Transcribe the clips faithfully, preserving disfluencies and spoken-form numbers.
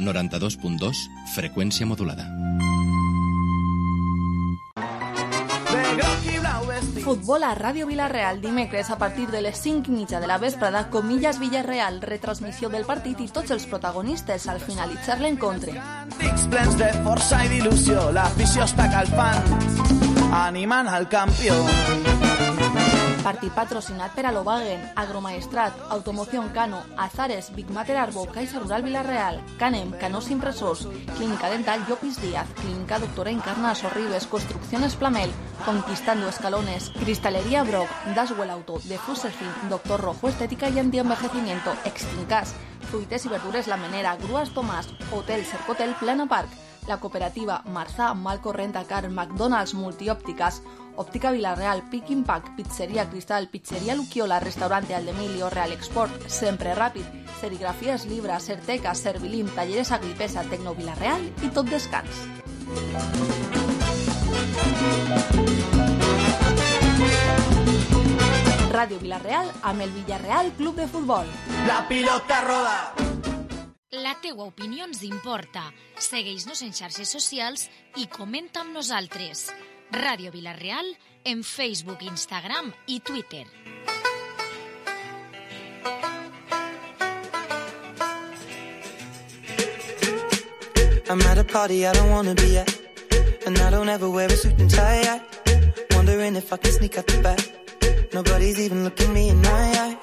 noranta-dos punt dos, freqüència modulada. Futbol a Ràdio Vila-real, dimecres a partir de les cinc i mitja de la vesprada, Comillas Villarreal, retransmissió del partit i tots els protagonistes al finalitzar l'encontre. Plens de força i d'il·lusió, l'afició està calfant, animant al campió. Partit patrocinat per Alovagen, Agromaestrat, Automoción Cano, Azares, Big Mater Arbo, Caixa Rural Vila-real, Canem, Canós Impressors, Clínica Dental Llopis Díaz, Clínica Doctora Encarna Sorribes, Construcciones Plamel, Conquistando Escalones, Cristalería Brock, Daswell Auto, de Fuserfin, Doctor Rojo Estética y Antienvejecimiento, Extincas, Fruites y Verdures La Menera, Grúas Tomàs, Hotel Cercotel Plana Park, la cooperativa Marzà, Malco Rentacar, McDonald's Multiòptiques, Òptica Vila-real, Pick Impact, Pizzeria Cristal, Pizzeria Luquiola, Restaurante Aldemilio, Real Export, Sempre Ràpid, Serigrafías Libra, Certeca, Servilim, Talleres Agripesa, Tecno Vila-real i Tot Descans. Ràdio Vila-real amb el Villarreal Club de Futbol. La pilota roda! La teua opinió ens importa. Segueix-nos en xarxes socials i comenta amb nosaltres. Ràdio Vila-real en Facebook, Instagram i Twitter. I'm at a party I don't wanna be at, and I don't ever wear a suit and tie. I wondering if I can sneak out the back. Nobody's even looking me in my eyes.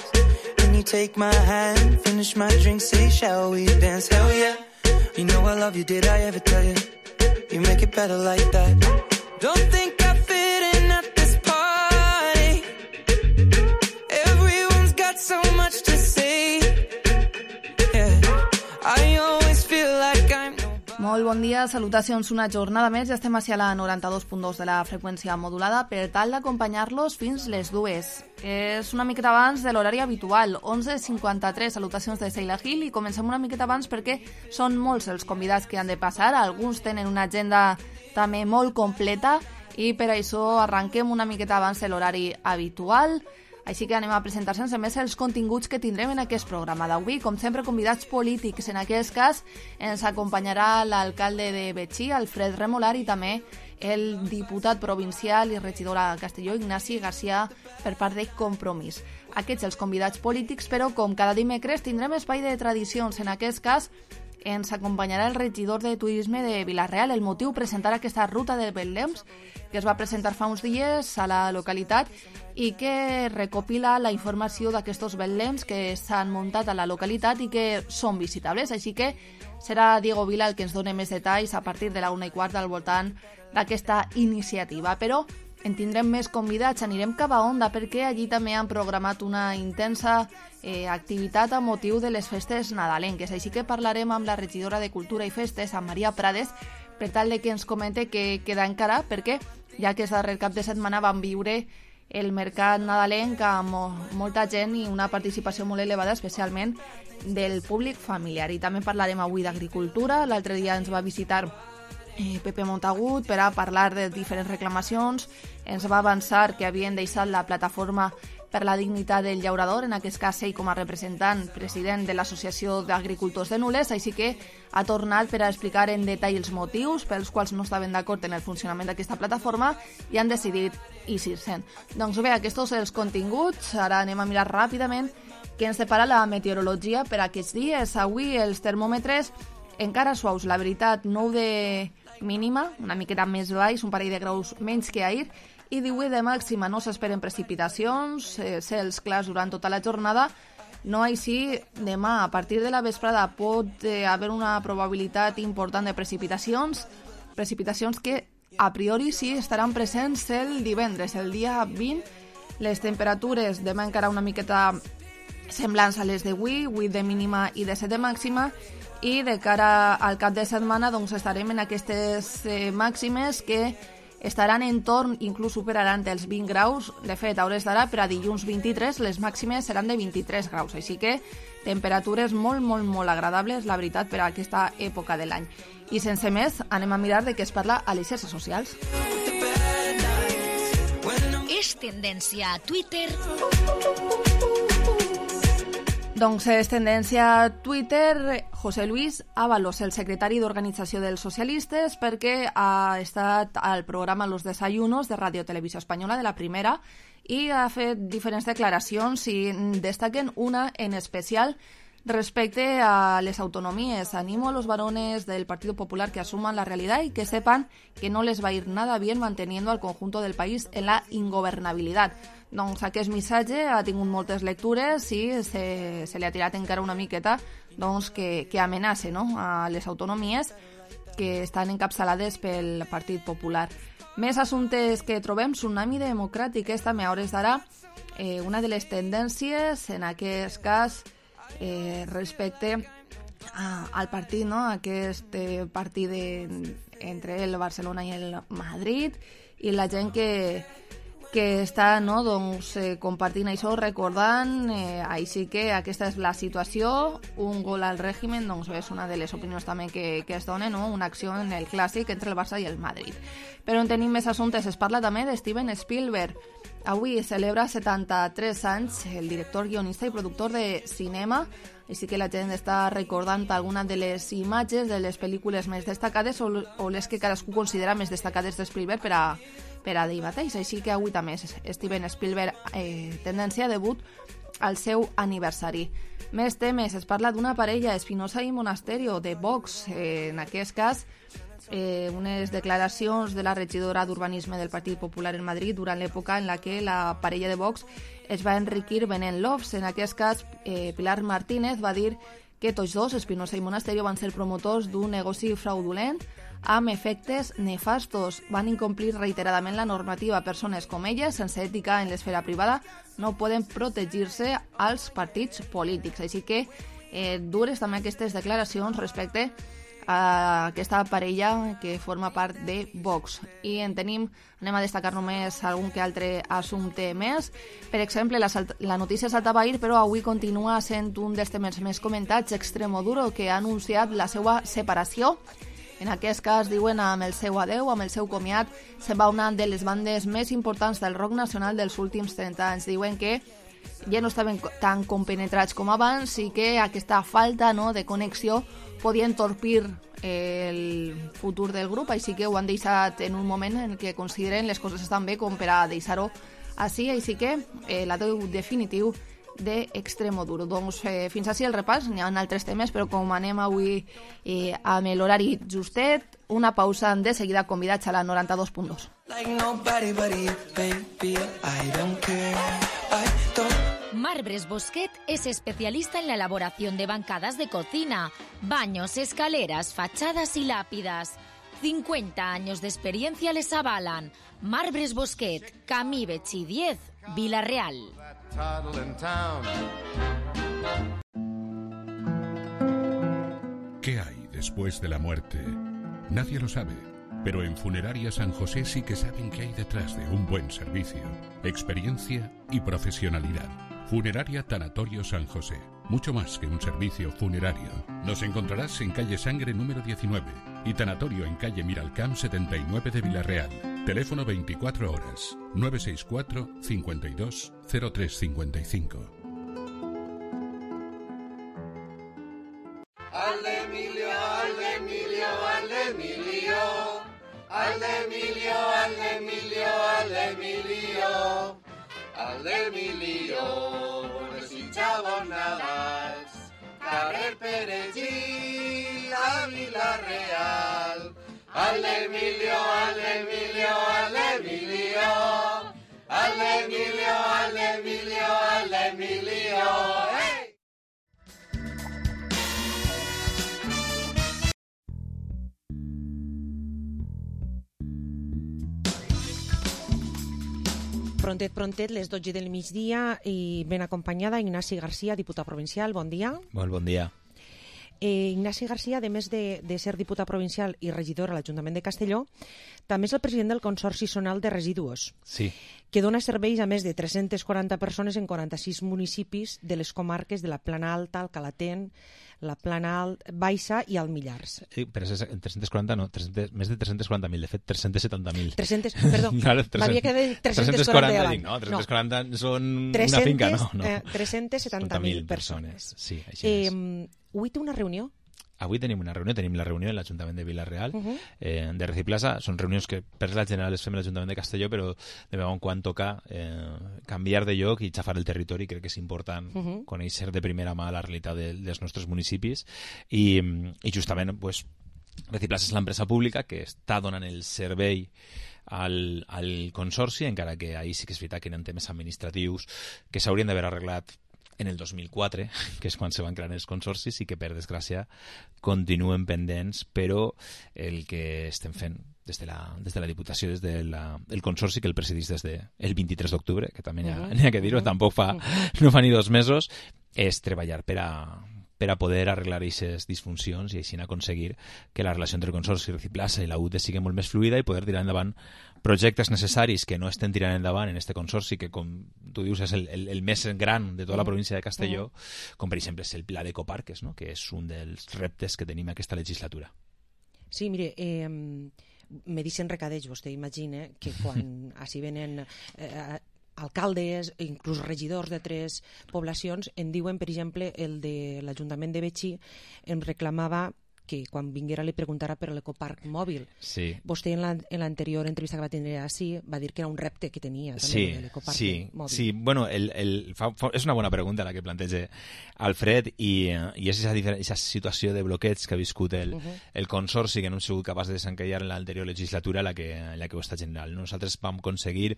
When you take my hand, finish my drink, say shall we dance? Hell yeah. You know I love you, did I ever tell you? You make it better like that. Don't think I fit in at this party. Everyone's got so much to say. Yeah. I always feel like I'm... Molt bon dia, salutacions una jornada més. Ja estem a la noranta-dos punt dos de la freqüència modulada per tal d'acompanyar-los fins les dues. És una miqueta abans de l'horari habitual, onze cinquanta-tres, salutacions de Seila Gil, i comencem una miqueta abans perquè són molts els convidats que han de passar. Alguns tenen una agenda també molt completa i per això arranquem una miqueta abans de l'horari habitual. Així que anem a presentar sense més els continguts que tindrem en aquest programa d'avui. Com sempre, convidats polítics. En aquest cas ens acompanyarà l'alcalde de Betxí, Alfred Remolar, i també el diputat provincial i regidor a Castelló, Ignasi Garcia, per part de Compromís. Aquests els convidats polítics, però com cada dimecres tindrem espai de tradicions. En aquest cas ens acompanyarà el regidor de Turisme de Vila-real. El motiu, presentar aquesta ruta de Betlems, que es va presentar fa uns dies a la localitat i que recopila la informació d'aquestos Betlems que s'han muntat a la localitat i que són visitables. Així que serà Diego Vila el que ens doni més detalls a partir de la una i quart al voltant d'aquesta iniciativa. Però en tindrem més convidats, anirem cap a Onda perquè allí també han programat una intensa eh, activitat a motiu de les festes nadalenques. Així que parlarem amb la regidora de Cultura i Festes, amb Maria Prades, per tal de que ens comente què queda encara, perquè ja que és darrer cap de setmana vam viure el mercat nadalenc amb molta gent i una participació molt elevada, especialment del públic familiar. I també parlarem avui d'agricultura. L'altre dia ens va visitar eh, Pepe Montagut per a parlar de diferents reclamacions. Ens va avançar que havien deixat la plataforma per la dignitat del llaurador, en aquest cas ell com a representant president de l'Associació d'Agricultors de Nules, així que ha tornat per a explicar en detall els motius pels quals no estaven d'acord en el funcionament d'aquesta plataforma i han decidit eixir-se'n. Doncs bé, aquests són els continguts. Ara anem a mirar ràpidament què ens separa la meteorologia per aquests dies. Avui els termòmetres encara suaus, la veritat, nou de mínima, una miqueta més baix, un parell de graus menys que ahir, i divuit de màxima. No s'esperen precipitacions, eh, cels clars durant tota la jornada. No així, demà, a partir de la vesprada, pot eh, haver una probabilitat important de precipitacions, precipitacions que a priori sí estaran presents el divendres, el dia vint. Les temperatures demà encara una miqueta semblants a les d'avui, vuit de mínima i de set de màxima, i de cara al cap de setmana doncs estarem en aquestes eh, màximes que estaran en torn, inclús superaran els vint graus. De fet, a hores d'ara, per a dilluns vint-i-tres, les màximes seran de vint-i-tres graus. Així que temperatures molt, molt, molt agradables, la veritat, per a aquesta època de l'any. I sense més, anem a mirar de què es parla a les xarxes socials. És tendència a Twitter Doncs és tendència a Twitter José Luis Ábalos, el secretari d'Organització dels Socialistes, perquè ha estat al programa Los Desayunos de Radio Televisió Espanyola, de la primera, i ha fet diferents declaracions i destaquen una en especial respecte a les autonomies. Animo a los varones del Partido Popular que asuman la realidad y que sepan que no les va a ir nada bien manteniendo al conjunto del país en la ingobernabilidad. Doncs aquest missatge ha tingut moltes lectures i se, se li ha tirat encara una miqueta doncs, que, que amenaça, no?, a les autonomies que estan encapçalades pel Partit Popular. Més assumptes que trobem: tsunami democràtic. És també a hores d'ara eh, una de les tendències, en aquest cas, eh, respecte a, al partit, no?, aquest eh, partit de, entre el Barcelona i el Madrid, i la gent que que està, no, doncs, eh, compartint això, recordant, eh, així que aquesta és la situació, un gol al règim, doncs és una de les opinions també que, que es dona, no?, una acció en el clàssic entre el Barça i el Madrid. Però en tenim més assumptes. Es parla també de Steven Spielberg. Avui celebra setanta-tres anys el director, guionista i productor de cinema, així que la gent està recordant algunes de les imatges de les pel·lícules més destacades o, o les que cadascú considera més destacades de Spielberg per a per a dir mateix. Així que avui també Steven Spielberg eh, tendència a debut al seu aniversari. Més temes. Es parla d'una parella, Espinosa i Monasterio, de Vox. Eh, en aquest cas, eh, unes declaracions de la regidora d'Urbanisme del Partit Popular en Madrid durant l'època en la que la parella de Vox es va enriquir venent lofts. En aquest cas, eh, Pilar Martínez va dir que tots dos, Espinosa i Monasterio, van ser promotors d'un negoci fraudulent amb efectes nefastos. Van incomplir reiteradament la normativa. Persones com elles, sense ètica en l'esfera privada, no poden protegir-se als partits polítics. Així que eh, dures també aquestes declaracions respecte a aquesta parella que forma part de Vox. I en tenim, anem a destacar només algun que altre assumpte més. Per exemple, la, la notícia saltava ahir, però avui continua sent un dels temes més comentats, Extremoduro, que ha anunciat la seva separació. En aquest cas, diuen, amb el seu adeu, amb el seu comiat, se'n va una de les bandes més importants del rock nacional dels últims trenta anys. Diuen que ja no estaven tan compenetrats com abans i que aquesta falta, no, de connexió podia entorpir el futur del grup, així que ho han deixat en un moment en què consideren les coses estan bé com per a deixar-ho així, així que eh, l'adeu definitiu de Extremoduro. Doncs eh, fins així el repàs. N'hi ha altres temes, però com anem avui eh, amb l'horari justet, una pausa. De seguida convidats a la noranta-dos punt dos. Marbres Bosquet es especialista en la elaboración de bancadas de cocina, baños, escaleras, fachadas y lápidas. cincuenta años de experiencia les avalan. Marbres Bosquet, Camí Betxí diez, Vila-real. ¿Qué hay después de la muerte? Nadie lo sabe, pero en Funeraria San José sí que saben qué hay detrás de un buen servicio, experiencia y profesionalidad. Funeraria Tanatorio San José, mucho más que un servicio funerario. Nos encontrarás en calle Sangre número diecinueve y Tanatorio en calle Miralcamp setenta y nueve de Vila-real. Teléfono veinticuatro horas, nueve seis cuatro, cincuenta y dos, cero tres cincuenta y cinco. Al Emilio, al Emilio, al Emilio, al Emilio, al Emilio, al Emilio, al Emilio, desitjava Navàs, carrer Perellí, a Vila-real. Al Emilio, al Emilio, al Emilio, al Emilio, al Emilio, al Emilio, ¡hey! Prontet, prontet, les dotze del migdia i ben acompanyada Ignasi Garcia, diputat provincial. Bon dia. Molt bon dia. Eh, Ignasi Garcia, a més de, de ser diputat provincial i regidor a l'Ajuntament de Castelló, també és el president del Consorci Zonal de Residus, sí. que dona serveis a més de tres-centes quaranta persones en quaranta-sis municipis de les comarques de la Plana Alta, el Calatent, la Plana Alt, Baixa i el Millars. Sí, però és tres-cents quaranta, no, tres cents, més de tres-cents quaranta mil, de fet, tres-cents setanta mil. tres-cents, perdó, claro, m'havia quedat en tres-cents quaranta davant. No, tres-cents quaranta no. Són tres-cents, una finca, no? no. Eh, tres-cents setanta mil persones. Sí, així eh, és. Avui té una reunió? Avui tenim una reunió, tenim la reunió en l'Ajuntament de Vila-real, uh -huh. eh, de Reciplaza. Són reunions que per la general les fem a l'Ajuntament de Castelló, però de vegades quan toca eh, canviar de lloc i xafar el territori, crec que és important uh -huh. conèixer de primera mà la realitat de, dels nostres municipis i, i justament pues, Reciplaza és l'empresa pública que està donant el servei al, al consorci, encara que ahir sí que és veritat que eren temes administratius que s'haurien d'haver arreglat en el dos mil quatre, que és quan se van crear els consorcis i que, per desgràcia, continuen pendents, però el que estem fent des de la, des de la Diputació, des del de consorci que el presidís des del de vint-i-tres d'octubre, que també n'hi ha, uh-huh. ha que dir-ho, uh-huh. tampoc fa, no fa ni dos mesos, és treballar per a, per a poder arreglar aquestes disfuncions i així aconseguir que la relació entre el Consorci Reciplaza i la U T E sigui molt més fluida i poder tirar endavant projectes necessaris que no estem tirant endavant en este consorci, que com tu dius és el, el, el més gran de tota la província de Castelló, com per exemple és el Pla d'Ecoparques, no? que és un dels reptes que tenim aquesta legislatura. Sí, mire, eh, me dicen recadeig, vostè imagina que quan així venen eh, alcaldes, inclús regidors de tres poblacions, em diuen, per exemple, el de l'Ajuntament de Betxí em reclamava que quan vinguera li preguntara per l'ecoparc mòbil. Sí. Vostè en l'anterior entrevista que va tindre així va dir que era un repte que tenia també, sí, l'ecoparc sí, mòbil. Sí, bueno, el, el, fa, fa, és una bona pregunta la que planteja Alfred i, i és aquesta situació de bloqueig que ha viscut el, uh-huh. el Consorci, que no hem sigut capaç de desencallar en l'anterior legislatura, la que, la que ho està general. Nosaltres vam aconseguir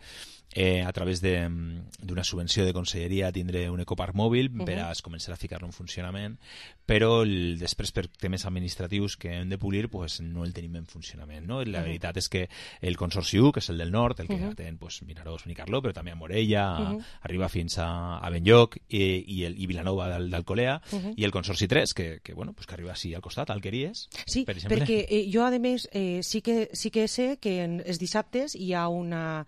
eh, a través d'una subvenció de conselleria tindre un ecoparc mòbil uh-huh. per a començar a ficar-lo en funcionament, però el, després per temes administratius que hem de polir pues, no el tenim en funcionament. No? La uh-huh. veritat és que el Consorci u, que és el del nord, el que uh-huh. atén pues, Vinaròs, Benicarló, però també a Morella, uh-huh. arriba fins a, a Benlloc i, i, el, i Vilanova d'Alcolea, uh-huh. i el Consorci tres, que, que, bueno, pues, que arriba així al costat, al Alqueries. Sí, per perquè eh, jo, a més, eh, sí, que, sí que sé que en els dissabtes hi ha una...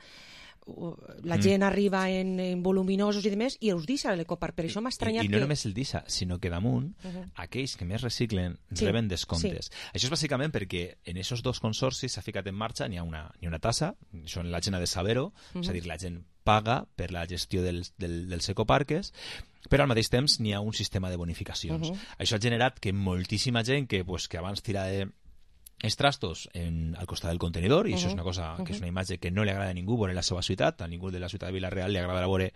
la gent mm. arriba en, en voluminosos i demés i els deixa l'ecoparc, per això m'ha estranyat I, i no que... només el deixa, sinó que damunt uh -huh. aquells que més reciclen sí. reben descomptes. Sí. Això és bàsicament perquè en aquests dos consorcis s'ha ficat en marxa, n'hi ha una, n'hi ha una tassa, són la gent ha de saber-ho, uh -huh. és a dir, la gent paga per la gestió dels, del, dels ecoparques, però al mateix temps n'hi ha un sistema de bonificacions. Uh -huh. Això ha generat que moltíssima gent que, pues, que abans tirava de els trastos en, al costat del contenidor, i uh-huh. això és una cosa que és una imatge que no li agrada a ningú veure la seva ciutat, a ningú de la ciutat de Vila-real li agrada veure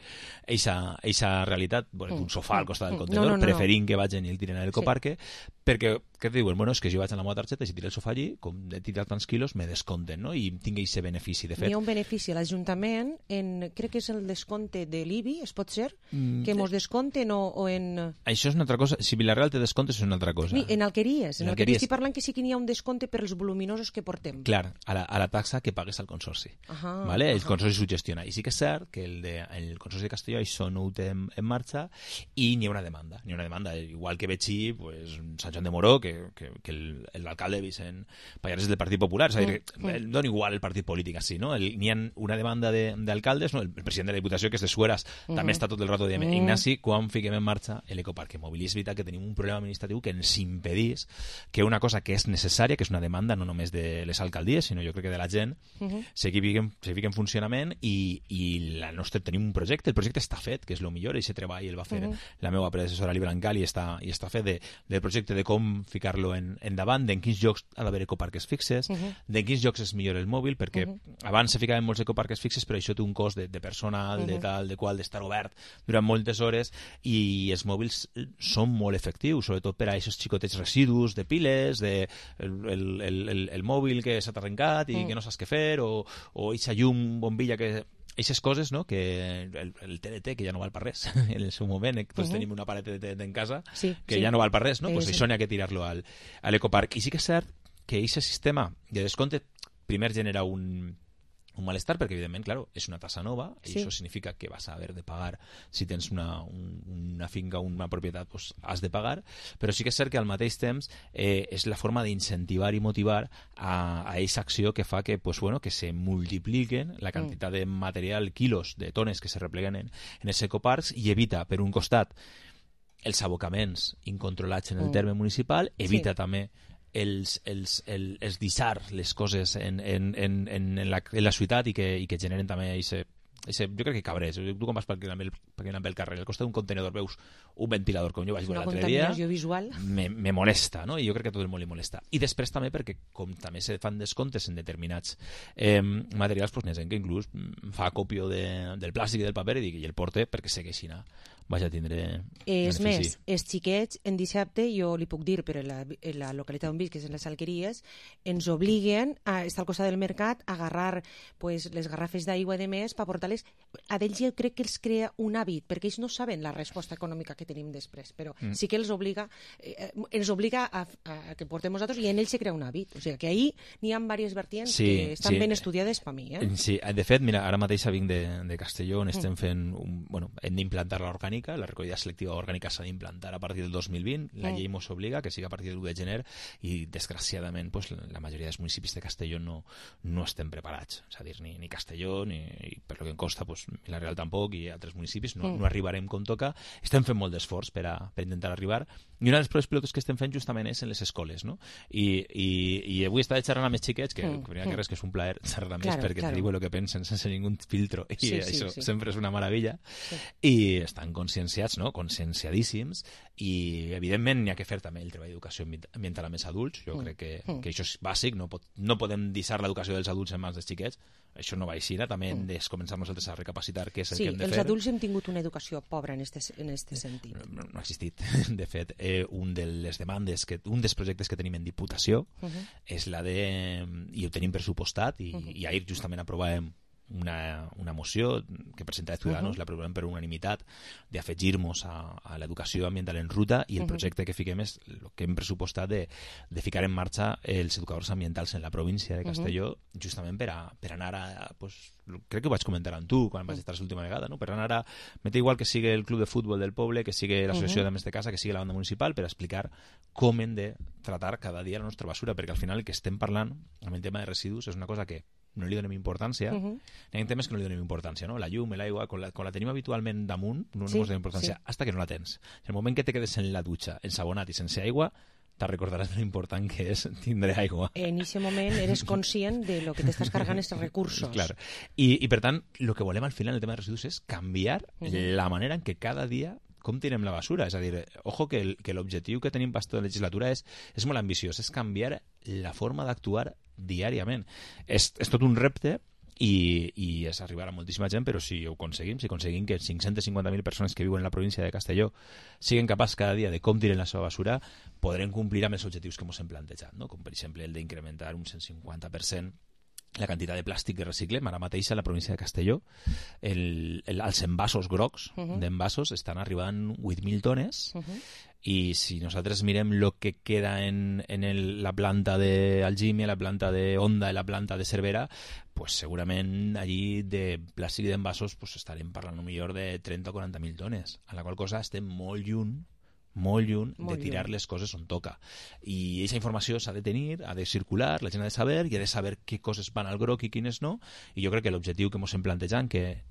eixa realitat, veure un sofà al costat del contenidor, no, no, no, preferint no. que vagin i el tiren a l'ecoparque, sí. perquè, què diuen? Bueno, és que jo vaig amb la meva targeta i si tiro el sofà allí, com he tirat tants quilos, me descompten, no? I tinc aquest benefici. De fet, hi ha un benefici a l'Ajuntament, en, crec que és el descompte de l'I B I, es pot ser? Mm, que mos descompten o, o en... Això és una altra cosa. Si Vila-real té descomptes és una altra cosa. Sí, en Alqueries. En, en Alqueries estic parlant que sí que n'hi ha un descompte per els voluminosos que portem. Clar, a la, a la taxa que pagues al Consorci. Ajá, ¿vale? El ajá. Consorci s'ho gestiona. I sí que és cert que el, de, el Consorci de Castelló això no ho té en, en marxa i n'hi ha una demanda. N'hi ha una demanda, igual que Betxí, pues, Sant Joan de Moró, que, que, que l'alcalde Vicent Pallares és del Partit Popular, és a dir, mm, mm. dona igual el partit polític així, no? N'hi ha una demanda d'alcaldes, no? El, el president de la Diputació, que és de Sueras, mm. també està tot el rato dient, mm. Ignasi, quan fiquem en marxa l'ecoparc mòbil? I és veritat que tenim un problema administratiu que ens impedís que una cosa que és necessària, que és una demanda no només de les alcaldies, sinó jo crec que de la gent, uh-huh. sigui en, sigui en funcionament i, i la nostra, tenim un projecte, el projecte està fet, que és el millor, i aquest treball el va fer uh-huh. la meva predecessora Li Brancal i està, i està fet de, del projecte de com ficar-lo en, endavant, d'en quins llocs ha d'haver ecoparques fixes, uh-huh. d'en quins llocs és millor el mòbil, perquè uh-huh. abans se ficaven molts ecoparques fixes, però això té un cost de, de personal, uh-huh. de tal, de qual, d'estar obert durant moltes hores, i els mòbils són molt efectius, sobretot per a aquests xicotets residus de piles, de el, el, el, el, el mòbil que s'ha arrencat i mm. que no saps què fer, o, o eixa llum, bombilla, que aquestes coses, no? Que el, el T N T, que ja no val per res en el seu moment, tots uh-huh. tenim una paret de T N T en casa sí, que sí. ja no val per res, no? Eh, pues sí. Això n'hi ha que tirar-lo al, a l'ecoparc. I sí que és cert que aquest sistema de descompte primer genera un un malestar perquè, evidentment, claro, és una tassa nova i Sí. això significa que vas a haver de pagar. Si tens una, un, una finca o una propietat, pues has de pagar, però sí que és cert que al mateix temps eh, és la forma d'incentivar i motivar a, a aquesta acció que fa que, pues, bueno, que se multipliquen la quantitat de material, quilos de tones que se repleguen en, en els ecoparcs i evita, per un costat, els abocaments incontrolats en el Mm. terme municipal, evita Sí. també els, els, el, els deixar les coses en, en, en, en, la, en la ciutat i que, i que generen també ese, ese, jo crec que cabrés. Tu quan vas per pel, pel carrer, al costat d'un contenedor veus un ventilador, com jo vaig veure Una l'altre dia, contaminació visual. me, me molesta, no? I jo crec que a tot el món li molesta. I després també perquè, com també se fan descomptes en determinats eh, materials, pues, n'hi ha gent que inclús fa còpia de, del plàstic i del paper i, dic, i el porte perquè segueixin a vaig a tindre És benefici. més, els xiquets en dissabte, jo li puc dir, però en la, en la localitat on visc, que és en les Alqueries, ens obliguen a estar al costat del mercat a agarrar pues, les garrafes d'aigua de més per portar-les. A d'ells jo crec que els crea un hàbit, perquè ells no saben la resposta econòmica que tenim després, però mm. sí que els obliga, eh, ens obliga a, a que portem nosaltres i en ells se crea un hàbit. O sigui que ahí n'hi ha diverses vertients Sí, que estan sí. ben estudiades per mi. Eh? Sí, de fet, mira, ara mateix vinc de, de Castelló, on estem fent un, bueno, hem d'implantar l'orgànica, la recollida selectiva orgànica s'ha d'implantar a partir del dos mil vint, la llei mos obliga que siga a partir del u de gener i desgraciadament pues, la majoria dels municipis de Castelló no, no estem preparats, és a dir, ni, ni Castelló ni, i per lo que em costa, pues, la Real tampoc i altres municipis, no, no arribarem com toca. Estem fent molt d'esforç per, a, per intentar arribar, i una de les proves pilotes que estem fent justament és en les escoles, no? I, i, i avui estava xerrant amb els xiquets, que mm. primer que res que és un plaer xerrar amb ells Claro, perquè claro. te diuen el que pensen sense ningú filtro, i Sí, sí, això sí. sempre és una meravella, Sí. i estan conscienciats, no? Conscienciadíssims, i evidentment n'hi ha que fer també el treball d'educació ambiental amb els adults. Jo Mm. crec que, Mm. que això és bàsic, no, pot, no podem deixar l'educació dels adults en mans dels xiquets, això no va així, també hem de començar nosaltres a recapacitar què és el Sí, que hem de els fer. adults hem tingut una educació pobra en este, en este sentit. No, no ha existit. De fet, eh, un de les demandes, que, un dels projectes que tenim en Diputació Uh -huh. és la de... i ho tenim pressupostat, i, Uh -huh. i ahir justament aprovàvem una, una moció que presenta Ciudadanos, Uh-huh. l'aprovem per unanimitat, d'afegir-nos a, a l'educació ambiental en ruta, i el Uh-huh. projecte que fiquem és el que hem pressupostat de, de ficar en marxa els educadors ambientals en la província de Castelló, uh-huh. justament per, a, per anar a... Pues, crec que ho vaig comentar amb tu quan vaig estar l'última vegada, no? Per anar a... M'és igual que sigui el club de futbol del poble, que sigui l'associació Uh-huh. d'Ames de Casa, que sigui la banda municipal, per explicar com hem de tratar cada dia la nostra basura, perquè al final el que estem parlant amb el tema de residus és una cosa que no li donem importància. Uh-huh. Hi ha temes que no li donem importància, no? La llum, l'aigua, quan la, quan la tenim habitualment damunt, no Sí, ens donem importància, sí. hasta que no la tens. En el moment que te quedes en la dutxa, ensabonat i sense aigua, te recordaràs de l'important que és tindre aigua. En aquest moment eres conscient de lo que t'estàs cargant aquests recursos. Clar. I, I, per tant, el que volem al final en el tema de residus és canviar Uh-huh. la manera en què cada dia com tirem la basura. És a dir, ojo que el, que l'objectiu que tenim per tota la legislatura és, és molt ambiciós, és canviar la forma d'actuar diàriament. És, és tot un repte, i, i és arribar a moltíssima gent, però si ho aconseguim, si aconseguim que cinc-centes cinquanta mil persones que viuen en la província de Castelló siguin capaços cada dia de com tiren la seva basura, podrem complir amb els objectius que ens hem plantejat, no? Com per exemple el d'incrementar un cent cinquanta per cent la quantitat de plàstic que reciclem. Ara mateix a la província de Castelló el, el, els envasos grocs Uh-huh. d'envasos estan arribant vuit mil tones, Uh-huh. i si nosaltres mirem el que queda en, en el, la planta d'Algímia, la planta de Onda i la planta de Cervera, pues segurament allí de plàstic i d'envasos pues estarem parlant millor de trenta o quaranta mil tones, a la qual cosa estem molt lluny molt lluny Molt de tirar lluny. les coses on toca. I aquesta informació s'ha de tenir, ha de circular, la gent ha de saber, i ha de saber què coses van al groc i quines no, i jo crec que l'objectiu que ens hem plantejat, que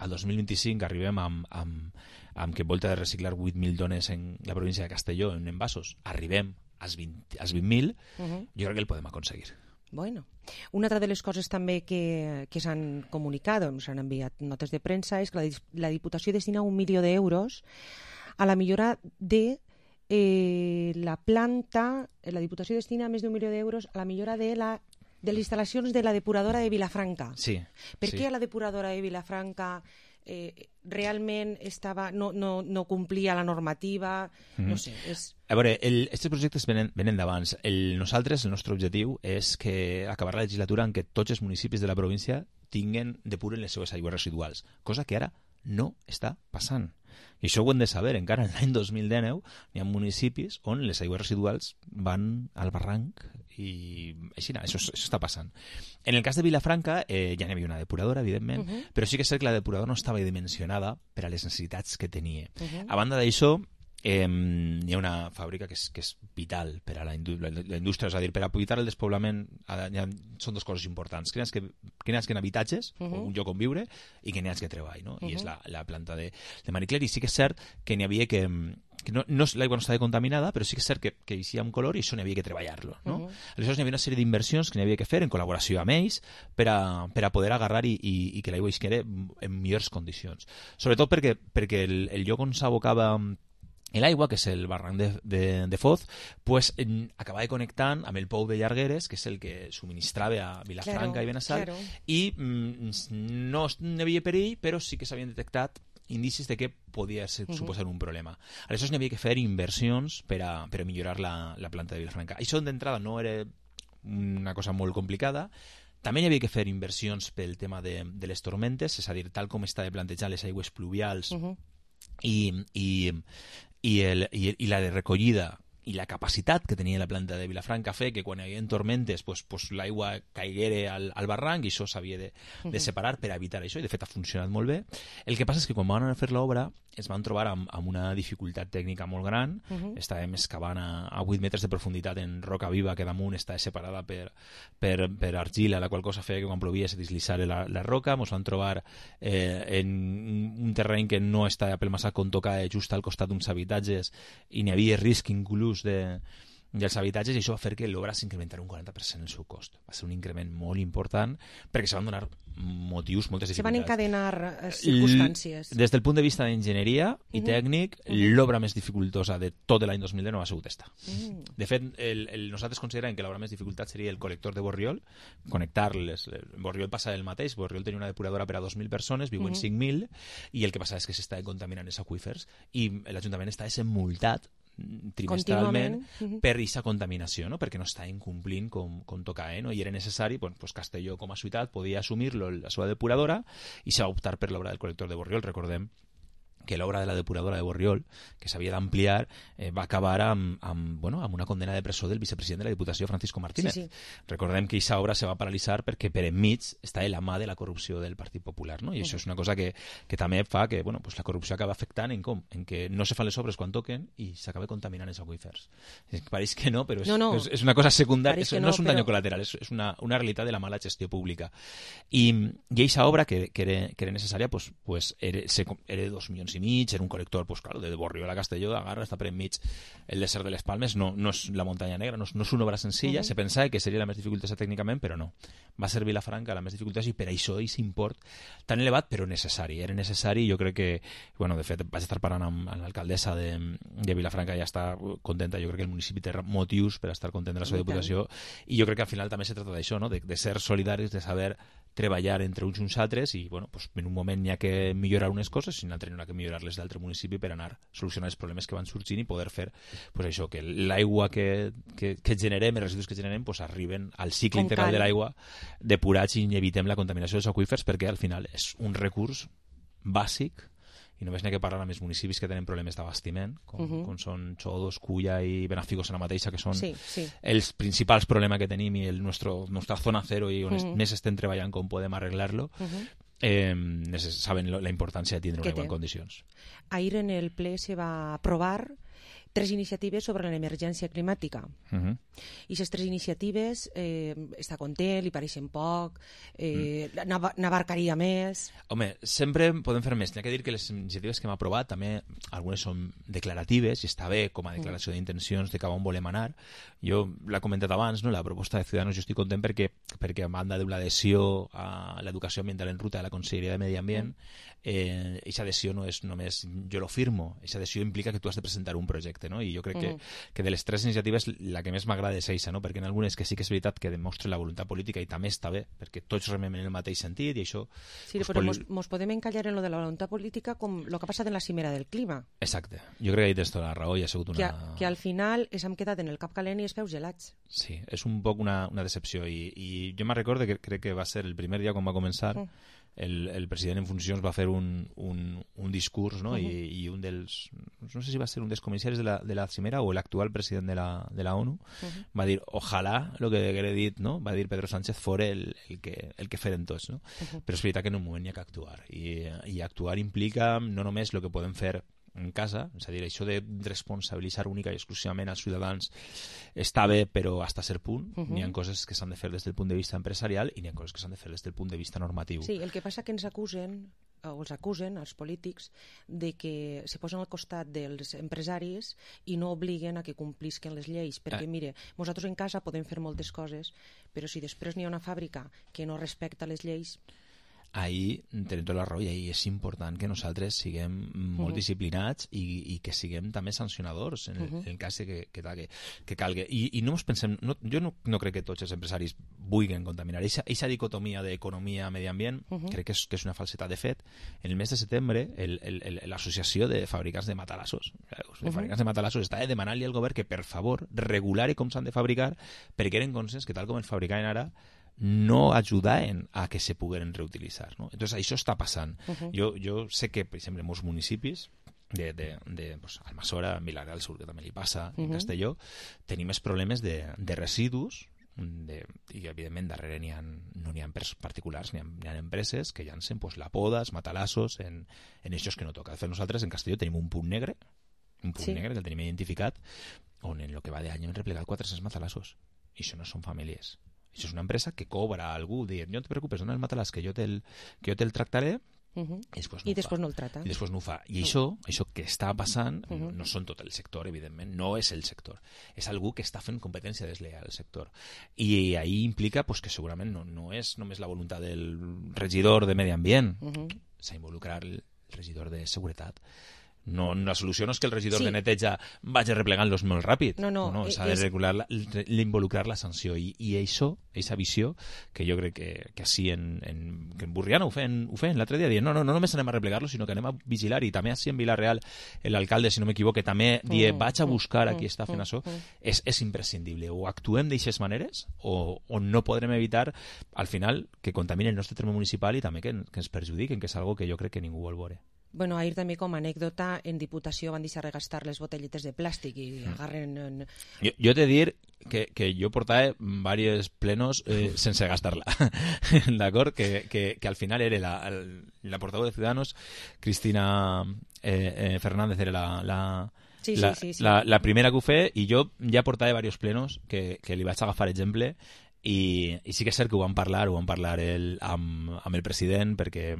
al dos mil vint-i-cinc arribem amb, amb, amb que volta de reciclar vuit mil tones en la província de Castelló en envasos, arribem als vint mil, Uh-huh. jo crec que el podem aconseguir. Bueno, una altra de les coses també que, que s'han comunicat, s'han enviat notes de premsa, és que la, dis- la Diputació destina un milió d'euros a la millora de eh, la planta. La Diputació destina més d'un milió d'euros a la millora de la de les instal·lacions de la depuradora de Vilafranca. Sí. Per sí. què la depuradora de Vilafranca eh, realment estava, no, no, no complia la normativa? Mhm. No sé, és... A veure, aquests projectes venen, venen d'abans. El, nosaltres, el nostre objectiu és que acabar la legislatura en què tots els municipis de la província tinguen, depuren les seves aigües residuals, cosa que ara no està passant. I això ho hem de saber. Encara en l'any dos mil dinou hi ha municipis on les aigües residuals van al barranc i així, això, això està passant. En el cas de Vilafranca eh, ja n'hi havia una depuradora, evidentment, uh-huh. però sí que és cert que la depuradora no estava dimensionada per a les necessitats que tenia. Uh-huh. A banda d'això, Eh, hi ha una fàbrica que és, que és vital per a la, indú la, la indústria, és a dir, per a evitar el despoblament ha, ha, són dues coses importants, que n'hi ha que, que, n'hi ha que en habitatges, uh -huh. o un lloc on viure, i que n'hi ha que treball, no? Uh -huh. I és la, la planta de, de Marie Claire, i sí que és cert que n'hi havia que, que no, no, l'aigua no estava contaminada, però sí que és cert que, que hi havia un color i això n'hi havia que treballar-lo, no? Uh -huh. Aleshores n'hi havia una sèrie d'inversions que n'hi havia que fer en col·laboració amb ells per a, per a poder agarrar i, i, i que l'aigua isquera en millors condicions. Sobretot perquè, perquè el, el lloc on s'abocava l'aigua, que és el barranc de, de, de Foz, pues, en, acabava connectant amb el pou de Llargueres, que és el que subministrava a Vilafranca claro, i Benassal, claro. i mm, no hi havia perill, però sí que s'havien detectat indicis de que podia ser, uh-huh. suposar un problema. Aleshores n'hi havia que fer inversions per a, per a millorar la, la planta de Vilafranca. Això d'entrada no era una cosa molt complicada. També hi havia que fer inversions pel tema de, de les tormentes, és a dir, tal com està de plantejar les aigües pluvials uh-huh. i, i I, el, i, i la de recollida i la capacitat que tenia la planta de Vilafranca fer que quan hi havia tormentes pues, pues, l'aigua caiguera al, al barranc i això s'havia de, de separar per evitar això i de fet ha funcionat molt bé. El que passa és que quan van a fer l'obra es van trobar amb, amb una dificultat tècnica molt gran. Uh-huh. Estàvem excavant a, a vuit metres de profunditat en roca viva que damunt està separada per, per, per argila, la qual cosa feia que quan plovia se deslizara la, la roca. Ens van trobar eh, en un terreny que no està pel massa con tocar just al costat d'uns habitatges i n'hi havia risc inclús de dels habitatges i això va fer que l'obra s'incrementara un quaranta per cent el seu cost. Va ser un increment molt important perquè se van donar motius, moltes dificultats. Se van encadenar eh, circumstàncies. L des del punt de vista d'enginyeria i uh -huh. tècnic, uh -huh. l'obra més dificultosa de tot l'any dos mil deu no ha sigut esta. Uh -huh. De fet, el, el, nosaltres considerem que l'obra més dificultat seria el col·lector de Borriol, connectar-les. Borriol passa el mateix, Borriol tenia una depuradora per a dos mil persones, viuen uh -huh. cinc mil, i el que passa és que s'està contaminant els aqüífers i l'Ajuntament està multat trimestralment per aquesta contaminació, no? Perquè no està incomplint com, com toca, eh? No? I era necessari, bueno, pues Castelló com a ciutat podia assumir-lo la seva depuradora i s'ha optar per l'obra del col·lector de Borriol. Recordem que l'obra de la depuradora de Borriol, que s'havia d'ampliar, eh, va acabar amb, amb, bueno, amb una condena de presó del vicepresident de la Diputació, Francisco Martínez. Sí, sí. Recordem que aquesta obra se va paralitzar perquè per enmig està la mà de la corrupció del Partit Popular, no? I uh -huh. això és una cosa que, que també fa que bueno, pues la corrupció acaba afectant en com? En que no se fan les obres quan toquen i s'acaba contaminant els aqüífers. Pareix que no, però és, no, no. és, és una cosa secundària, és, no, no és un però... daño colateral, és, és una, una realitat de la mala gestió pública. I, i aquesta obra, que, que, era, que era necessària, pues, pues era, se, era de dos milions i mig, era un col·lector, pues, claro, de Borriol a Castelló, agarra, està per enmig el desert de les Palmes, no, no és la muntanya negra, no és, no és una obra senzilla, uh -huh. se pensava que seria la més dificultosa tècnicament, però no. Va ser Vilafranca la més dificultosa i per això aquest import tan elevat, però necessari. Era necessari i jo crec que, bueno, de fet, vaig estar parlant amb, amb l'alcaldessa de, de Vilafranca, ja està contenta, jo crec que el municipi té motius per estar content de la seva diputació i jo crec que al final també se trata d'això, no? de, de ser solidaris, de saber treballar entre uns i uns altres i bueno, pues, en un moment n'hi ha que millorar unes coses i en un altre n'hi ha que millorar-les d'altre municipi per anar a solucionar els problemes que van sorgint i poder fer pues, això, que l'aigua que, que, que generem, els residus que generem pues, arriben al cicle Com integral cal. de l'aigua depurats i evitem la contaminació dels aqüífers perquè al final és un recurs bàsic i només n'hi ha que parlar amb els municipis que tenen problemes d'abastiment, com, uh -huh. com són Xodos, Culla i Benafigos en la mateixa, que són sí, sí. els principals problemes que tenim i el nostre, nostra zona zero i on uh -huh. més estem treballant com podem arreglar-lo, uh -huh. eh, saben la importància de tindre una aigua en condicions. Ahir en el ple se va aprovar tres iniciatives sobre l'emergència climàtica. Uh-huh. I aquestes tres iniciatives eh, està content, li pareixen poc, eh, mm. n'abarcaria més... Home, sempre podem fer més. N'hi ha que dir que les iniciatives que hem aprovat també, algunes són declaratives i està bé com a declaració mm. d'intencions de cap on volem anar. Jo l'he comentat abans, no? La proposta de Ciudadanos jo estic content perquè, perquè a banda d'una adhesió a l'educació ambiental en ruta de la Conselleria de Medi Ambient, mm. eh, aquesta adhesió no és només jo lo firmo, aquesta adhesió implica que tu has de presentar un projecte, no? I jo crec que, que de les tres iniciatives la que més m'agrada és eixa, no? Perquè en algunes que sí que és veritat que demostra la voluntat política i també està bé, perquè tots remem en el mateix sentit i això... Sí, pues, però poli... mos, mos podem encallar en lo de la voluntat política com el que ha passat en la cimera del clima. Exacte. Jo crec que ahí tens tota la raó i ha sigut una... Que, que al final ens hem quedat en el cap calent i els peus gelats. Sí, és un poc una, una decepció i, i jo me'n recordo que crec que va ser el primer dia quan va començar mm. el, el president en funcions va fer un, un, un discurs, no? Uh-huh. I, i un dels, no sé si va ser un dels comissaris de la, de la cimera o l'actual president de la, de la ONU, uh-huh. va dir, ojalà, el que haguera dit, no? Va dir Pedro Sánchez, fora el, el, que, el que feren tots, no? Uh-huh. Però és veritat que en un moment hi ha que actuar, i, i actuar implica no només el que podem fer en casa, és a dir, això de responsabilitzar única i exclusivament als ciutadans està bé, però hasta cert punt. Uh-huh. N'hi ha coses que s'han de fer des del punt de vista empresarial i n'hi ha coses que s'han de fer des del punt de vista normatiu. Sí, el que passa que ens acusen, o els acusen, els polítics, de que se posen al costat dels empresaris i no obliguen a que complisquen les lleis, perquè, eh. mire, nosaltres en casa podem fer moltes coses, però si després n'hi ha una fàbrica que no respecta les lleis... Ahí tenim tota la raó i ahí és important que nosaltres siguem molt uh-huh. disciplinats i, i que siguem també sancionadors en el, uh-huh. en el cas que, que, que, que calgui. I, i no ens pensem, no, jo no, no crec que tots els empresaris vulguin contaminar. Eixa dicotomia d'economia i medi ambient uh-huh. crec que és, que és una falsetat. De fet, en el mes de setembre l'associació de fabricants de matalassos de uh-huh. fabricants de matalassos està demanant-li al govern que per favor regulari com s'han de fabricar, perquè eren conscients que tal com els fabricaven ara no ajudaven a que se pogueren reutilitzar, no? Entonces això està passant. Uh-huh. Jo, jo sé que, per exemple, en molts municipis de, de, de pues, Almassora, Vilareal del Sur, que també li passa, uh-huh. en Castelló, tenim més problemes de, de residus, de, i evidentment darrere n'hi ha, no n'hi ha particulars, n'hi ha, n'hi ha empreses que llancen pues, la poda, els matalassos en, en eixos que no toca. De fet, nosaltres en Castelló tenim un punt negre, un punt sí. negre que el tenim identificat, on en el que va d'any hem replegat quatre-cents matalassos. I això no són famílies. Això és una empresa que cobra a algú, dir, no te preocupes, dona el matalàs que jo te'l te el tractaré, uh-huh. i després, no, I després no el trata. I després no ho fa. I no. això, això que està passant, uh-huh. no, no són tot el sector, evidentment, no és el sector. És algú que està fent competència desleal al sector. I ahí implica pues, que segurament no, no és només la voluntat del regidor de Medi Ambient, uh-huh. s'ha involucrat el regidor de Seguretat. No, la solució no és que el regidor sí. de neteja vagi replegant-los molt ràpid. No, no, no s'ha de regular la, l'involucrar la sanció. I, i això, aquesta visió, que jo crec que, que així en, en, que en Burriana ho feien, ho feien l'altre dia, dient, no, no, no només anem a replegar-los, sinó que anem a vigilar, i també així en Vilareal, l'alcalde, si no m'equivoque, també die, vaig a buscar a qui està fent això, és, és imprescindible. O actuem d'aixes maneres, o, o no podrem evitar, al final, que contamini el nostre terme municipal i també que, que ens perjudiquen, que és algo que jo crec que ningú vol veure. Bueno, ahir també com a anècdota en Diputació van deixar regastar les botelletes de plàstic i agarren... En... Jo, jo t'he de dir que, que jo portava diversos plenos eh, sense gastar-la, d'acord? Que, que, que al final era la, la portaveu de Ciudadanos, Cristina eh, eh, Fernández, era la... la Sí, sí, la, sí, sí. La, la primera que ho fe, i jo ja portava diversos plenos que, que li vaig agafar exemple. I, i sí que és cert que ho vam parlar ho vam parlar el, amb, amb el president, perquè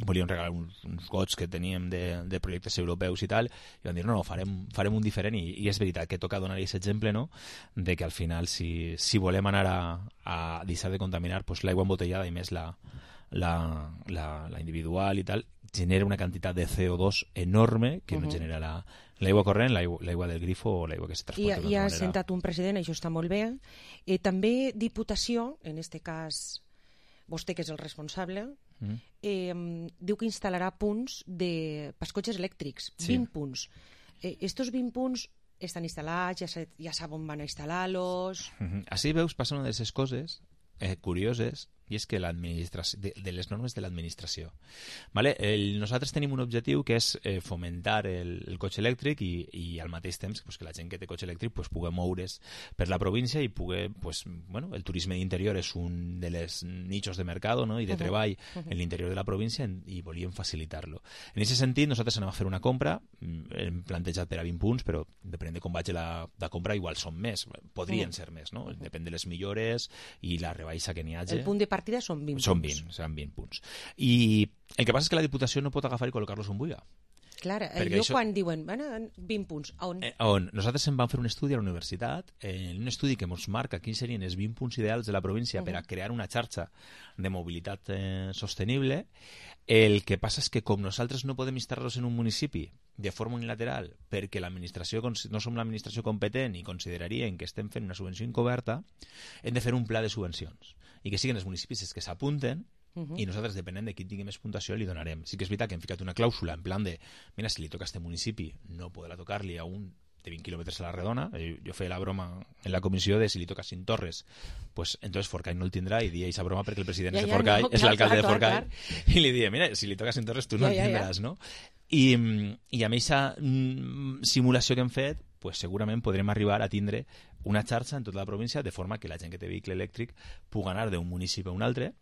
volíem regalar uns, uns gots que teníem de, de projectes europeus i tal, i vam dir no, no, farem, farem un diferent, i, i és veritat que toca donar aquest exemple, no?, de que al final si, si volem anar a, a deixar de contaminar, pues l'aigua embotellada i més la, la, la, la individual i tal, genera una quantitat de C O dos enorme que uh-huh. no genera la, l'aigua corrent, l'aigua, l'aigua del grifo o l'aigua que se transporta. I, i ha manera... sentat un president, això està molt bé. Eh, també Diputació, en este cas vostè que és el responsable, mm. eh, diu que instal·larà punts de pels cotxes elèctrics, sí. vint punts. Eh, estos vint punts estan instal·lats, ja, se, ja sap on van a instal·lar-los... Mm-hmm. Així veus, passen una d'aquestes coses eh, curioses, i és que l'administració de, de les normes de l'administració. Vale? El, nosaltres tenim un objectiu que és eh, fomentar el, el cotxe elèctric i, i al mateix temps pues, que la gent que té cotxe elèctric pues, pugui moure's per la província i pugui, pues, bueno, el turisme d'interior és un de les nichos de mercat, no?, i de uh-huh. treball uh-huh. en l'interior de la província, en, i volíem facilitar-lo. En aquest sentit, nosaltres anem a fer una compra, hem plantejat per a vint punts, però depenent de com vagi la, la compra, igual són més, podrien uh-huh. ser més, no? Depèn de les millores i la rebaixa que n'hi hagi. El punt de partida són vint són punts. vint, seran vint punts. I el que passa és que la Diputació no pot agafar i col·locar-los on vulgui. Clar, jo això... quan diuen bueno, vint punts, on? Eh, on? Nosaltres en vam fer un estudi a la universitat, eh, un estudi que ens marca quins serien els vint punts ideals de la província uh-huh. per a crear una xarxa de mobilitat eh, sostenible. El que passa és que com nosaltres no podem instal·lar-los en un municipi de forma unilateral perquè l'administració no som l'administració competent i considerarien que estem fent una subvenció encoberta, hem de fer un pla de subvencions i que siguin els municipis els que s'apunten uh-huh. i nosaltres, depenent de qui tingui més puntuació, li donarem. Sí que és veritat que hem ficat una clàusula en plan de, mira, si li toca a este municipi, no podrà tocar-li a un té vint quilòmetres a la redona. Jo feia la broma en la comissió de si li toca Cinc Torres, pues entonces Forcall no el tindrà, i dia aquesta broma perquè el president ja, ja, de Forcall no, és l'alcalde de Forcall, i li dia, mira, si li toca Cinc Torres tu no ja, el tindràs, ja, ja. no? I, i amb aquesta simulació que hem fet, pues segurament podrem arribar a tindre una xarxa en tota la província de forma que la gent que té vehicle elèctric pugui anar d'un municipi a un altre,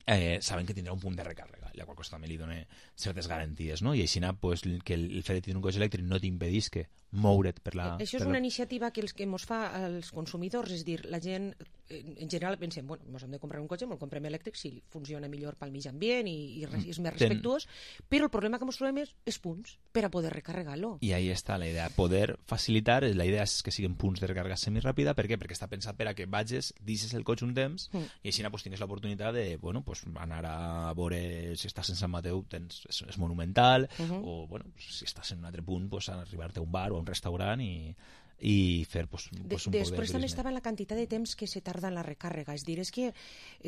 eh, saben que tindrà un punt de recàrrega, la qual cosa també li dona certes garanties, no? I així pues, que el, el fet de tenir un cotxe elèctric no t'impedís que moure't per la... Això és per una la... iniciativa que els que ens fa als consumidors, és dir, la gent en general pensem, bueno, ens hem de comprar un cotxe, me'l comprem elèctric si funciona millor pel mig ambient i, i és més respectuós, Ten... però el problema que ens trobem és, és punts per a poder recarregar-lo. I ahí està la idea, poder facilitar, la idea és que siguin punts de recàrrega semiràpida, per què? Perquè està pensat per a que vagis, deixes el cotxe un temps mm. i així pues, tingues l'oportunitat de, bueno, pues, anar a veure si estàs en Sant Mateu, tens, és, és monumental, uh -huh. o bueno, si estàs en un altre punt, pues, arribar-te a un bar o a un restaurant i, i fer pues, pues, un de, poc de després també estava la quantitat de temps que se tarda en la recàrrega, és dir, és que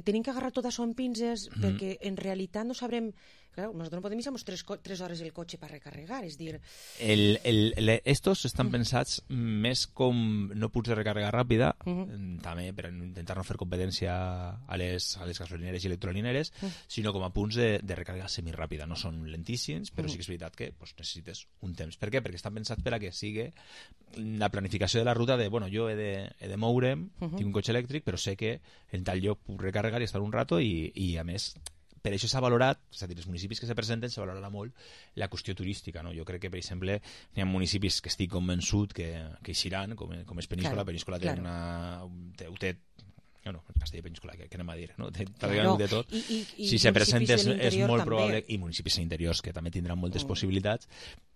tenim que agarrar tot això en pinces mm. perquè en realitat no sabrem. Claro, nosotros no podem deixar tres, tres hores el cotxe per recarregar, és dir... El, el, el, estos estan mm. pensats més com no punts de recàrrega ràpida, mm -hmm. també per intentar no fer competència a les, a les gasolineres i electrolineres, mm. sinó com a punts de, de recàrrega semiràpida. No són lentíssims, però mm. sí que és veritat que pues, necessites un temps. Per què? Perquè estan pensats per a que sigui la planificació de la ruta de, bueno, jo he de, he de moure'm, mm -hmm. tinc un cotxe elèctric, però sé que en tal lloc puc recarregar i estar un rato i, i a més... Per això s'ha valorat, és a dir, els municipis que se presenten s'ha valorat molt la qüestió turística, no? Jo crec que, per exemple, hi ha municipis que estic convençut que, que eixiran, com, com és Peníscola. Claro, Peníscola té claro. una... Té, té, no, no, Castella i Peníscola, què anem a dir, no? Té claro. de tot. I, i, i si se presenta és, és molt també. probable, i municipis interiors que també tindran moltes mm. possibilitats,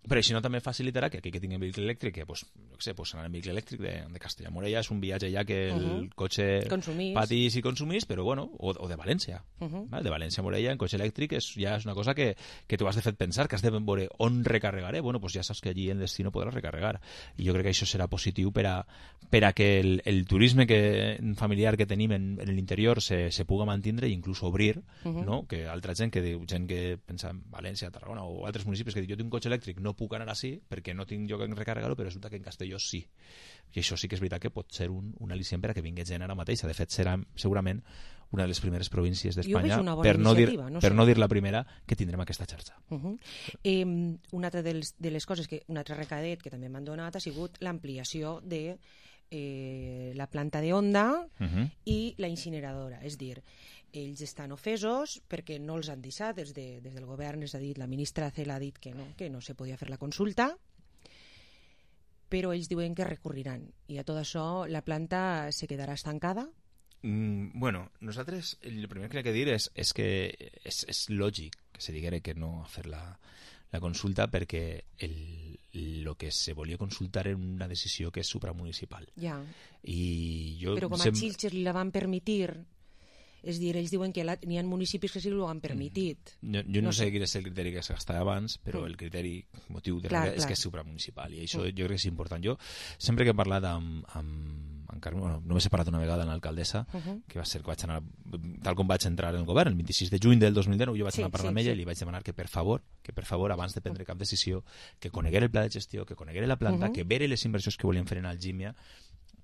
però si no també facilitarà que aquell que tingui vehicle elèctric, que pues, no sé, pues anar en vehicle elèctric de, de Castella-Morella és un viatge ja que el uh -huh. cotxe consumís. patís i consumís, però bueno, o, o de València. Uh -huh. ¿vale? De València a Morella en cotxe elèctric és, ja és una cosa que, que tu has de fer pensar, que has de veure on recarregaré. Bueno, pues ja saps que allí en destino podràs recarregar. I jo crec que això serà positiu per a, per a que el, el turisme que, familiar que tenim en, en l'interior se, se puga mantindre i inclús obrir, uh -huh. no? Que altra gent que diu, gent que pensa en València, Tarragona o altres municipis que diu, jo tinc un cotxe elèctric, no puc anar així perquè no tinc lloc en recarregar-ho, però resulta que en Castelló sí. I això sí que és veritat que pot ser un, un al·licient per a que vingui gent ara mateix. De fet, serà segurament una de les primeres províncies d'Espanya, per, no dir, no per sé. no dir la primera, que tindrem aquesta xarxa. Uh -huh. eh, una altra de les, de les coses, que un altre recadet que també m'han donat ha sigut l'ampliació de eh, la planta de Onda uh -huh. i la incineradora. És dir, ells estan ofesos perquè no els han deixat, des, de, des del govern, és a dir, la ministra Cela ha dit que no, que no se podia fer la consulta, però ells diuen que recurriran, i a tot això la planta se quedarà estancada. Mm, bueno, nosaltres el primer que hay que dir és, és que és, és lògic que se diguera que no a fer la, la consulta, perquè el, lo que se volia consultar era una decisió que és supramunicipal. Ja. I jo però com a sem... Xilxes li la van permitir. És dir, ells diuen que n'hi ha municipis que sí que ho han permitit. Jo, jo no, no sé, sé quin és el criteri que s'estava abans, però mm. el criteri motiu de clar, clar. és que és supramunicipal, i això mm. jo crec que és important. Jo, sempre que he parlat amb, amb, amb Carme, bueno, només he parlat una vegada amb l'alcaldessa, uh -huh. que va ser que vaig anar, tal com vaig entrar en el govern, el vint-i-sis de juny del dos mil dinou, jo vaig sí, anar a parlar sí, amb ella sí. i li vaig demanar que, per favor, que per favor, abans de prendre cap decisió, que coneguera el pla de gestió, que coneguera la planta, uh -huh. que veure les inversions que volien fer en Algímia,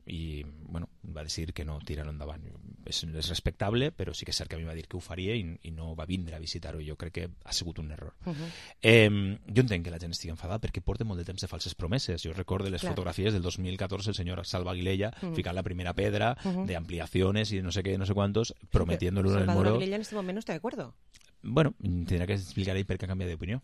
i bueno, va decidir que no tirar-ho endavant. És, és respectable, però sí que és cert que a mi va dir que ho faria i, i no va vindre a visitar-ho. Jo crec que ha sigut un error. Uh -huh. eh, jo entenc que la gent estigui enfadada perquè porta molt de temps de falses promeses. Jo recordo les claro. fotografies del dos mil catorze, el senyor Salva Aguilella uh -huh. ficant la primera pedra uh -huh. de ampliaciones y no sé qué, no sé cuántos, prometiéndolo en el Moro. Salvador Aguilella en este momento no está de acuerdo. Bueno, tendrà que explicar ell per què ha canviat d'opinió.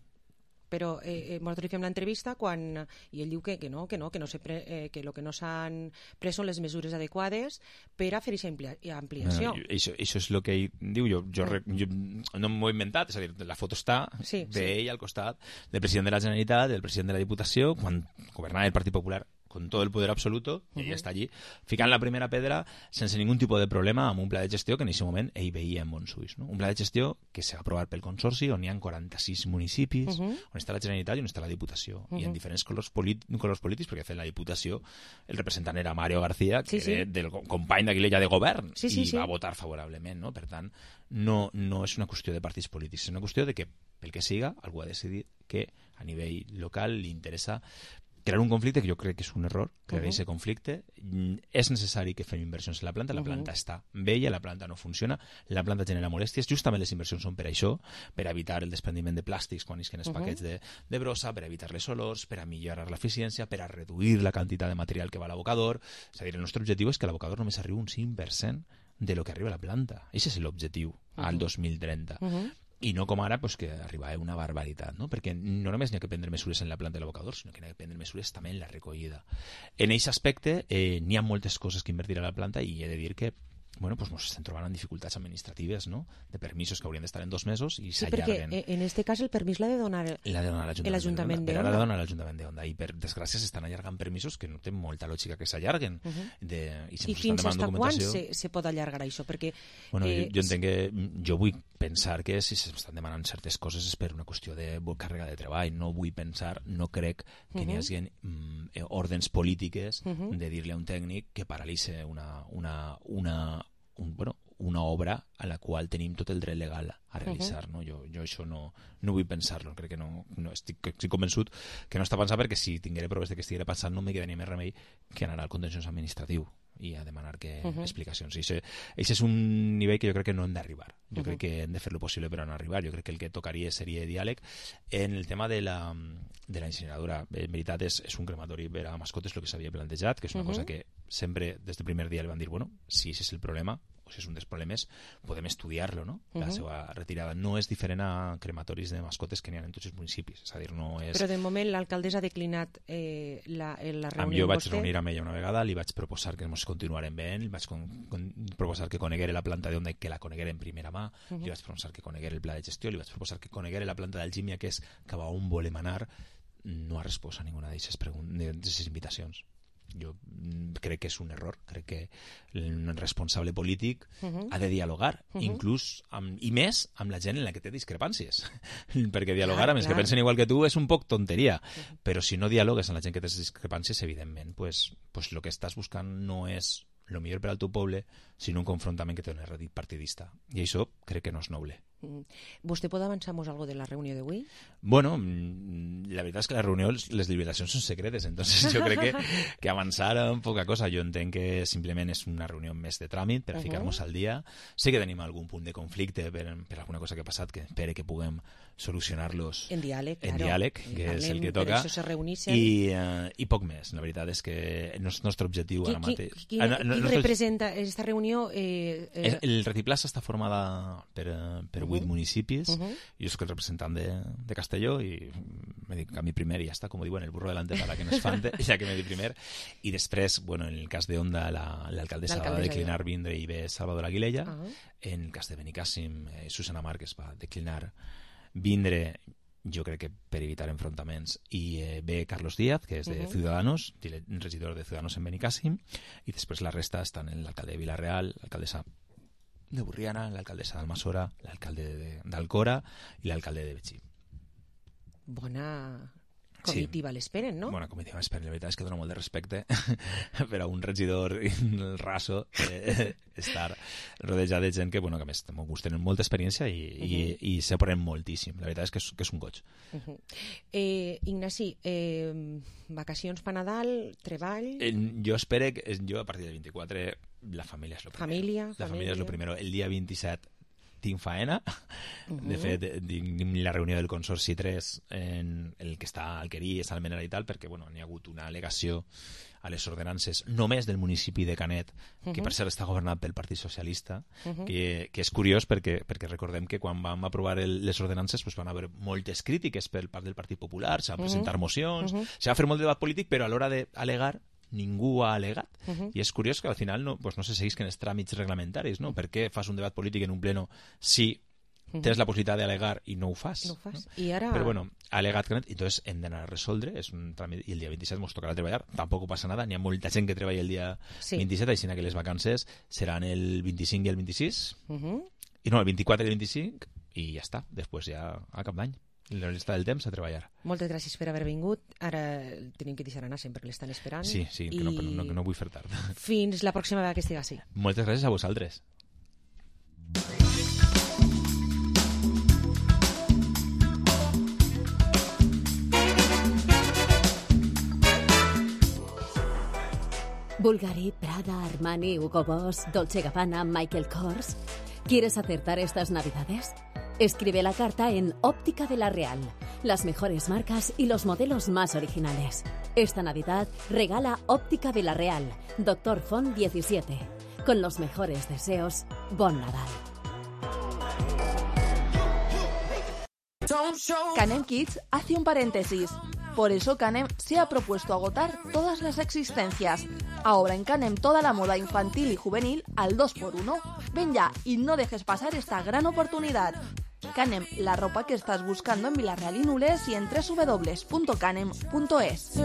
Però eh, nosaltres fem l'entrevista quan, i ell diu que, que no, que no, que no se pre, eh, que el que no s'han pres són les mesures adequades per a fer aquesta ampliació. Bueno, això, això és el que ell diu, jo, jo, mm. jo no m'ho he inventat, és a dir, la foto està sí, d'ell sí. al costat del president de la Generalitat, del president de la Diputació, quan governava el Partit Popular con todo el poder absoluto, i uh -huh. ella està allí, ficant la primera pedra sense ningun tipus de problema amb un pla de gestió que en aquest moment ell veia en bons ulls. No? Un pla de gestió que s'ha aprovat pel Consorci, on hi ha quaranta-sis municipis, uh -huh. on està la Generalitat i on està la Diputació, uh -huh. i en diferents colors, colors polítics, perquè fent la Diputació el representant era Mario García, que sí, era sí. del company d'Aguilella de govern, sí, sí, i sí. va votar favorablement. No? Per tant, no, no és una qüestió de partits polítics, és una qüestió de que, pel que siga, algú ha decidit que a nivell local li interessa crear un conflicte que jo crec que és un error, crear aquest uh -huh. conflicte. És necessari que fem inversions en la planta, la planta uh -huh. està vella, la planta no funciona, la planta genera molèsties, justament les inversions són per això, per evitar el desprendiment de plàstics quan isquen els uh -huh. paquets de, de brossa, per evitar les olors, per a millorar l'eficiència, per a reduir la quantitat de material que va a l'abocador. És a dir, el nostre objectiu és que l'abocador només arribi un cinc per cent de lo que arriba a la planta. Aquest és l'objectiu uh -huh. al dos mil trenta. Uh -huh. I no com ara, pues, que arriba a una barbaritat, no? Perquè no només n'hi ha que prendre mesures en la planta de l'abocador, sinó que n'hi ha que prendre mesures també en la recollida. En aquest aspecte eh, n'hi ha moltes coses que invertir a la planta i he de dir que bueno, pues nos estem trobant en dificultats administratives, no? De permisos que haurien d'estar en dos mesos i sí, s'allarguen. Sí, perquè en aquest cas el permís l'ha de donar l'ha de donar l'Ajuntament de Onda. Onda. Però ara l'ha de donar l'Ajuntament de Onda i per desgràcia s'estan allargant permisos que no té molta lògica que s'allarguen. Uh -huh. de, I, I fins a quan se, se pot allargar això? Perquè, bueno, eh, jo, jo entenc que jo vull pensar que si s'estan demanant certes coses és per una qüestió de càrrega de treball. No vull pensar, no crec que uh -huh. n'hi hagi mm, ordens polítiques uh -huh. de dir-li a un tècnic que paralitza una, una, una, un, bueno, una obra a la qual tenim tot el dret legal a realitzar. Uh -huh. no? Jo, jo això no, no vull pensar-lo. Crec que no, no estic, estic convençut que no està pensant, perquè si tinguera proves de que estiguera passant no me quedaria més remei que anar al contenciós administratiu i a demanar que uh -huh. explicacions. I això és un nivell que jo crec que no hem d'arribar. Jo uh -huh. crec que hem de fer lo possible per no arribar. Jo crec que el que tocaria seria diàleg. En el tema de la, de la incineradora, en veritat és, és un crematori per a mascotes el que s'havia plantejat, que és una uh -huh. cosa que sempre des del primer dia li van dir, bueno, si aquest és el problema, o si és un dels problemes, podem estudiar-lo, no? La uh -huh. seva retirada. No és diferent a crematoris de mascotes que n'hi ha en tots els municipis. És a dir, no és... Però de moment l'alcaldessa ha declinat eh, la, la reunió amb Jo vaig vostè. reunir amb ella una vegada, li vaig proposar que ens continuarem veient, li vaig con, con, proposar que coneguera la planta d'Onda i que la coneguera en primera mà, uh -huh. li vaig proposar que coneguera el pla de gestió, li vaig proposar que coneguera la planta d'Algímia, que és cap a on volem anar. No ha respost a ninguna d'aquestes invitacions. Jo crec que és un error, crec que un responsable polític uh -huh. ha de dialogar, uh -huh. inclús amb, i més amb la gent en la que té discrepàncies perquè dialogar clar, amb els clar. que pensen igual que tu és un poc tonteria, uh -huh. però si no dialogues amb la gent que té discrepàncies, evidentment pues, pues lo que estàs buscant no és lo millor per al teu poble, sinó un confrontament que té un rèdit partidista, i això crec que no és noble. Vostè pot avançar-nos alguna de la reunió d'avui? Bueno, la veritat és que la reunió, les deliberacions són secretes, entonces jo crec que, que avançar en poca cosa. Jo entenc que simplement és una reunió més de tràmit per a uh -huh. ficar-nos al dia. Sé que tenim algun punt de conflicte per, per alguna cosa que ha passat, que espere que puguem solucionar-los en diàleg, en claro. diàleg que Parlem, és el que toca, se i, uh, i poc més. La veritat és que el nostre objectiu qui, ara mateix... Qui, qui, ah, no, qui nostre... representa aquesta reunió? Eh, eh... El Retiplàs està formada per, per vuit uh -huh. municipis. Uh -huh. Jo soc el representant de, de Castelló i me dic a mi primer i ja està, com diuen, el burro delante para que no espante, ja que me di primer. I després, bueno, en el cas de Onda, l'alcaldessa la, va declinar vindre i ve Salvador Aguilella. Uh -huh. En el cas de Benicàssim, eh, Susana Márquez va declinar vindre, jo crec que per evitar enfrontaments, i eh, ve Carlos Díaz, que és de uh -huh. Ciudadanos, regidor de Ciudadanos en Benicàssim, i després la resta estan en l'alcalde de Vilareal, l'alcaldessa de Burriana, l'alcaldessa d'Almassora, l'alcalde d'Alcora i l'alcalde de Betxí. Bona comitiva sí. l'esperen, no? Bona comitiva l'esperen. La veritat és que dona molt de respecte per a un regidor raso eh, estar rodejat de gent que, bueno, que a més tenen molta experiència i, uh -huh. i, i s'aprèn moltíssim. La veritat és que és, que és un goig. Uh -huh. eh, Ignasi, eh, vacacions per Nadal, treball... Eh, jo espero que, jo a partir del vint-i-quatre la família és lo primer. Família, la família. família és lo primer. El dia vint-i-set tinc faena. Uh -huh. De fet, tinc la reunió del Consorci tres en el que està a Alqueries, Almenara i tal, perquè bueno, n'hi ha hagut una al·legació a les ordenances només del municipi de Canet, que uh -huh. per cert està governat pel Partit Socialista, uh -huh. que, que és curiós perquè, perquè recordem que quan vam aprovar el, les ordenances pues van haver moltes crítiques per part del Partit Popular, s'han uh -huh. presentat mocions, uh -huh. s'ha fer molt de debat polític, però a l'hora d'al·legar ningú ha al·legat. Uh -huh. I és curiós que al final no, pues no se seguisquen els tràmits reglamentaris, no? Per què fas un debat polític en un pleno si tens la possibilitat d'al·legar i no ho fas? No ho fas. No? I ara... Però bueno, ha al·legat Canet, i entonces hem d'anar a resoldre, és un tràmit, i el dia vint-i-set ens tocarà treballar, tampoc passa nada, n'hi ha molta gent que treballa el dia sí. vint-i-set, així que les vacances seran el vint-i-cinc i el vint-i-sis, uh -huh. i no, el vint-i-quatre i el vint-i-cinc, i ja està, després ja a cap d'any. La resta del temps a treballar. Moltes gràcies per haver vingut. Ara tenim que deixar anar sempre, l'estan esperant. Sí, sí, que, I... no, no, que no vull fer tard. Fins la pròxima vegada que estigui així. Moltes gràcies a vosaltres. Bulgari, Prada, Armani, Hugo Boss, Dolce Gabbana, Michael Kors. ¿Quieres acertar estas navidades? Escribe la carta en Óptica de la Real. Las mejores marcas y los modelos más originales. Esta Navidad regala Óptica de la Real, Doctor Font diecisiete. Con los mejores deseos, Bon Nadal. Canem Kids hace un paréntesis. Por eso Canem se ha propuesto agotar todas las existencias. Ahora en Canem toda la moda infantil y juvenil al dos por uno. Ven ya y no dejes pasar esta gran oportunidad. Canem, la ropa que estás buscando en Villarreal y Nules y en doble u doble u doble u punto canem punto es.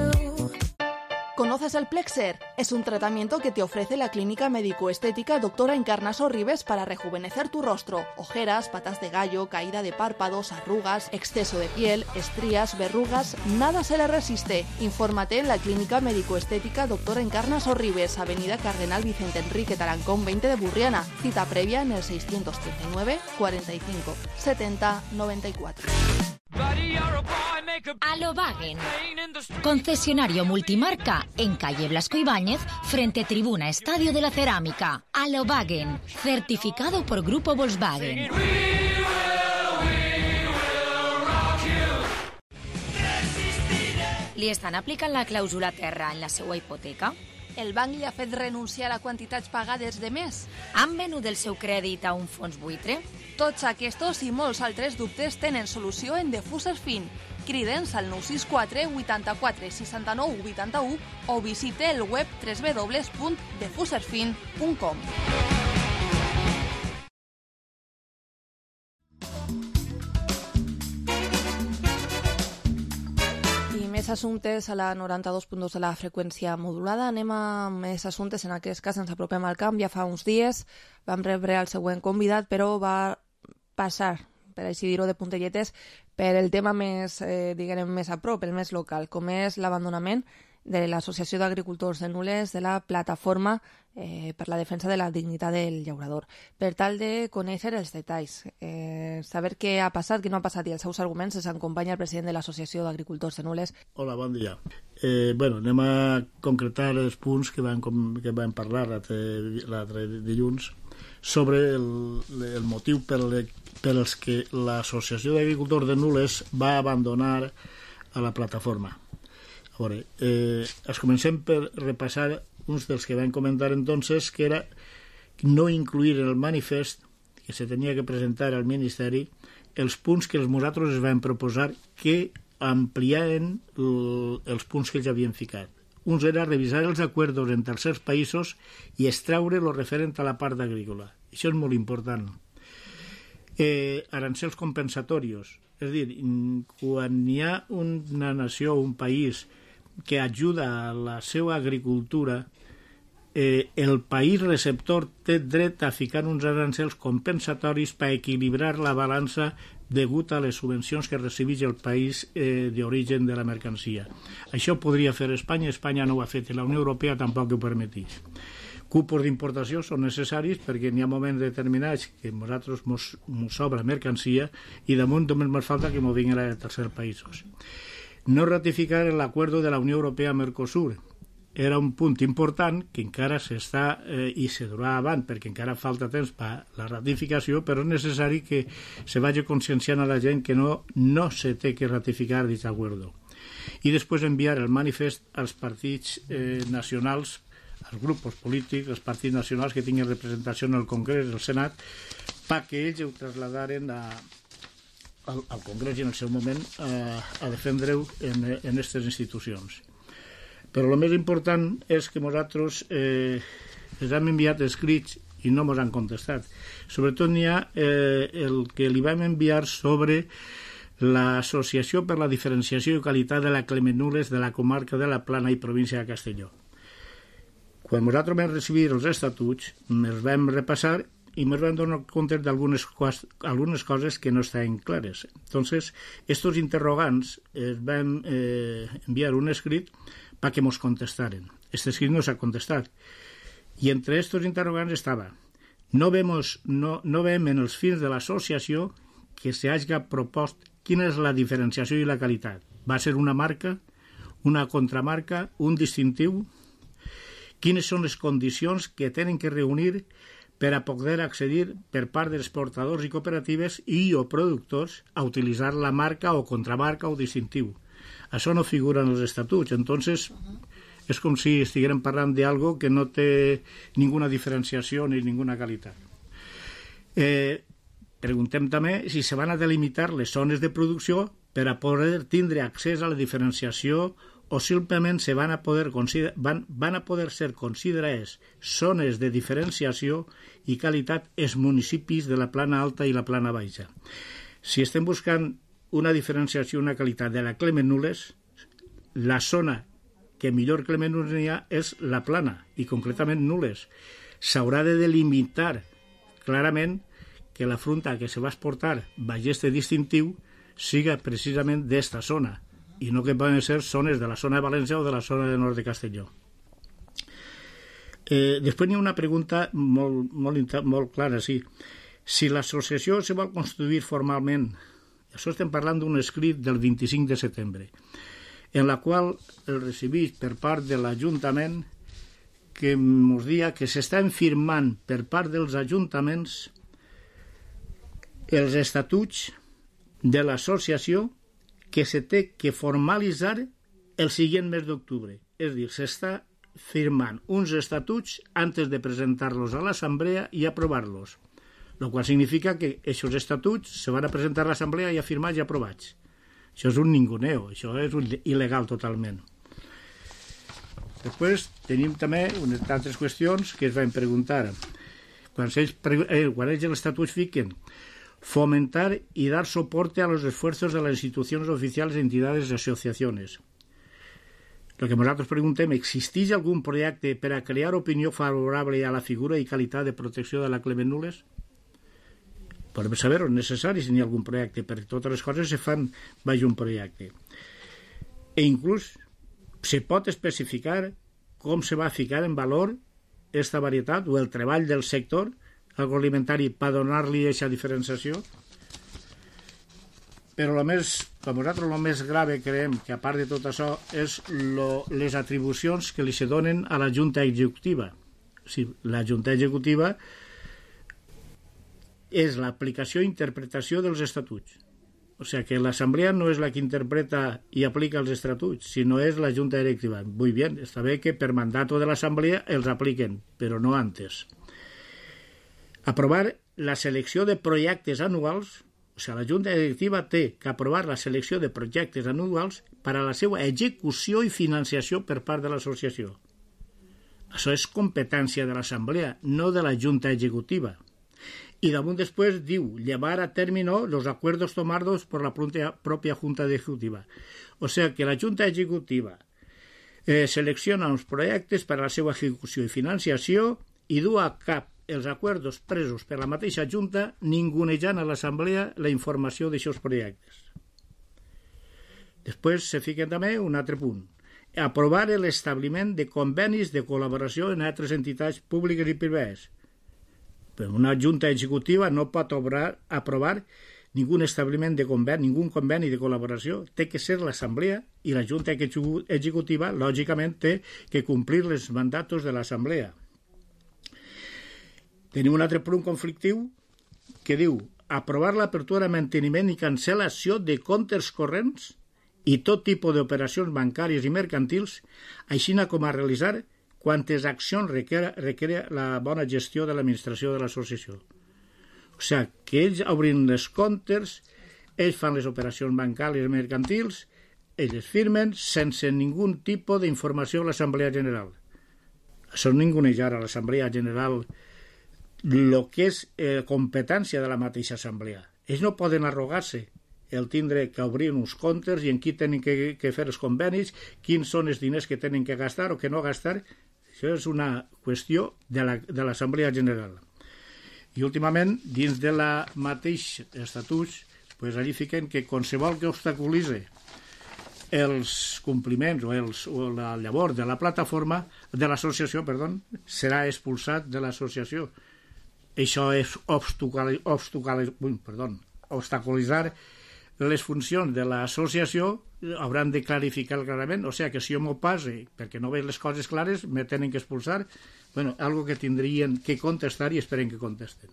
¿Conoces el Plexer? Es un tratamiento que te ofrece la clínica médico-estética Doctora Encarna Sorribes para rejuvenecer tu rostro. Ojeras, patas de gallo, caída de párpados, arrugas, exceso de piel, estrías, verrugas, nada se le resiste. Infórmate en la clínica médico-estética Doctora Encarna Sorribes, Avenida Cardenal Vicente Enrique Tarancón veinte de Burriana. Cita previa en el seiscientos treinta y nueve, cuarenta y cinco, setenta, noventa y cuatro. Alobagen, concesionario multimarca en calle Blasco Ibáñez, frente Tribuna Estadio de la Cerámica. Alobagen, certificado por Grupo Volkswagen. Li estan aplicant la clàusula terra en la seva hipoteca? El banc li ha fet renunciar a quantitats pagades de més? Han venut el seu crèdit a un fons buitre? Tots aquests i molts altres dubtes tenen solució en Defuser Fin. Crida'ns al nou sis quatre, vuitanta-quatre, seixanta-nou, vuitanta-u o visite el web doble u doble u doble u punt defuser fin punt com. I més assumptes a la noranta-dos punt dos de la freqüència modulada. Anem a més assumptes, en aquest cas ens apropem al camp. Ja fa uns dies vam rebre el següent convidat, però va passar, per així dir-ho de puntelletes, per el tema més, eh, diguem, més a prop, el més local, com és l'abandonament de l'Associació d'Agricultors de Nules, de la plataforma eh, per la defensa de la dignitat del llaurador. Per tal de conèixer els detalls, eh, saber què ha passat, què no ha passat i els seus arguments, ens acompanya el president de l'Associació d'Agricultors de Nules. Hola, bon dia. Eh, bueno, anem a concretar els punts que vam, que vam parlar l'altre dilluns sobre el, el motiu per, le, per els que l'Associació d'Agricultors de Nules va abandonar a la plataforma. A veure, eh, es comencem per repassar uns dels que vam comentar entonces, que era no incluir en el manifest que se tenia que presentar al Ministeri els punts que els nosaltres es vam proposar que ampliaven el, els punts que ells havien ficat. Uns era revisar els acords en tercers països i extraure el referent a la part agrícola. Això és molt important. Eh, arancels compensatorios. És a dir, quan hi ha una nació o un país que ajuda a la seva agricultura, eh, el país receptor té dret a ficar uns arancels compensatoris per equilibrar la balança degut a les subvencions que recibeix el país eh, d'origen de la mercancia. Això podria fer Espanya, Espanya no ho ha fet i la Unió Europea tampoc ho permeteix. Cupos d'importació són necessaris perquè n'hi ha moments determinats que nosaltres mos, mos sobra mercancia i damunt només ens falta que mos vinguin a tercers països. No ratificar l'acord de la Unió Europea-Mercosur era un punt important que encara s'està eh, i se durà avant perquè encara falta temps per la ratificació, però és necessari que se vagi conscienciant a la gent que no, no se té que ratificar aquest acord. I després enviar el manifest als partits eh, nacionals, als grups polítics, als partits nacionals que tinguin representació en el Congrés, el Senat, perquè ells ho trasladaren a, al, al Congrés i en el seu moment a, a defendre-ho en aquestes institucions. Però el més important és que nosaltres eh, els hem enviat escrits i no ens han contestat. Sobretot n'hi ha eh, el que li vam enviar sobre l'Associació per la Diferenciació i Qualitat de la Clemenules de la comarca de la Plana i província de Castelló. Quan nosaltres vam recibir els estatuts, els vam repassar i ens vam donar compte d'algunes algunes coses que no estaven clares. Entonces, estos interrogants els vam eh, enviar un escrit perquè mos contestaren. Este escrit no s'ha contestat. I entre estos interrogants estava no, vemos, no, no vem en els fins de l'associació que se hagi propost quina és la diferenciació i la qualitat. Va ser una marca, una contramarca, un distintiu, quines són les condicions que tenen que reunir per a poder accedir per part dels portadors i cooperatives i o productors a utilitzar la marca o contramarca o distintiu. Això no figura en els estatuts, entonces és com si estiguérem parlant d'algo que no té ninguna diferenciació ni ninguna qualitat. Eh, preguntem també si se van a delimitar les zones de producció per a poder tindre accés a la diferenciació o simplement se van a poder, van, van a poder ser considerades zones de diferenciació i qualitat els municipis de la plana alta i la plana baixa. Si estem buscant una diferenciació i una qualitat de la Clement Nules, la zona que millor Clement Nules n'hi ha és la plana, i concretament Nules. S'haurà de delimitar clarament que la fruita que se va exportar baix este distintiu siga precisament d'esta zona, i no que poden ser zones de la zona de València o de la zona de nord de Castelló. Eh, després hi ha una pregunta molt, molt, molt clara, sí. Si l'associació se vol constituir formalment, això estem parlant d'un escrit del vint-i-cinc de setembre, en la qual el recibís per part de l'Ajuntament que ens dia que s'estan firmant per part dels ajuntaments els estatuts de l'associació que se té que formalitzar el següent mes d'octubre. És a dir, s'està firmant uns estatuts antes de presentar-los a l'Assemblea i aprovar-los, el qual significa que aquests estatuts se van a presentar a l'Assemblea i a firmats i aprovats. Això és un ninguneo, això és un il·legal totalment. Després tenim també unes altres qüestions que es van preguntar. Quan ells, eh, quan ells els estatuts fiquen fomentar y dar soporte a los esfuerzos de las instituciones oficiales, entidades y asociaciones. Lo que nosaltres preguntem, ¿existeix algun projecte per a crear opinió favorable a la figura i qualitat de protecció de la Clement Nules? Podem saber, és necessari si n'hi ha algun projecte, perquè totes les coses se fan baix un projecte. E inclús se pot especificar com se va ficar en valor esta varietat o el treball del sector agroalimentari per donar-li aquesta diferenciació. Però el més, per nosaltres el més grave creiem que a part de tot això és lo, les atribucions que li se donen a la Junta Executiva. O sigui, la Junta Executiva és l'aplicació i interpretació dels estatuts. O sigui que l'Assemblea no és la que interpreta i aplica els estatuts, sinó és la Junta Directiva. Muy bien, està bé que per mandato de l'Assemblea els apliquen, però no antes. Aprovar la selecció de projectes anuals, o sigui, la Junta Directiva té que aprovar la selecció de projectes anuals per a la seva execució i financiació per part de l'associació. Això és competència de l'Assemblea, no de la Junta Executiva. Y damunt després diu, llevar a término los acuerdos tomados por la propia Junta Ejecutiva. O sea que la Junta Ejecutiva eh, selecciona uns projectes per a la seva execució i financiació i du a cap els acords presos per la mateixa Junta ningunejant a l'Assemblea la informació d'aixòs projectes. Després se fiquen també un altre punt. Aprovar l'establiment de convenis de col·laboració en altres entitats públiques i privades. Però una Junta Executiva no pot obrar, aprovar ningú establiment de conveni, ningú conveni de col·laboració. Té que ser l'Assemblea i la Junta Executiva, lògicament, té que complir els mandatos de l'Assemblea. Tenim un altre punt conflictiu que diu aprovar l'apertura, manteniment i cancel·lació de comptes corrents i tot tipus d'operacions bancàries i mercantils, així com a realitzar quantes accions requereix la bona gestió de l'administració de l'associació. O sigui, que ells obrin les comptes, ells fan les operacions bancàries i mercantils, ells firmen sense ningú tipus d'informació a l'Assemblea General. Això és ningunejar a l'Assemblea General el que és eh, competència de la mateixa assemblea. Ells no poden arrogar-se el tindre que obrir uns comptes i en qui tenen que, que fer els convenis, quins són els diners que tenen que gastar o que no gastar. Això és una qüestió de l'Assemblea la, General. I últimament, dins de la mateix estatuts, pues, allí fiquen que qualsevol que obstaculitze els compliments o, els, o la llavor de la plataforma, de l'associació, perdó, serà expulsat de l'associació. Això és obstaculitzar les funcions de l'associació hauran de clarificar clarament, o sigui que si jo m'ho passe perquè no veig les coses clares me tenen que expulsar, bueno, algo que tindrien que contestar i esperen que contesten.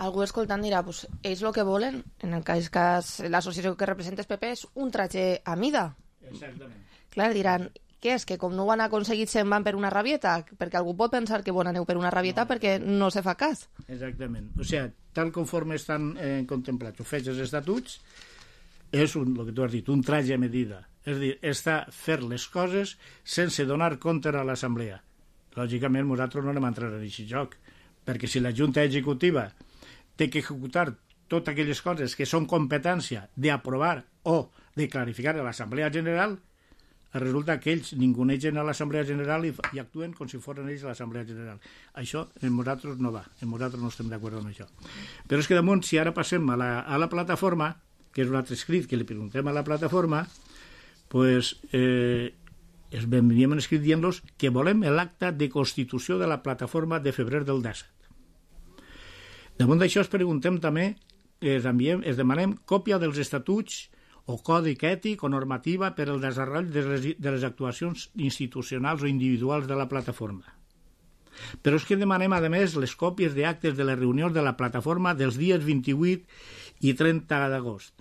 Algú escoltant dirà, pues, ells el que volen, en el cas, cas l'associació que representa el P P és un traje a mida. Exactament. Clar, diran, què és, que com no ho han aconseguit se'n van per una rabieta? Perquè algú pot pensar que bon aneu per una rabieta no, perquè no se fa cas. Exactament. O sigui, tal conforme estan eh, contemplats o fets els estatuts, és un, el que tu has dit, un traje a medida. És a dir, està fer les coses sense donar compte a l'assemblea. Lògicament, nosaltres no anem a entrar en aquest joc, perquè si la Junta Executiva té que executar totes aquelles coses que són competència d'aprovar o de clarificar a l'Assemblea General, resulta que ells ningunegen a l'Assemblea General i, i actuen com si foren ells a l'Assemblea General. Això en nosaltres no va, en nosaltres no estem d'acord amb això. Però és que damunt, si ara passem a la, a la plataforma, que és un altre escrit que li preguntem a la plataforma, pues, eh, es veníem escrit dient-los que volem l'acta de constitució de la plataforma de febrer del disset. Damunt d'això es preguntem també, es, enviem, es demanem còpia dels estatuts o còdic ètic o normativa per al desenvolupament de les, de les actuacions institucionals o individuals de la plataforma. Però és que demanem, a més, les còpies d'actes de les reunions de la plataforma dels dies vint-i-vuit i trenta d'agost.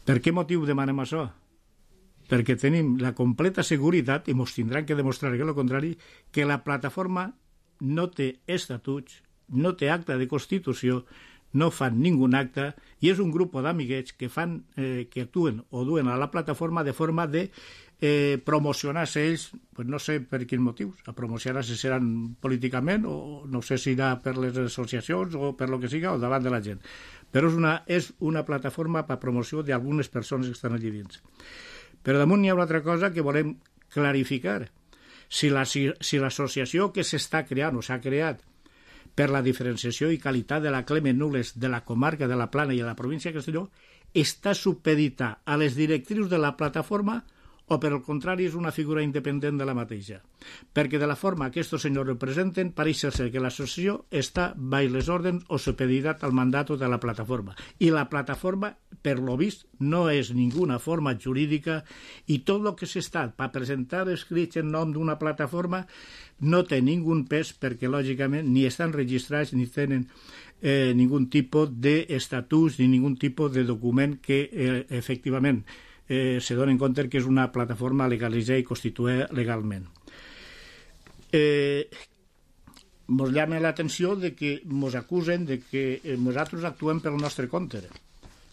Per què motiu demanem això? Perquè tenim la completa seguretat, i ens tindran que demostrar que el contrari, que la plataforma no té estatuts, no té acte de constitució, no fan ningú acte, i és un grup d'amiguets que fan, eh, que actuen o duen a la plataforma de forma de eh, promocionar-se ells, pues no sé per quins motius, a promocionar-se seran políticament, o no sé si irà per les associacions o per lo que siga, o davant de la gent. Però és una, és una plataforma per promoció d'algunes persones que estan allà dins. Però damunt hi ha una altra cosa que volem clarificar. Si la, si, si l'associació que s'està creant o s'ha creat per la diferenciació i qualitat de la Clement Nules de la comarca de la Plana i de la província de Castelló està supeditada a les directrius de la plataforma o, per al contrari, és una figura independent de la mateixa. Perquè de la forma que aquests senyors representen, pareix ser que l'associació està baix les ordres o supeditat al mandat de la plataforma. I la plataforma, per lo vist, no és ninguna forma jurídica i tot el que s'està per presentar escrits en nom d'una plataforma no té ningú pes perquè, lògicament, ni estan registrats ni tenen eh, ningú tipus d'estatuts ni ningú tipus de document que, eh, efectivament, Eh, se donen compte que és una plataforma legalitzada i constituïda legalment. Eh, mos llama l'atenció de que mos acusen de que eh, nosaltres actuem pel nostre compte.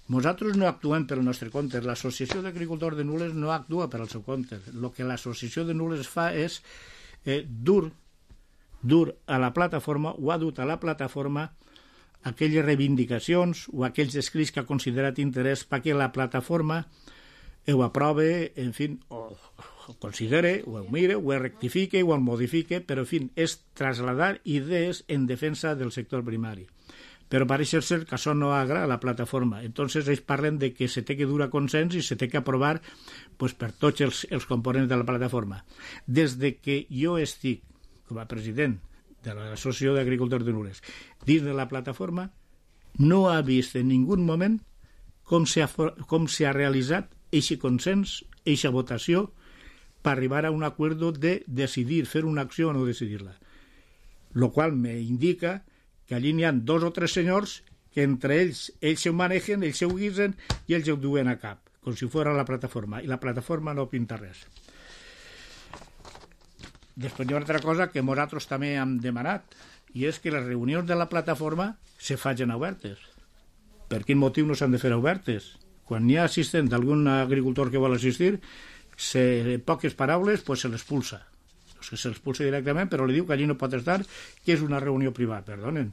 Nosaltres no actuem pel nostre compte. L'Associació d'Agricultors de Nules no actua per al seu compte. El que l'Associació de Nules fa és eh, dur, dur a la plataforma, o ha dut a la plataforma aquelles reivindicacions o aquells escrits que ha considerat interès perquè la plataforma ho aprove, en fi, o ho considere, o ho mire, o ho rectifique, o ho modifique, però, en fi, és trasladar idees en defensa del sector primari. Però pareix ser que això no agrada a la plataforma. Entonces ells parlen de que se té que dur a consens i se té que aprovar pues, per tots els, els components de la plataforma. Des de que jo estic com a president de l'Associació d'Agricultors de Nules dins de la plataforma, no ha vist en ningú moment com s'ha com s'ha realitzat eixe consens, eixa votació, per arribar a un acord de decidir, fer una acció o no decidir-la. Lo qual me indica que allí n'hi ha dos o tres senyors que entre ells, ells se ho manegen, ells se ho guisen i ells ho duen a cap, com si fos la plataforma, i la plataforma no pinta res. Després hi ha una altra cosa que nosaltres també hem demanat, i és que les reunions de la plataforma se facin obertes. Per quin motiu no s'han de fer obertes? Quan hi ha assistent d'algun agricultor que vol assistir, se, en poques paraules, pues se l'expulsa. No és que se l'expulsa directament, però li diu que allí no pot estar, que és una reunió privada. Perdonen.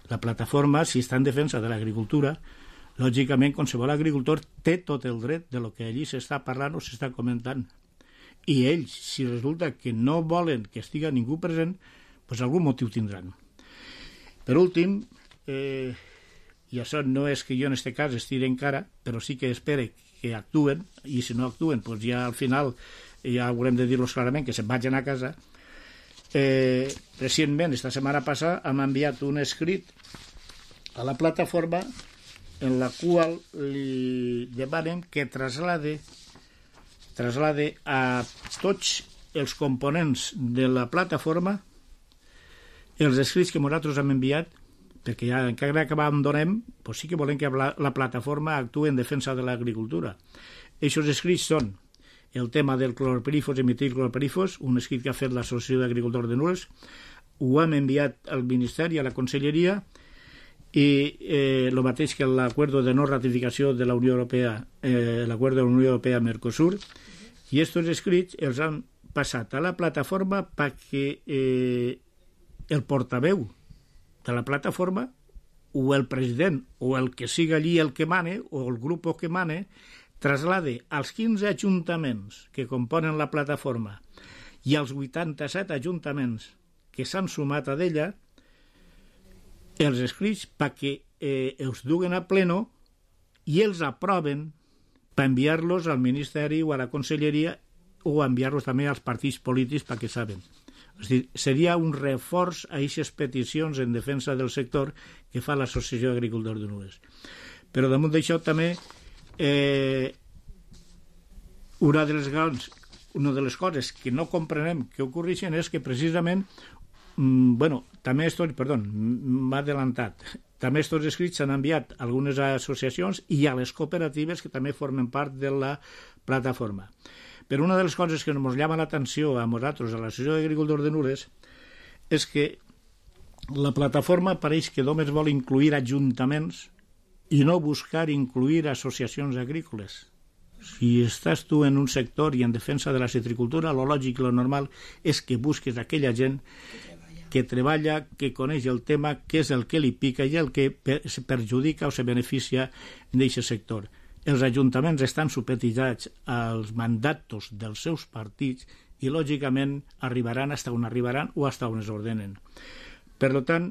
La plataforma, si està en defensa de l'agricultura, lògicament, qualsevol agricultor té tot el dret de lo que allí s'està parlant o s'està comentant. I ells, si resulta que no volen que estigui ningú present, pues algun motiu tindran. Per últim, eh, i això no és que jo en aquest cas estiri encara, però sí que espere que actuen, i si no actuen, doncs ja al final ja haurem de dir-los clarament que se'n vagin a casa. Eh, recentment, esta setmana passada, hem enviat un escrit a la plataforma en la qual li demanem que traslade, traslade a tots els components de la plataforma els escrits que nosaltres hem enviat, perquè ja encara que abandonem, doncs sí que volem que la, la plataforma actuï en defensa de l'agricultura. Aquests escrits són el tema del clorperífos i metilclorperífos, un escrit que ha fet l'Associació d'Agricultors de Nules, ho hem enviat al Ministeri, a la Conselleria, i eh, el mateix que l'acord de no ratificació de la Unió Europea, eh, l'acord de la Unió Europea-Mercosur, i aquests escrits els han passat a la plataforma perquè eh, el portaveu de la plataforma o el president o el que siga allí el que mane o el grup que mane traslade als quinze ajuntaments que componen la plataforma i als vuitanta-set ajuntaments que s'han sumat a d'ella els escrits perquè eh, els duguen a pleno i els aproven per enviar-los al Ministeri o a la Conselleria o enviar-los també als partits polítics perquè saben. És dir, seria un reforç a aquestes peticions en defensa del sector que fa l'Associació d'Agricultors de Nules. Però damunt d'això també Eh, una de les grans, una de les coses que no comprenem que ocorreixen és que precisament mm, bueno, també estos, perdó, m'ha adelantat, també estos escrits s'han enviat a algunes associacions i a les cooperatives que també formen part de la plataforma. Però una de les coses que ens llama l'atenció a nosaltres, a l'Associació d'Agricultors de Nules, és que la plataforma pareix que només vol incluir ajuntaments i no buscar incluir associacions agrícoles. Si estàs tu en un sector i en defensa de la citricultura, lo lògic i lo normal és que busques aquella gent que treballa, que coneix el tema, què és el que li pica i el que perjudica o se beneficia d'aquest sector. Els ajuntaments estan supeditats als mandats dels seus partits i, lògicament, arribaran fins on arribaran o fins on es ordenen. Per tant,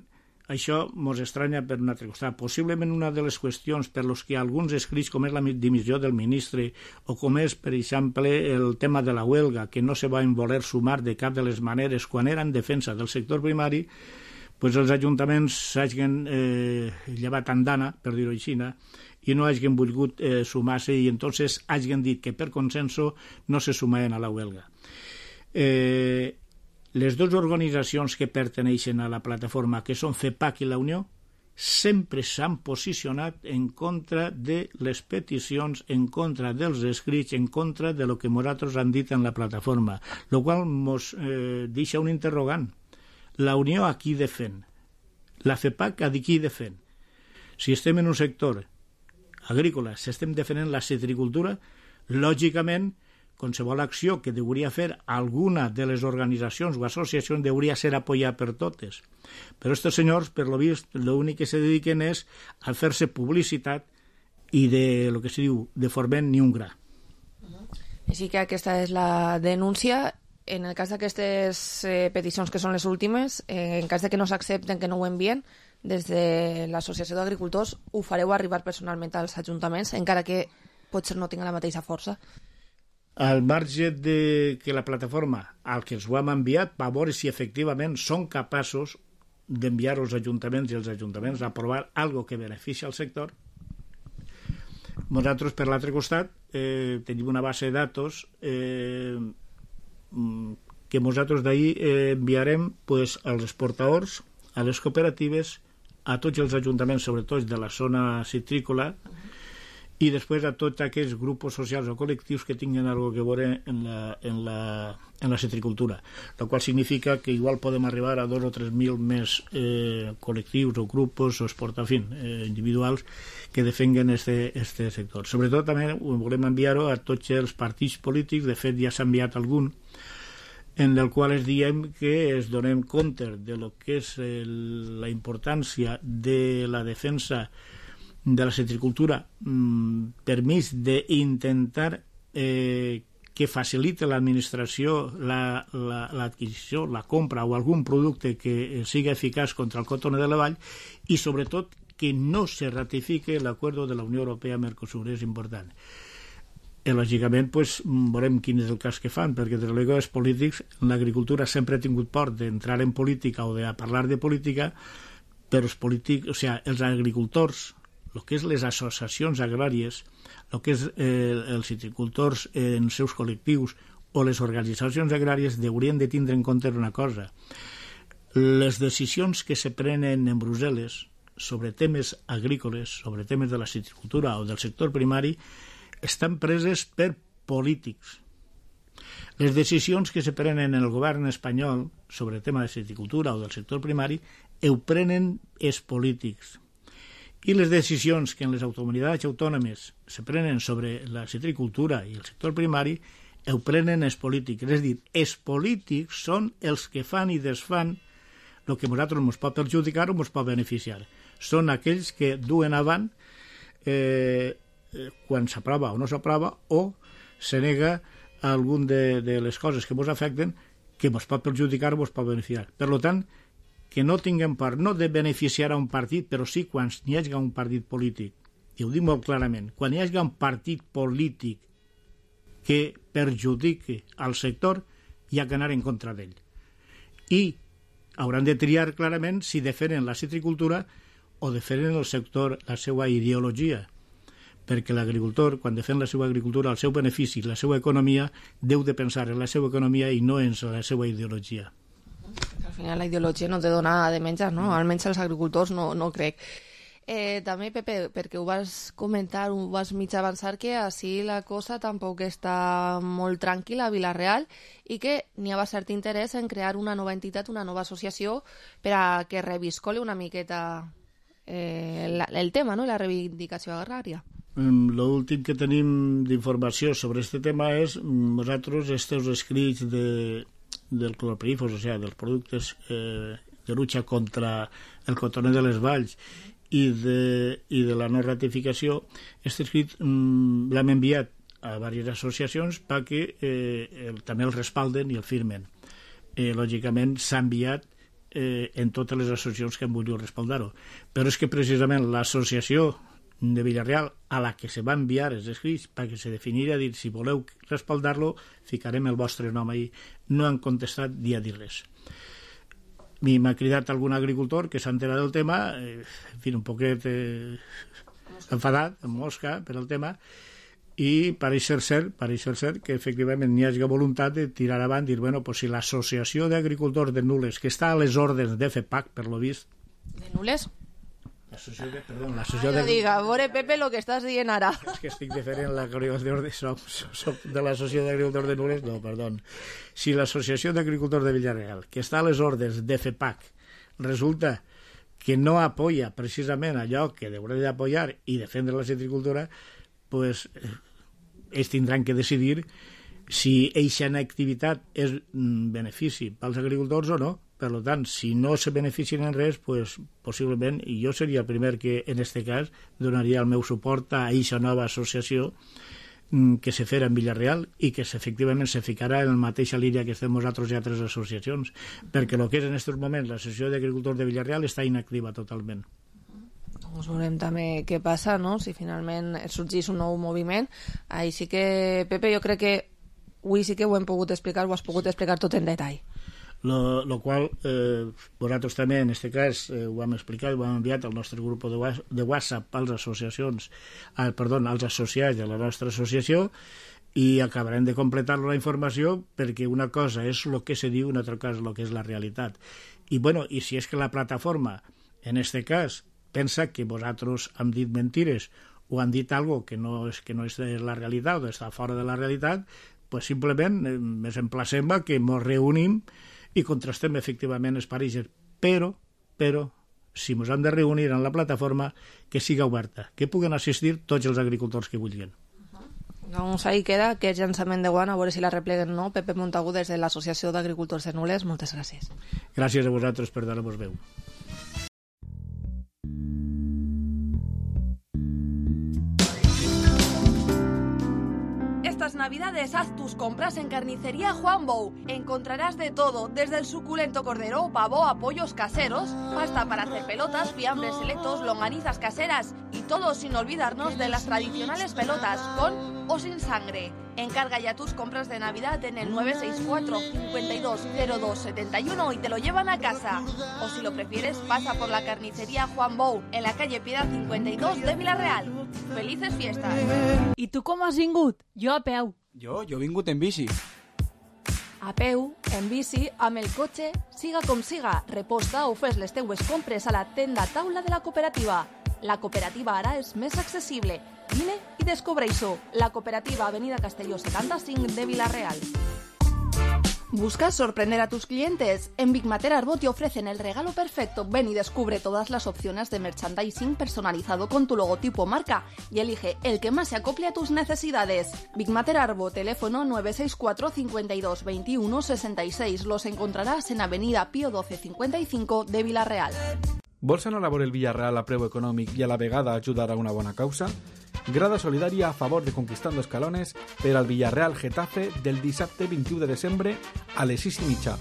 això ens estranya per un altre costat. Possiblement una de les qüestions per les que alguns escrits, com és la dimissió del ministre o com és, per exemple, el tema de la huelga, que no se van voler sumar de cap de les maneres quan era en defensa del sector primari, pues els ajuntaments s'hagin eh, llevat andana, per dir-ho així, i no hagin volgut eh, sumar-se i entonces hagin dit que per consenso no se sumaven a la huelga. Eh... Les dues organitzacions que perteneixen a la plataforma, que són FEPAC i la Unió, sempre s'han posicionat en contra de les peticions, en contra dels escrits, en contra de lo que nosaltres han dit en la plataforma, el qual ens eh, deixa un interrogant. La Unió a qui defèn? La FEPAC a qui defèn? Si estem en un sector agrícola, si estem defendent la citricultura, lògicament qualsevol acció que hauria fer alguna de les organitzacions o associacions hauria ser apoyada per totes. Però aquests senyors, per lo vist, l'únic que se dediquen és a fer-se publicitat i de lo que se diu, de forment ni un gra. Així que aquesta és la denúncia. En el cas d'aquestes eh, peticions que són les últimes, eh, en cas de que no s'accepten, que no ho envien, des de l'Associació d'Agricultors ho fareu arribar personalment als ajuntaments, encara que potser no tinga la mateixa força. Al marge de que la plataforma al que els ho hem enviat va veure si efectivament són capaços d'enviar als ajuntaments i els ajuntaments a aprovar algo que beneficia al sector. Nosaltres, per l'altre costat, eh, tenim una base de datos eh, que nosaltres d'ahir eh, enviarem pues, als exportadors, a les cooperatives, a tots els ajuntaments, sobretot de la zona citrícola, i després a tots aquells grups socials o col·lectius que tinguin alguna cosa a veure en la, en la, en la citricultura, el qual significa que igual podem arribar a dos o tres mil més eh, col·lectius o grups o esport, en fi, eh, individuals que defenguen este, este sector. Sobretot també volem enviar-ho a tots els partits polítics, de fet ja s'ha enviat algun, en el qual es diem que es donem compte de lo que és el, la importància de la defensa de la citricultura, mm, permís d'intentar eh, que facilite l'administració l'adquisició, la, la, la compra o algun producte que siga eficaç contra el cotó de la vall i sobretot que no se ratifique l'acord de la Unió Europea-Mercosur, és important. I lògicament pues, veurem quin és el cas que fan, perquè des de els polítics l'agricultura sempre ha tingut por d'entrar en política o de parlar de política, però els polítics, o sigui, els agricultors el que és les associacions agràries, el que és eh, els citricultors en seus col·lectius o les organitzacions agràries haurien de tindre en compte una cosa. Les decisions que se prenen en Brussel·les sobre temes agrícoles, sobre temes de la citricultura o del sector primari, estan preses per polítics. Les decisions que se prenen en el govern espanyol sobre el tema de citricultura o del sector primari ho prenen els polítics. I les decisions que en les comunitats autònomes se prenen sobre la citricultura i el sector primari ho prenen els polítics. És a dir, els polítics són els que fan i desfan el que a nosaltres ens pot perjudicar o ens pot beneficiar. Són aquells que duen avant eh, quan s'aprova o no s'aprova o se nega algun de, de les coses que ens afecten que ens pot perjudicar o ens pot beneficiar. Per tant, que no tinguem por no de beneficiar a un partit, però sí quan hi hagi un partit polític. I ho dic molt clarament. Quan hi hagi un partit polític que perjudiqui al sector, hi ha que anar en contra d'ell. I hauran de triar clarament si defenen la citricultura o defenen el sector, la seva ideologia. Perquè l'agricultor, quan defèn la seva agricultura, el seu benefici, la seva economia, deu de pensar en la seva economia i no en la seva ideologia. Al final la ideologia no te dona de menjar, no? Almenys els agricultors no, no crec. Eh, també, Pepe, perquè ho vas comentar, ho vas mig avançar, que així la cosa tampoc està molt tranquil·la a Vila-real i que n'hi ha cert interès en crear una nova entitat, una nova associació per a que reviscoli una miqueta eh, la, el tema, no?, la reivindicació agrària. L'últim que tenim d'informació sobre aquest tema és nosaltres, estos escrits de, del clorpirifos, o sigui, dels productes eh, de lucha contra el cotoner de les valls i de, i de la no ratificació, aquest escrit mm, l'hem enviat a diverses associacions perquè eh, el, també el respalden i el firmen. Eh, lògicament s'ha enviat eh, en totes les associacions que han volgut respaldar-ho. Però és que precisament l'associació de Vila-real a la que se va enviar els escrits perquè se definiria dir si voleu respaldar-lo ficarem el vostre nom ahí. No han contestat ni a dir res. M'ha cridat algun agricultor que s'ha enterat del tema, eh, en fi, un poquet eh, enfadat, amb mosca per el tema, i pareix ser cert, pareix ser cert que efectivament n'hi hagi voluntat de tirar avant, dir, bueno, pues si l'associació d'agricultors de Nules, que està a les ordres de F E P A C, per lo vist... De Nules? L'associació de... Perdó, l'associació de... No diga, veure, Pepe, lo que estàs dient ara. És que estic diferent la coordinació de, soc de l'associació d'agricultors de Nules, no, perdó. Si l'associació d'agricultors de Vila-real, que està a les ordres de F E P A C, resulta que no apoya precisament allò que hauria d'apoyar i defendre la citricultura, pues ells tindran que decidir si eixa activitat és benefici pels agricultors o no. Per tant, si no se beneficien en res, pues, possiblement, i jo seria el primer que, en aquest cas, donaria el meu suport a aquesta nova associació que se farà en Vila-real i que efectivament se ficarà en la mateixa línia que estem nosaltres i altres associacions, perquè el que és en aquests moments l'associació d'agricultors de Vila-real està inactiva totalment. Doncs veurem també què passa, no?, si finalment sorgís un nou moviment. Així que, Pepe, jo crec que avui sí que ho hem pogut explicar, ho has pogut explicar tot en detall. Lo, lo qual eh, vosaltres també en aquest cas eh, ho hem explicat, ho hem enviat al nostre grup de, de WhatsApp als associacions eh, perdó, als associats de la nostra associació i acabarem de completar la informació perquè una cosa és el que se diu, una altra cosa és el que és la realitat. I, bueno, i si és que la plataforma en aquest cas pensa que vosaltres hem dit mentires o han dit algo que no és, que no és la realitat o està fora de la realitat, pues simplement eh, ens emplacem a que ens reunim i contrastem efectivament els pareixes, però, però, si ens hem de reunir en la plataforma, que siga oberta, que puguen assistir tots els agricultors que vulguin. Doncs ahí queda aquest llançament de guant, a veure si la repleguen o no. Pepe Montagut, des de l'Associació d'Agricultors de Nules, moltes gràcies. Gràcies a vosaltres per donar-vos veu. Estas navidades haz tus compras en Carnicería Juan Bou. Encontrarás de todo, desde el suculento cordero, pavo a pollos caseros, pasta para hacer pelotas, fiambres selectos, longanizas caseras y todo sin olvidarnos de las tradicionales pelotas, con o sin sangre. Encarga ya tus compras de Navidad en el nueve seis cuatro, cinco dos, cero dos, siete uno y te lo llevan a casa. O si lo prefieres, pasa por la carnicería Juan Bou, en la calle Piedad cincuenta y dos de Vila-real. ¡Felices fiestas! I tu com has vingut? Jo a peu. Jo, jo he vingut en bici. A peu, en bici, amb el cotxe, siga com siga, reposta o fes les teues compres a la tenda taula de la cooperativa. La cooperativa ara és més accessible. Vine i descobreix-ho. La cooperativa Avenida Castelló setenta-cinc de Vila-real. ¿Buscas sorprender a tus clientes? En Big Mater Arbot te ofrecen el regalo perfecto. Ven y descubre todas las opciones de merchandising personalizado con tu logotipo marca y elige el que más se acople a tus necesidades. Big Mater Arbot, teléfono nueve seis cuatro, cinco dos, veintiuno, sesenta y seis. Los encontrarás en Avenida Pío doce cincuenta y cinco de Vila-real. Vols anar a veure el Villarreal a preu econòmic i a la vegada ajudar a una bona causa? Grada solidària a favor de Conquistando Escalones per al Villarreal Getafe del dissabte vint-i-u de desembre a les sis i mitja.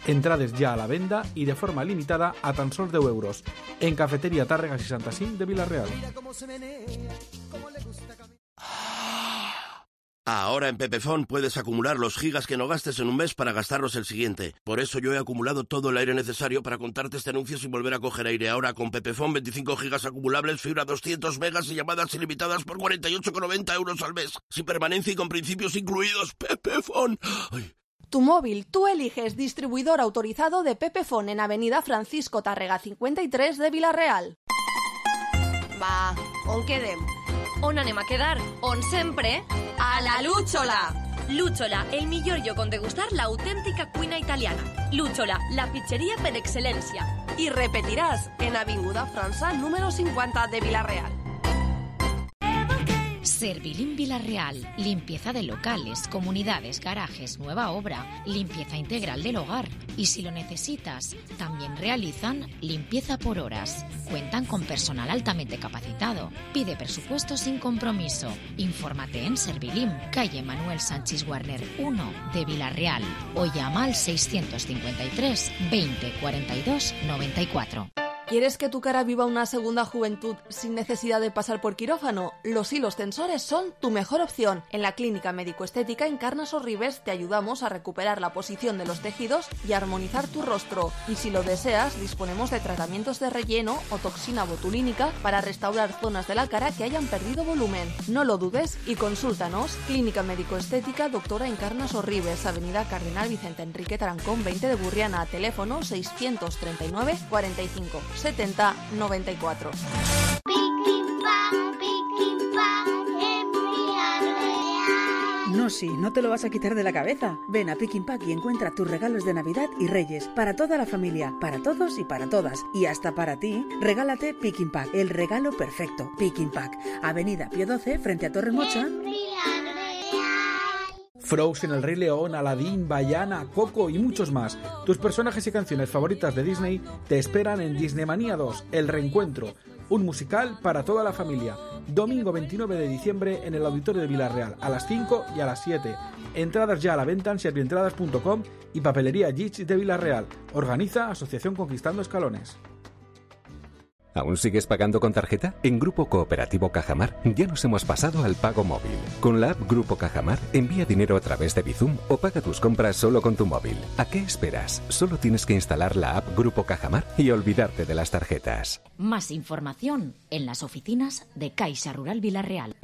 Entrades ja a la venda i de forma limitada a tan sols deu euros. En Cafeteria Tàrrega seixanta-cinc de Vila-real. Ahora en Pepefon puedes acumular los gigas que no gastes en un mes para gastarlos el siguiente. Por eso yo he acumulado todo el aire necesario para contarte este anuncio sin volver a coger aire. Ahora con Pepefon veinticinco gigas acumulables, fibra doscientos megas y llamadas ilimitadas por cuarenta y ocho con noventa euros al mes. Sin permanencia y con principios incluidos. Pepefon. Ay. Tu móvil, tú eliges distribuidor autorizado de Pepefon en Avenida Francisco Tàrrega cincuenta y tres de Vila-real. Va, on quedem? On anem a quedar? On sempre? A la Lúchola! Lúchola, el millor lloc on degustar l'autèntica cuina italiana. Lúchola, la pizzeria per excel·lència. I repetiràs en Avinguda França número cincuenta de Vila-real. Servilim Vila-real, limpieza de locales, comunidades, garajes, nueva obra, limpieza integral del hogar. Y si lo necesitas, también realizan limpieza por horas. Cuentan con personal altamente capacitado. Pide presupuesto sin compromiso. Infórmate en Servilim, calle Manuel Sánchez Warner uno de Vila-real o llama al seiscientos cincuenta y tres, veinte, cuarenta y dos, noventa y cuatro. ¿Quieres que tu cara viva una segunda juventud sin necesidad de pasar por quirófano? Los hilos tensores son tu mejor opción. En la Clínica Médico-Estética Encarnas Sorribes te ayudamos a recuperar la posición de los tejidos y armonizar tu rostro. Y si lo deseas, disponemos de tratamientos de relleno o toxina botulínica para restaurar zonas de la cara que hayan perdido volumen. No lo dudes y consúltanos. Clínica Médico-Estética Doctora Encarnas Sorribes, Avenida Cardenal Vicente Enrique Tarancón veinte de Burriana, teléfono seiscientos treinta y nueve, cuarenta y cinco, setenta, noventa y cuatro. No, sí, no te lo vas a quitar de la cabeza. Ven a Pick n Pack y encuentra tus regalos de Navidad y Reyes para toda la familia, para todos y para todas. Y hasta para ti, regálate Pick n Pack, el regalo perfecto. Pick n Pack, Avenida Pío doce, frente a Torre Mocha. Frozen, El Rey León, Aladdin, Vaiana, Coco y muchos más. Tus personajes y canciones favoritas de Disney te esperan en Disneymanía dos, El Reencuentro, un musical para toda la familia. Domingo veintinueve de diciembre en el Auditorio de Vila-real, a las cinco y a las siete. Entradas ya a la venta en servientradas punto com y Papelería Gitch de Vila-real. Organiza Asociación Conquistando Escalones. ¿Aún sigues pagando con tarjeta? En Grupo Cooperativo Cajamar ya nos hemos pasado al pago móvil. Con la app Grupo Cajamar, envía dinero a través de Bizum o paga tus compras solo con tu móvil. ¿A qué esperas? Solo tienes que instalar la app Grupo Cajamar y olvidarte de las tarjetas. Más información en las oficinas de Caixa Rural Vila-real.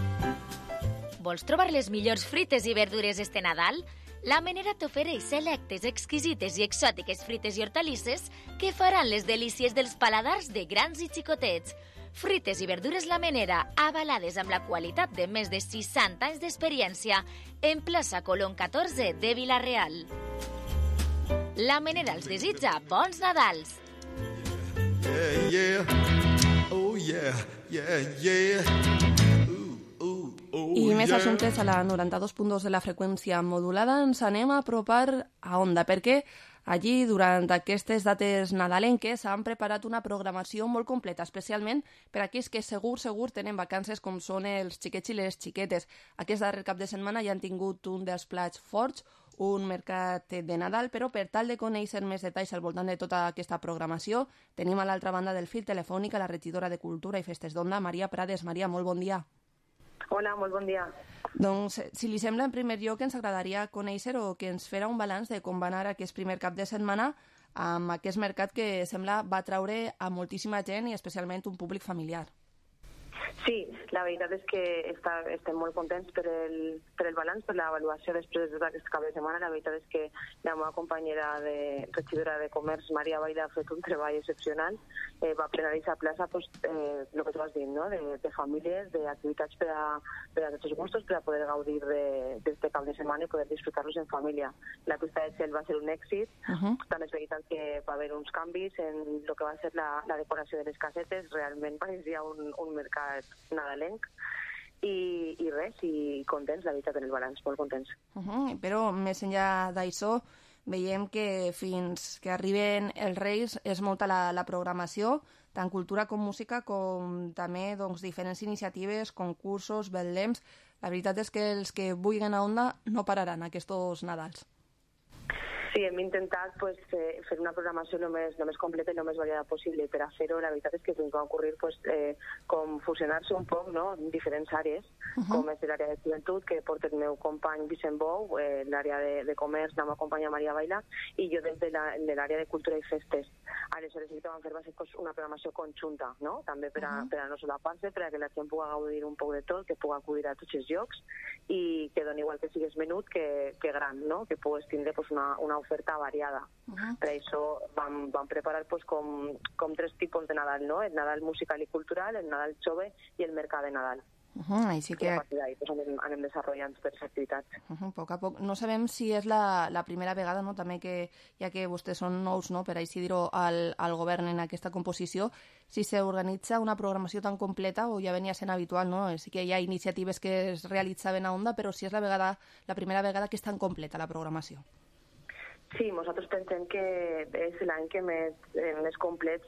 Vols trobar les millors frites i verdures este Nadal? La Menera t'ofereix selectes, exquisites i exòtiques frites i hortalisses que faran les delícies dels paladars de grans i xicotets. Frites i verdures La Menera, avalades amb la qualitat de més de seixanta anys d'experiència, en plaça Colón catorze de Vila-real. La Menera els desitja bons Nadals. Yeah, yeah. Oh, yeah, yeah, yeah. I més assumptes a la noranta-dos punt dos de la freqüència modulada ens anem a apropar a Onda, perquè allí, durant aquestes dates nadalenques, han preparat una programació molt completa, especialment per a aquells que segur, segur tenen vacances com són els xiquets i les xiquetes. Aquest darrer cap de setmana ja han tingut un dels plats forts, un mercat de Nadal, però per tal de conèixer més detalls al voltant de tota aquesta programació, tenim a l'altra banda del fil telefònic a la regidora de Cultura i Festes d'Onda, Maria Prades. Maria, molt bon dia. Hola, molt bon dia. Doncs, si li sembla, en primer lloc ens agradaria conèixer o que ens fera un balanç de com va anar aquest primer cap de setmana amb aquest mercat que sembla va atraure a moltíssima gent i especialment un públic familiar. Sí, la veritat és que està, estem molt contents per el, per el balanç, per l'avaluació després d'aquest cap de setmana. La veritat és que la meva companyera de regidora de Comerç, Maria Baila, ha fet un treball excepcional. Eh, va plenaritzar plaça, pues, eh, el que tu has dit, no? de, de famílies, d'activitats per, a, per a tots els gustos, per a poder gaudir d'aquest cap de setmana i poder disfrutar-los en família. La pista de gel va ser un èxit. Uh-huh. També és veritat que va haver uns canvis en el que va ser la, la decoració de les casetes. Realment pareixia un, un mercat nadalenc i, i res, i contents, la veritat, en el balanç, molt contents. Uh-huh. Però més enllà d'això, veiem que fins que arriben els Reis és molta la, la programació, tant cultura com música, com també doncs, diferents iniciatives, concursos, betlems. La veritat és que els que vulguin a Onda no pararan aquests Nadals. Sí, hem intentat pues, eh, fer una programació el més, el més completa i el més variada possible. Per a fer-ho, la veritat és que ens va ocorrir pues, eh, com fusionar-se un poc, no?, en diferents àrees, uh-huh. com és l'àrea de joventut, que porta el meu company Vicent Bou, eh, l'àrea de, de comerç, la meva companya Maria Baila, i jo des de l'àrea de cultura i festes. Aleshores, el que vam fer va ser pues, una programació conjunta, no?, també per a, uh-huh. per a no solapar-se, per a que la gent pugui gaudir un poc de tot, que pugui acudir a tots els llocs, i que doni igual que sigues menut que, que gran, no?, que puguis tindre pues, una, una oferta variada. Uh-huh. Per això vam, vam preparar pues, com, com tres tipus de Nadal, no? El Nadal musical i cultural, el Nadal jove i el mercat de Nadal. Uh-huh, així que... I a partir d'ahí pues, anem, anem desenvolupant per les activitats. Uh-huh, a poc a poc. No sabem si és la, la primera vegada, no? També que, ja que vostès són nous, no? Per així dir-ho, al, al govern en aquesta composició, si s'organitza una programació tan completa o ja venia sent habitual, no? Sí que hi ha iniciatives que es realitzaven a Onda, però si és la, vegada, la primera vegada que és tan completa la programació. Sí, nosaltres pensem que és l'any que més, eh, més complet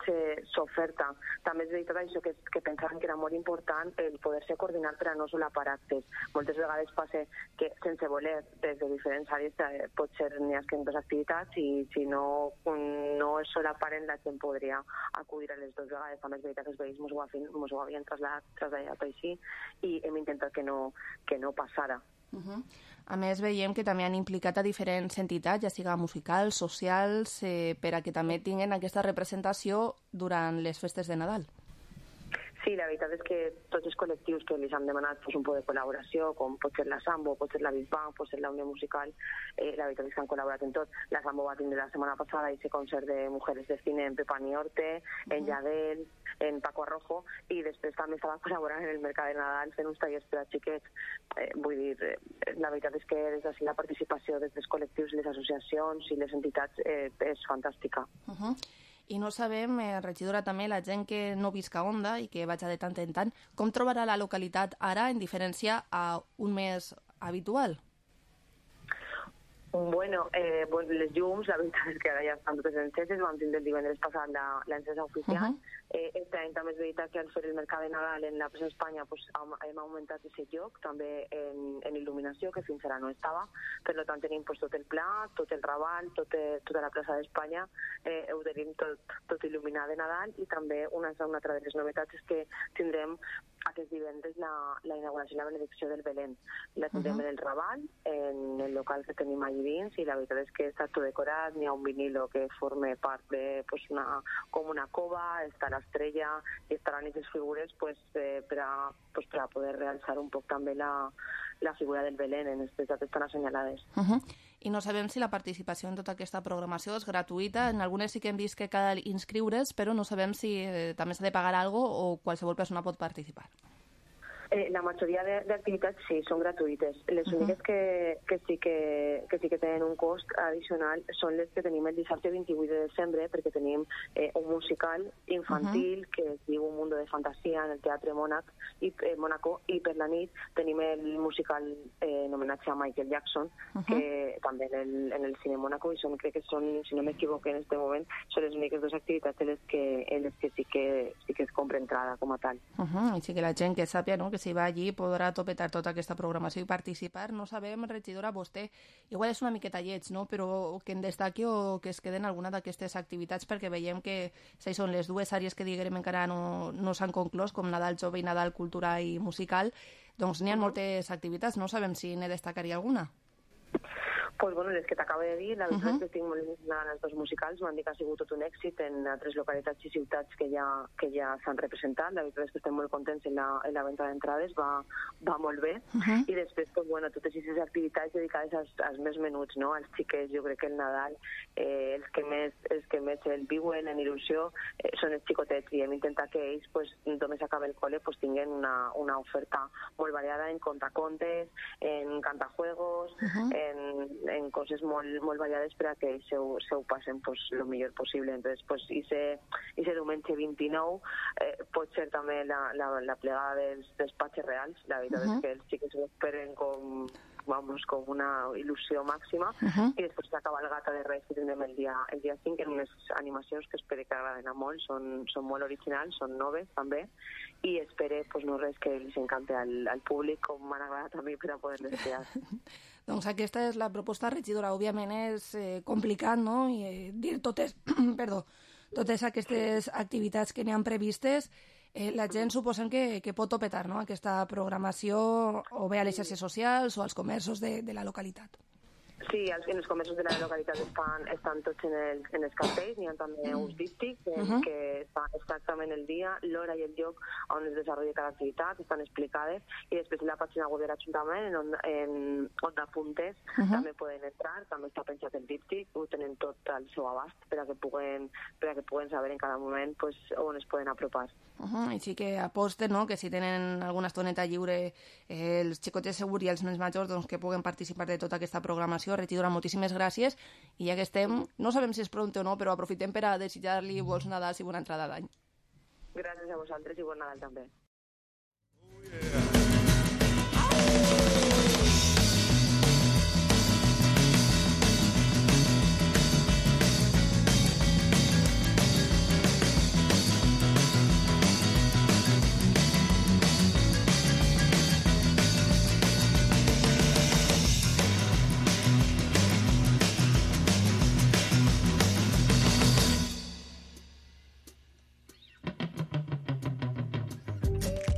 s'oferta. També és veritat això que, que pensàvem que era molt important el poder-se coordinar per a no solapar actes. Moltes vegades passa que sense voler des de diferents àrees eh, pot ser n'hi ha que en dues activitats i si no, no es solaparen la gent podria acudir a les dues vegades. També és veritat que els veïns mos ho, mos ho havien traslladat, traslladat així i hem intentat que no, que no passara. Uh-huh. A més, veiem que també han implicat a diferents entitats, ja siga musicals, socials, eh, per a que també tinguin aquesta representació durant les festes de Nadal. Sí, la veritat és que tots els col·lectius que els han demanat pues, un poc de col·laboració, com pot ser la Sambo, pot ser la Bisbal, pot ser la Unió Musical, eh, la veritat és que han col·laborat en tot. La Sambo va tindre la setmana passada aquest concert de Mujeres de Cine en Pepa Niorte, uh-huh. en Lladel, en Paco Arrojo, i després també estava col·laborant en el Mercat de Nadal fent uns tallers per a xiquets. Eh, vull dir, eh, la veritat és que des d'ací la participació des dels col·lectius, les associacions i les entitats eh, és fantàstica. Uh-huh. I no sabem, eh, regidora, també la gent que no visca a Onda i que vaja de tant en tant, com trobarà la localitat ara en diferència a un mes habitual? Bueno, eh, pues les llums, la veritat és que ara ja estan totes enceses, vam tindre el divendres passat la, l'encesa oficial. Uh-huh. Eh, este any també és veritat que al fer el mercat de Nadal en la Plaça Espanya pues, hem augmentat aquest lloc, també en, en il·luminació, que fins ara no estava. Per tant, tenim pues, tot el pla, tot el Raval, tot, tota la Plaça d'Espanya, eh, ho tenim tot, tot il·luminat de Nadal i també una, una altra de les novetats és que tindrem aquest divendres la, la inauguració i la benedicció del Belén. La tindrem uh-huh. en el Raval, en el local que tenim allà dins, i la veritat és que està tot decorat, n'hi ha un vinilo que forma part de pues, una, com una cova, està l'estrella i estaran aquestes figures pues, eh, per, a, pues, per a poder realçar un poc també la, la figura del Belén en aquestes dates tan assenyalades. Uh-huh. I no sabem si la participació en tota aquesta programació és gratuïta. En algunes sí que hem vist que cal inscriure's, però no sabem si eh, també s'ha de pagar alguna cosa o qualsevol persona pot participar. Eh, la majoria d'activitats sí, són gratuïtes. Les uh-huh. úniques que, que, sí que, que sí que tenen un cost addicional són les que tenim el dissabte vint-i-vuit de desembre, perquè tenim eh, un musical infantil uh-huh. que es diu Un mundo de fantasia en el Teatre Mónac i, eh, Mónaco, i per la nit tenim el musical eh, en homenatge a Michael Jackson, uh-huh. que també en el, en el Cine Mónaco, i són, crec que són, si no m'equivoco en este moment, són les úniques dues activitats en les que, en les que sí que sí que es compra entrada com a tal. Uh-huh. I sí que la gent que sàpia, no?, que que si va allí podrà topetar tota aquesta programació i participar. No sabem, regidora, vostè, igual és una miqueta lleig, no? Però que en destaqui o que es queden alguna d'aquestes activitats, perquè veiem que si són les dues àrees que diguem encara no, no s'han conclòs, com Nadal Jove i Nadal Cultura i Musical, doncs n'hi ha moltes activitats, no sabem si ne destacaria alguna. Pues bueno, les que t'acabo de dir, la veritat uh-huh. és que estic molt il·lusionada en els dos musicals, m'han dit que ha sigut tot un èxit en altres localitats i ciutats que ja, que ja s'han representat, la veritat és que estem molt contents en la, en la venda d'entrades, va, va molt bé, uh-huh. i després, pues, bueno, totes aquestes activitats dedicades als, als més menuts, no? Als xiquets, jo crec que el Nadal, eh, els, que més, els que més el viuen en il·lusió eh, són els xicotets, i hem intentat que ells, pues, només acabe el col·le, pues, tinguin una, una oferta molt variada en contacontes, en cantajuegos, uh-huh. en en coses molt, molt variades per a que ells se ho, se ho passen pues, lo millor possible. Entonces, pues, i se diumenge vint-i-nou eh, pot ser també la, la, la plegada dels despatxes reals. La veritat uh-huh. és que els xics ho esperen com, vamos, com una il·lusió màxima uh-huh. i després la cabalgata de Reis que tindrem el dia, el dia cinc en unes animacions que espero que agraden a molt, són, són molt originals, són noves també, i espero pues, no res que els encante al, al públic com m'han agradat a mi per a poder-les crear. Doncs aquesta és la proposta, regidora. Òbviament és eh, complicat, no?, i eh, dir totes, perdó, totes aquestes activitats que n'hi han previstes. Eh, la gent suposem que, que pot topetar, no?, aquesta programació o bé a les xarxes socials o als comerços de, de la localitat. Sí, els, en els comerços de la localitat estan, estan tots en, el, en els cartells, n'hi ha també uns díptics en uh-huh. que està exactament el dia, l'hora i el lloc on es desenvolupa cada activitat, estan explicades, i després en la pàgina web de l'Ajuntament, en, on, en Onda Puntes, uh-huh. també poden entrar, també està pensat el díptic, ho tenen tot al seu abast per a que puguen, per a que puguen saber en cada moment pues, on es poden apropar. Uh-huh. I sí que aposten, no?, que si tenen alguna estoneta lliure eh, els xicotets segurs i els nens majors doncs, que puguen participar de tota aquesta programació. Regidora, moltíssimes gràcies, i ja que estem, no sabem si és pronte o no, però aprofitem per a desitjar-li bons Nadals i bona entrada d'any. Gràcies a vosaltres i bon Nadal també. Oh, yeah.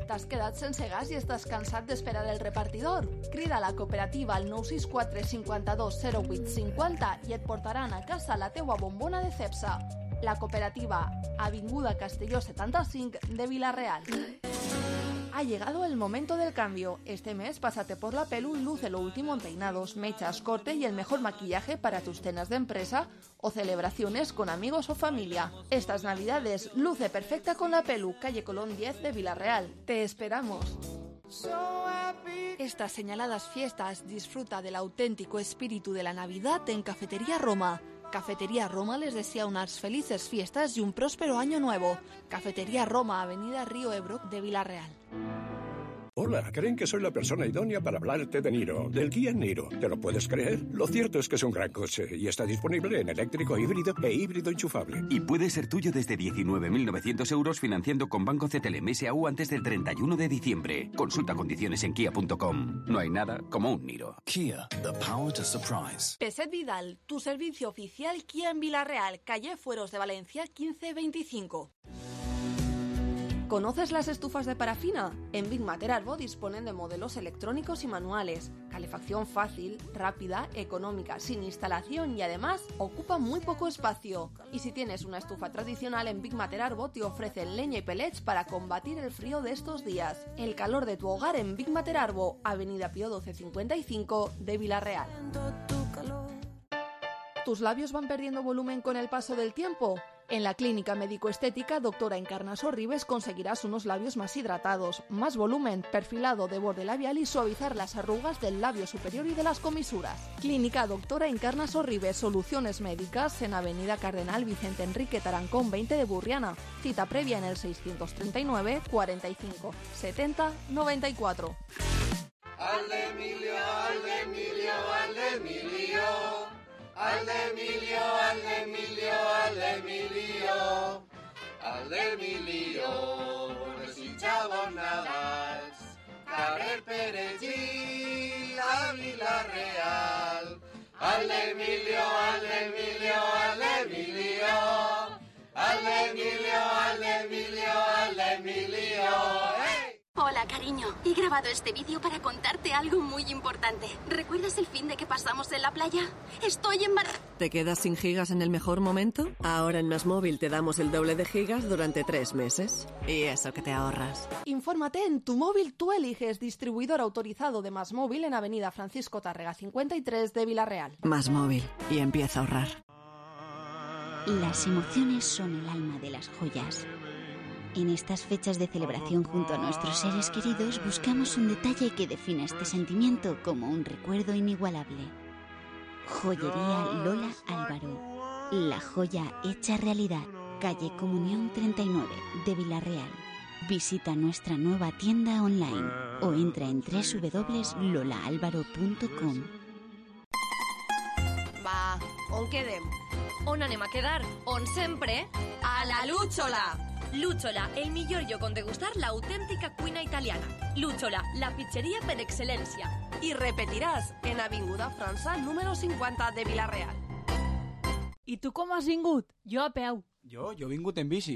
T'has quedat sense gas i estàs cansat d'esperar el repartidor? Crida a la cooperativa al nou sis quatre cinquanta-dos zero vuit cinquanta i et portaran a casa la teua bombona de Cepsa. La cooperativa, Avinguda Castelló setanta-cinc de Vila-real. Ha llegado el momento del cambio. Este mes pásate por la Pelu y luce lo último en peinados, mechas, corte y el mejor maquillaje para tus cenas de empresa o celebraciones con amigos o familia. Estas navidades luce perfecta con la Pelu, calle Colón diez de Vila-real. Te esperamos. Estas señaladas fiestas disfruta del auténtico espíritu de la Navidad en Cafetería Roma. Cafetería Roma les desea unas felices fiestas y un próspero año nuevo. Cafetería Roma, Avenida Río Ebro de Vila-real. Hola, creen que soy la persona idónea para hablarte de Niro, del Kia Niro. ¿Te lo puedes creer? Lo cierto es que es un gran coche y está disponible en eléctrico híbrido e híbrido enchufable. Y puede ser tuyo desde diecinueve mil novecientos euros financiando con Banco C T L M S A U antes del treinta y uno de diciembre. Consulta condiciones en kia punto com. No hay nada como un Niro. Kia, the power to surprise. Peset Vidal, tu servicio oficial Kia en Vila-real, calle Fueros de Valencia quince veinticinco. ¿Conoces las estufas de parafina? En Big Mater Arbo disponen de modelos electrónicos y manuales, calefacción fácil, rápida, económica, sin instalación y además ocupa muy poco espacio. Y si tienes una estufa tradicional, en Big Mater Arbo te ofrecen leña y pellets para combatir el frío de estos días. El calor de tu hogar en Big Mater Arbo, Avenida Pío doce cincuenta y cinco de Vila-real. ¿Tus labios van perdiendo volumen con el paso del tiempo? En la clínica médico-estética Doctora Encarnaso Ribes conseguirás unos labios más hidratados, más volumen, perfilado de borde labial y suavizar las arrugas del labio superior y de las comisuras. Clínica Doctora Encarnaso Ribes, soluciones médicas en Avenida Cardenal Vicente Enrique Tarancón veinte de Burriana. Cita previa en el seiscientos treinta y nueve, cuarenta y cinco, setenta, noventa y cuatro. Al Emilio, al Emilio, al Emilio. Al Emilio, al Emilio, al Emilio, al Emilio, desitjava Nadals. el perejil a Vila-real. Al Emilio, al Emilio, al Emilio. Al Emilio, al Emilio, al Emilio. ¡Hey! Hola, cariño. He grabado este vídeo para contarte algo muy importante. ¿Recuerdas el fin de que pasamos en la playa? Estoy embarazada. ¿Te quedas sin gigas en el mejor momento? Ahora en Más Móvil te damos el doble de gigas durante tres meses. Y eso que te ahorras. Infórmate en Tu Móvil Tú Eliges, distribuidor autorizado de Más Móvil en Avenida Francisco Tárrega cincuenta y tres de Vila-real. Más Móvil. Y empieza a ahorrar. Las emociones son el alma de las joyas. En estas fechas de celebración junto a nuestros seres queridos buscamos un detalle que defina este sentimiento como un recuerdo inigualable. Joyería Lola Álvaro. La joya hecha realidad. Calle Comunión treinta y nueve de Vila-real. Visita nuestra nueva tienda online o entra en doble u doble u doble u punto lola álvaro punto com. Va, on quedem? On anem a quedar? On sempre? A la Lúchola! Lúchola, el millor lloc on degustar l'autèntica cuina italiana. Lúchola, la pizzeria per excel·lència. I repetiràs en Avinguda França, número cinquanta de Vila-real. I tu com has vingut? Jo a peu. Jo, jo he vingut en bici.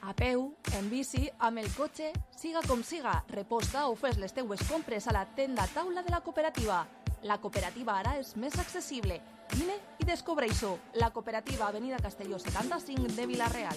A peu, en bici, amb el cotxe, siga com siga, reposta o fes les teues compres a la tenda taula de la cooperativa. La cooperativa ara és més accessible. Vine i descobreix-ho. La cooperativa Avenida Castelló setanta-cinc de Vila-real.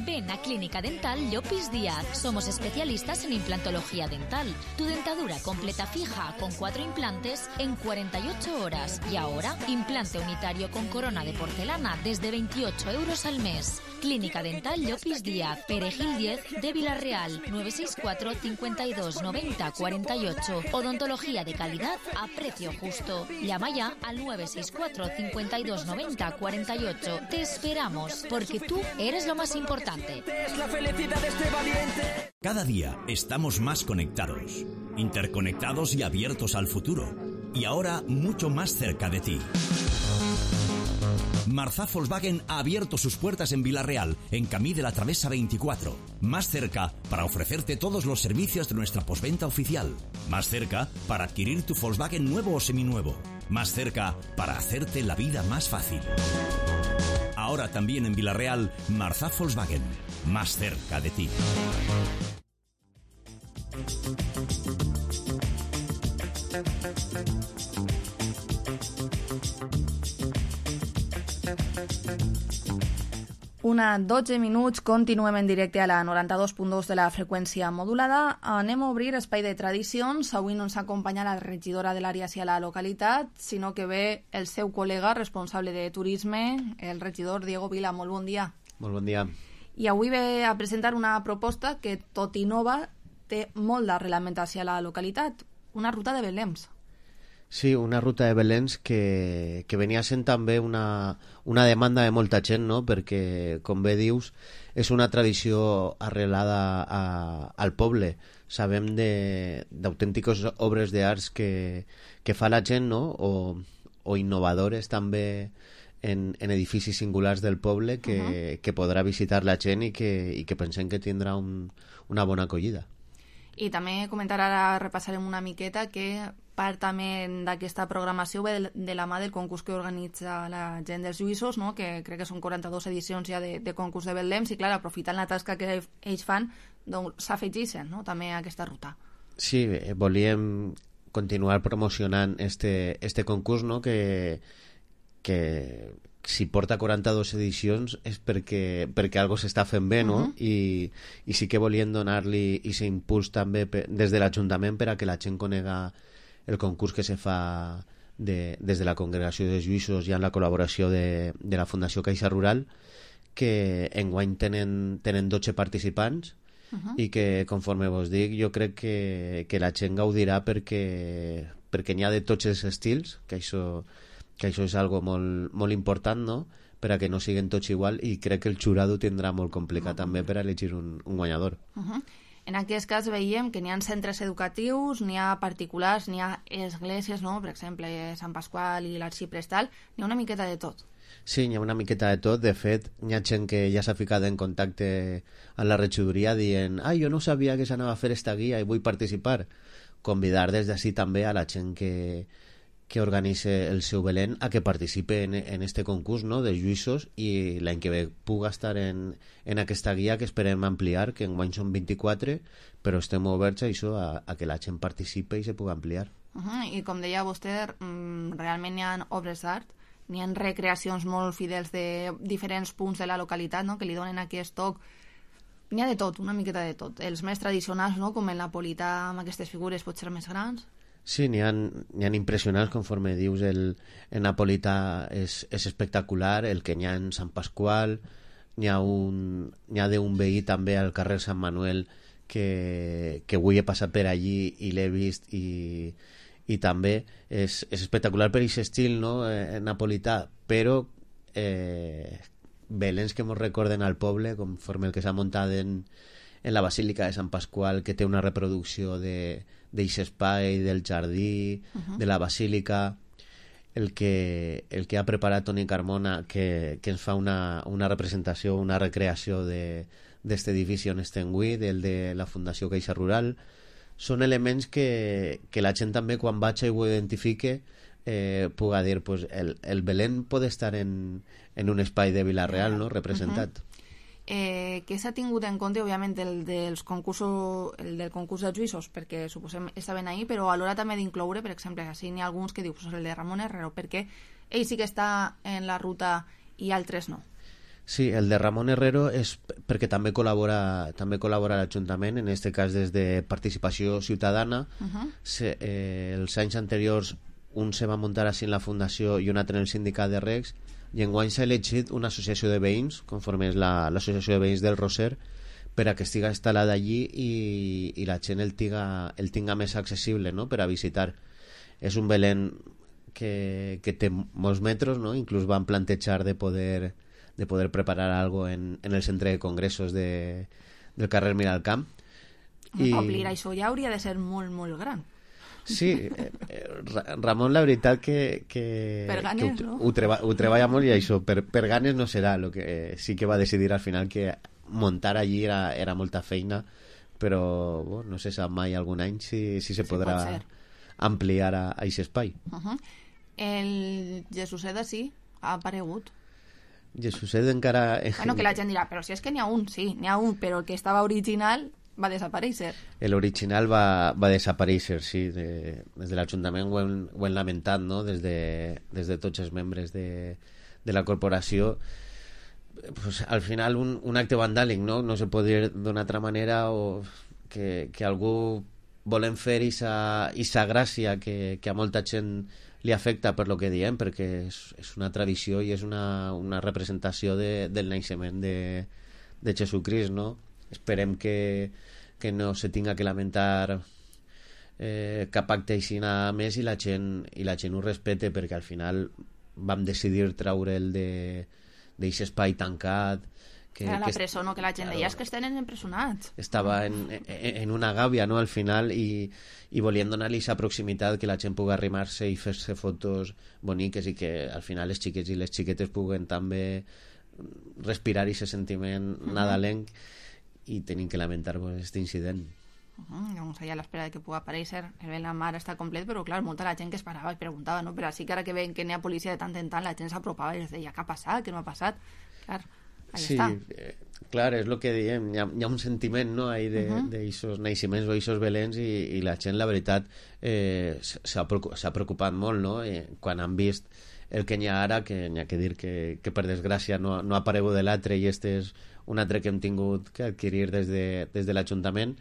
Ven a Clínica Dental Llopis Díaz. Somos especialistas en implantología dental. Tu dentadura completa fija con cuatro implantes en cuarenta y ocho horas. Y ahora, implante unitario con corona de porcelana desde veintiocho euros al mes. Clínica Dental Llopis Díaz, Perejil diez de Vila-real, nueve seis cuatro, cincuenta y dos, noventa, cuarenta y ocho. Odontología de calidad a precio justo. Llama ya al nueve seis cuatro, cincuenta y dos, noventa, cuarenta y ocho. Te esperamos, porque tú eres lo más importante. Es la felicidad de este valiente. Cada día estamos más conectados, interconectados y abiertos al futuro. Y ahora mucho más cerca de ti. Marzá Volkswagen ha abierto sus puertas en Vila-real, en Camí de la Travesa veinticuatro. Más cerca para ofrecerte todos los servicios de nuestra postventa oficial. Más cerca para adquirir tu Volkswagen nuevo o seminuevo. Más cerca para hacerte la vida más fácil. Ahora también en Vila-real, Marzá Volkswagen. Más cerca de ti. Una dotze minuts, continuem en directe a la noranta-dos punt dos de la freqüència modulada. Anem a obrir espai de tradicions. Avui no ens acompanya la regidora de l'àrea hacia la localitat, sinó que ve el seu col·lega responsable de turisme, el regidor Diego Vila. Molt bon dia. Molt bon dia. I avui ve a presentar una proposta que, tot i nova, té molt d'arrelament hacia la localitat. Una ruta de Belems. Sí, una ruta de Belens que, que venia sent també una, una demanda de molta gent, no? Perquè, com bé dius, és una tradició arrelada a, al poble. Sabem d'autèntiques obres d'arts que, que fa la gent, no? O, o innovadores també en, en edificis singulars del poble que, uh-huh. que podrà visitar la gent i que, i que pensem que tindrà un, una bona acollida. I també comentar, ara repassarem una miqueta, que part també d'aquesta programació ve de, de la mà del concurs que organitza la gent dels Lluïssos, no? Que crec que són quaranta-dues edicions ja de, de concurs de Belems, i clar, aprofitant la tasca que ells fan, doncs s'afegeixen, no? també a aquesta ruta. Sí, volíem continuar promocionant este, este concurs, no? que, que si porta quaranta-dues edicions és perquè, perquè algo s'està fent bé, no? Uh-huh. I, i sí que volien donar-li aquest impuls també per, des de l'Ajuntament per a que la gent conega el concurs que se fa de, des de la Congregació de Lluïssos i amb la col·laboració de, de la Fundació Caixa Rural, que enguany tenen, tenen dotze participants uh-huh. i que, conforme vos dic, jo crec que, que la gent gaudirà perquè, perquè n'hi ha de tots els estils, que això, que això és algo molt, molt important, no? Per a que no siguin tots igual, i crec que el jurado tindrà molt complicat uh-huh. també per a elegir un, un guanyador. Uh-huh. En aquest cas veiem que n'hi ha centres educatius, n'hi ha particulars, n'hi ha esglésies, no? Per exemple, Sant Pasqual i l'Arxiprestal, n'hi ha una miqueta de tot. Sí, hi ha una miqueta de tot. De fet, hi ha gent que ja s'ha ficat en contacte amb la regidoria dient ah, jo no sabia que s'anava a fer esta guia i vull participar. Convidar des d'ací també a la gent que, que organitza el seu Belén a que participe en, en este concurs, no?, de lluïssos, i l'any que ve puga estar en, en aquesta guia que esperem ampliar, que enguany són vint-i-quatre, però estem oberts a això, a, a que la gent participe i se pugui ampliar. Uh -huh. I com deia vostè, realment hi ha obres d'art, n'hi ha recreacions molt fidels de diferents punts de la localitat, no?, que li donen aquest toc. N'hi ha de tot, una miqueta de tot. Els més tradicionals, no?, com el napolità, amb aquestes figures potser més grans. Sí, n'hi ha, n'hi ha impressionants, conforme dius, el, el napolità és, és espectacular, el que n'hi ha en Sant Pasqual, n'hi ha, un, n'hi ha d'un veí també al carrer Sant Manuel que, que avui he passat per allí i l'he vist i, i també és, és espectacular per aquest estil, no?, eh, napolità, però eh, belens que ens recorden al poble, conforme el que s'ha muntat en, en la Basílica de Sant Pasqual, que té una reproducció de d'aquest espai, del jardí, uh-huh. de la Basílica, el que, el que ha preparat Toni Carmona, que, que ens fa una, una representació, una recreació d'aquest edifici on estem avui, del de la Fundació Caixa Rural. Són elements que, que la gent també, quan vaig i ho identifique, eh, puga dir, pues, el, el Belén pot estar en, en un espai de Vila-real, no?, representat. Uh-huh. Eh, què s'ha tingut en compte, òbviament, el, dels concursos, el del concurs de juïssos, perquè suposem estaven ahí, però a l'hora també d'incloure, per exemple, si n'hi ha alguns que diu pues, el de Ramon Herrero, perquè ell sí que està en la ruta i altres no. Sí, el de Ramon Herrero és perquè també col·labora també col·labora l'Ajuntament, en aquest cas des de Participació Ciutadana. Uh-huh. Se, eh, els anys anteriors un se va muntar així en la Fundació i un altre en el Sindicat de Recs, i enguany s'ha elegit una associació de veïns, conforme és la, l'associació de veïns del Roser, per a que estiga instal·lada allí i, i la gent el tinga, el tinga més accessible, no?, per a visitar. És un Belén que, que té molts metres, no?, inclús van plantejar de poder, de poder preparar algo en, en el centre de congressos de, del carrer Miralcamp. I... Omplir això ja hauria de ser molt, molt gran. Sí, eh, Ramon, la veritat que, que, per ganes, que ho, no? ho, treba, ho treballa molt, i això per, per ganes no serà. Lo que eh, sí que va decidir al final que muntar allí era, era molta feina, però bueno, no se sap mai algun any si, si se sí, podrà ampliar a aquest espai. Uh-huh. El Jesuset sí ha aparegut. Jesuset encara... Bueno, que la gent dirà, però si és que n'hi ha un, sí, n'hi ha un, però el que estava original va desaparèixer. L'original va, va desaparèixer, sí. De, des de l'Ajuntament ho hem, ho hem lamentat, no?, des de, des de tots els membres de, de la corporació. Pues, al final un, un acte vandàlic, no? No se pot dir d'una altra manera, o que, que algú volem fer esa, esa gràcia que, que a molta gent li afecta per lo que diem, perquè és, és una tradició i és una, una representació de, del naixement de, de Jesucrist, no? Esperem que, que no se tinga que lamentar eh, cap acte així nada més, i la gent, i la gent ho respete, perquè al final vam decidir traure'l d'aquest espai tancat. Que, era la que presó, no? Que la gent deia, és que estan empresonats. Estava en, en, en una gàbia, no?, al final, i, i volien donar-li aquesta proximitat, que la gent pugui arrimar-se i fer-se fotos boniques, i que al final els xiquets i les xiquetes puguen també respirar aquest sentiment uh-huh. nadalenc, i tenim que lamentar aquest incident. Uh-huh. Llavors allà a l'espera de que pugui aparèixer el ben la mar està complet, però clar, molta la gent que es parava i preguntava, no? Però així que ara que veien que n'hi ha policia de tant en tant, la gent s'apropava i es deia, què ha passat, què no ha passat? Clar, allà sí, està. Eh, clar, és el que diem, hi ha, hi ha un sentiment, no?, ahí de, uh-huh. d'aixos naixements o d'aixos belens, i, i la gent, la veritat, eh, s'ha, s'ha preocupat molt, no?, eh, quan han vist el que n'hi ha ara, que n'hi ha que dir que, que per desgràcia no, no ha aparegut de l'altre, i este és un altre que hem tingut que adquirir des de, des de l'Ajuntament,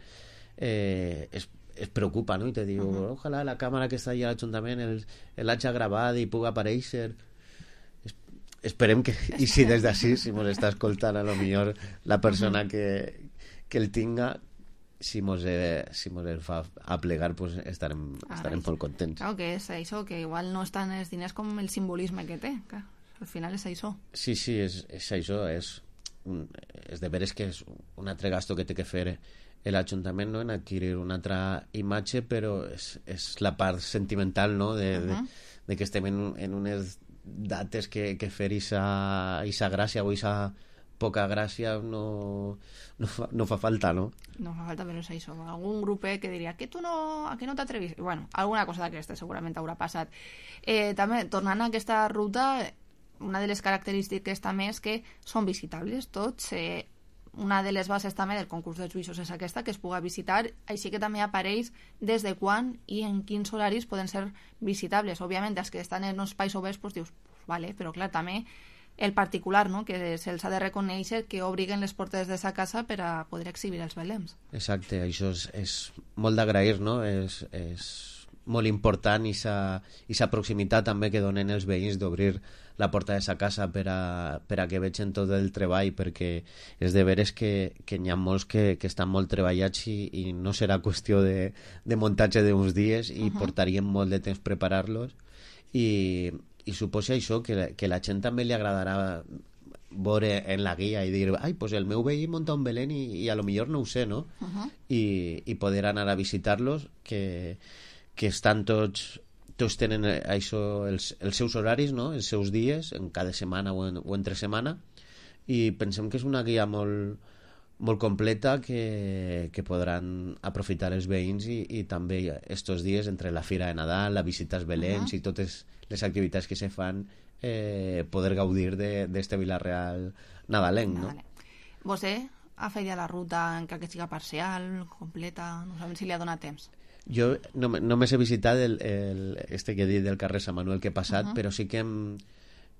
eh, es, es preocupa, no?, i te diu, uh-huh. ojalà la càmera que està allà a l'Ajuntament el, l'hagi gravat i pugui aparèixer. Es, esperem que, i si des d'ací, si mos està escoltant, a lo millor la persona uh-huh. que, que el tinga, si mos, eh, si mos el fa aplegar, pues estarem, estarem molt contents. Claro que és això, que igual no estan els diners com el simbolisme que té, clar. Al final és això. Sí, sí, és, és això, és un, és de veres que és un altre gasto que té que fer l'Ajuntament, no?, en adquirir una altra imatge, però és, és la part sentimental, no?, de, uh-huh. de, de que estem en, en unes dates que, que fer isa, isa gràcia o isa poca gràcia no, no, fa, no fa falta, no? No fa falta, però és això. Algun grupet que diria que tu no, a que no t'atrevis? Bueno, alguna cosa d'aquesta segurament haurà passat. Eh, també, tornant a aquesta ruta, una de les característiques també és que són visitables tots. Eh, una de les bases també del concurs dels juïços és aquesta, que es puga visitar, així que també apareix des de quan i en quins horaris poden ser visitables. Òbviament, els que estan en uns espais oberts, doncs dius, pues, vale, però clar, també el particular, no?, que se'ls ha de reconèixer que obriguen les portes de sa casa per a poder exhibir els belems. Exacte, això és, és molt d'agrair, no? És, és molt important i sa proximitat també que donen els veïns d'obrir la porta de sa casa per a, per a que vegin tot el treball, perquè és de veres que, que n'hi ha molts que, que estan molt treballats i, i no serà qüestió de, de muntatge d'uns dies i uh -huh. portarien molt de temps preparar-los i i suposa això, que la, que la gent també li agradarà veure en la guia i dir, ai, pues el meu veí munta un Belén i, i a lo millor no ho sé, no? Uh -huh. I, i poder anar a visitar-los, que, que estan tots tots tenen això, els, els seus horaris, no? Els seus dies, en cada setmana o, en, o entre setmana, i pensem que és una guia molt, molt completa que, que podran aprofitar els veïns i, i també estos dies entre la Fira de Nadal, la visita als Beléns uh -huh. i totes les activitats que se fan, eh, poder gaudir d'este Vila-real nadalenc, no? Vale. Vostè ha fet ja la ruta encara que siga parcial, completa, no sabem si li ha donat temps. Jo no, només he visitat el, el, este que he dit del carrer Sant Manuel que he passat, uh -huh. però sí que hem,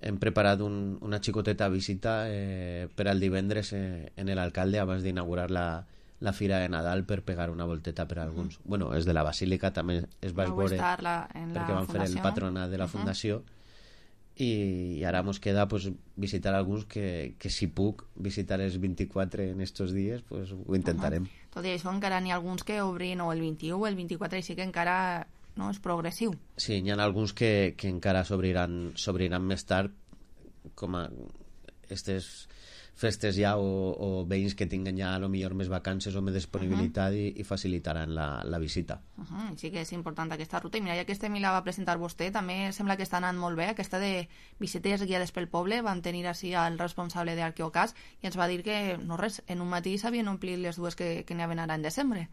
hem preparat un, una xicoteta visita eh, per al divendres eh, en l'alcalde abans d'inaugurar la, la Fira de Nadal per pegar una volteta per a alguns. Uh -huh. Bueno, els de la Basílica també es va veure perquè van fer el patronat de la fundació uh -huh. i, i ara mos queda pues, visitar alguns que, que si puc visitar els vint-i-quatre en estos dies pues, ho intentarem. Uh -huh. Tot i això encara n'hi ha alguns que obrin o el vint-i-u o el vint-i-quatre, així que encara no és progressiu. Sí, n'hi ha alguns que, que encara s'obriran s'obriran més tard, com a estes festes ja o, o veïns que tinguen ja a lo millor més vacances o més disponibilitat uh -huh. i, i facilitaran la, la visita. Uh -huh. Sí que és important aquesta ruta. I mira, ja que este mi la va presentar vostè, també sembla que està anant molt bé. Aquesta de visites guiades pel poble, van tenir així el responsable d'Arqueocas i ens va dir que, no res, en un matí s'havien omplit les dues que, que n'hi havien ara en desembre.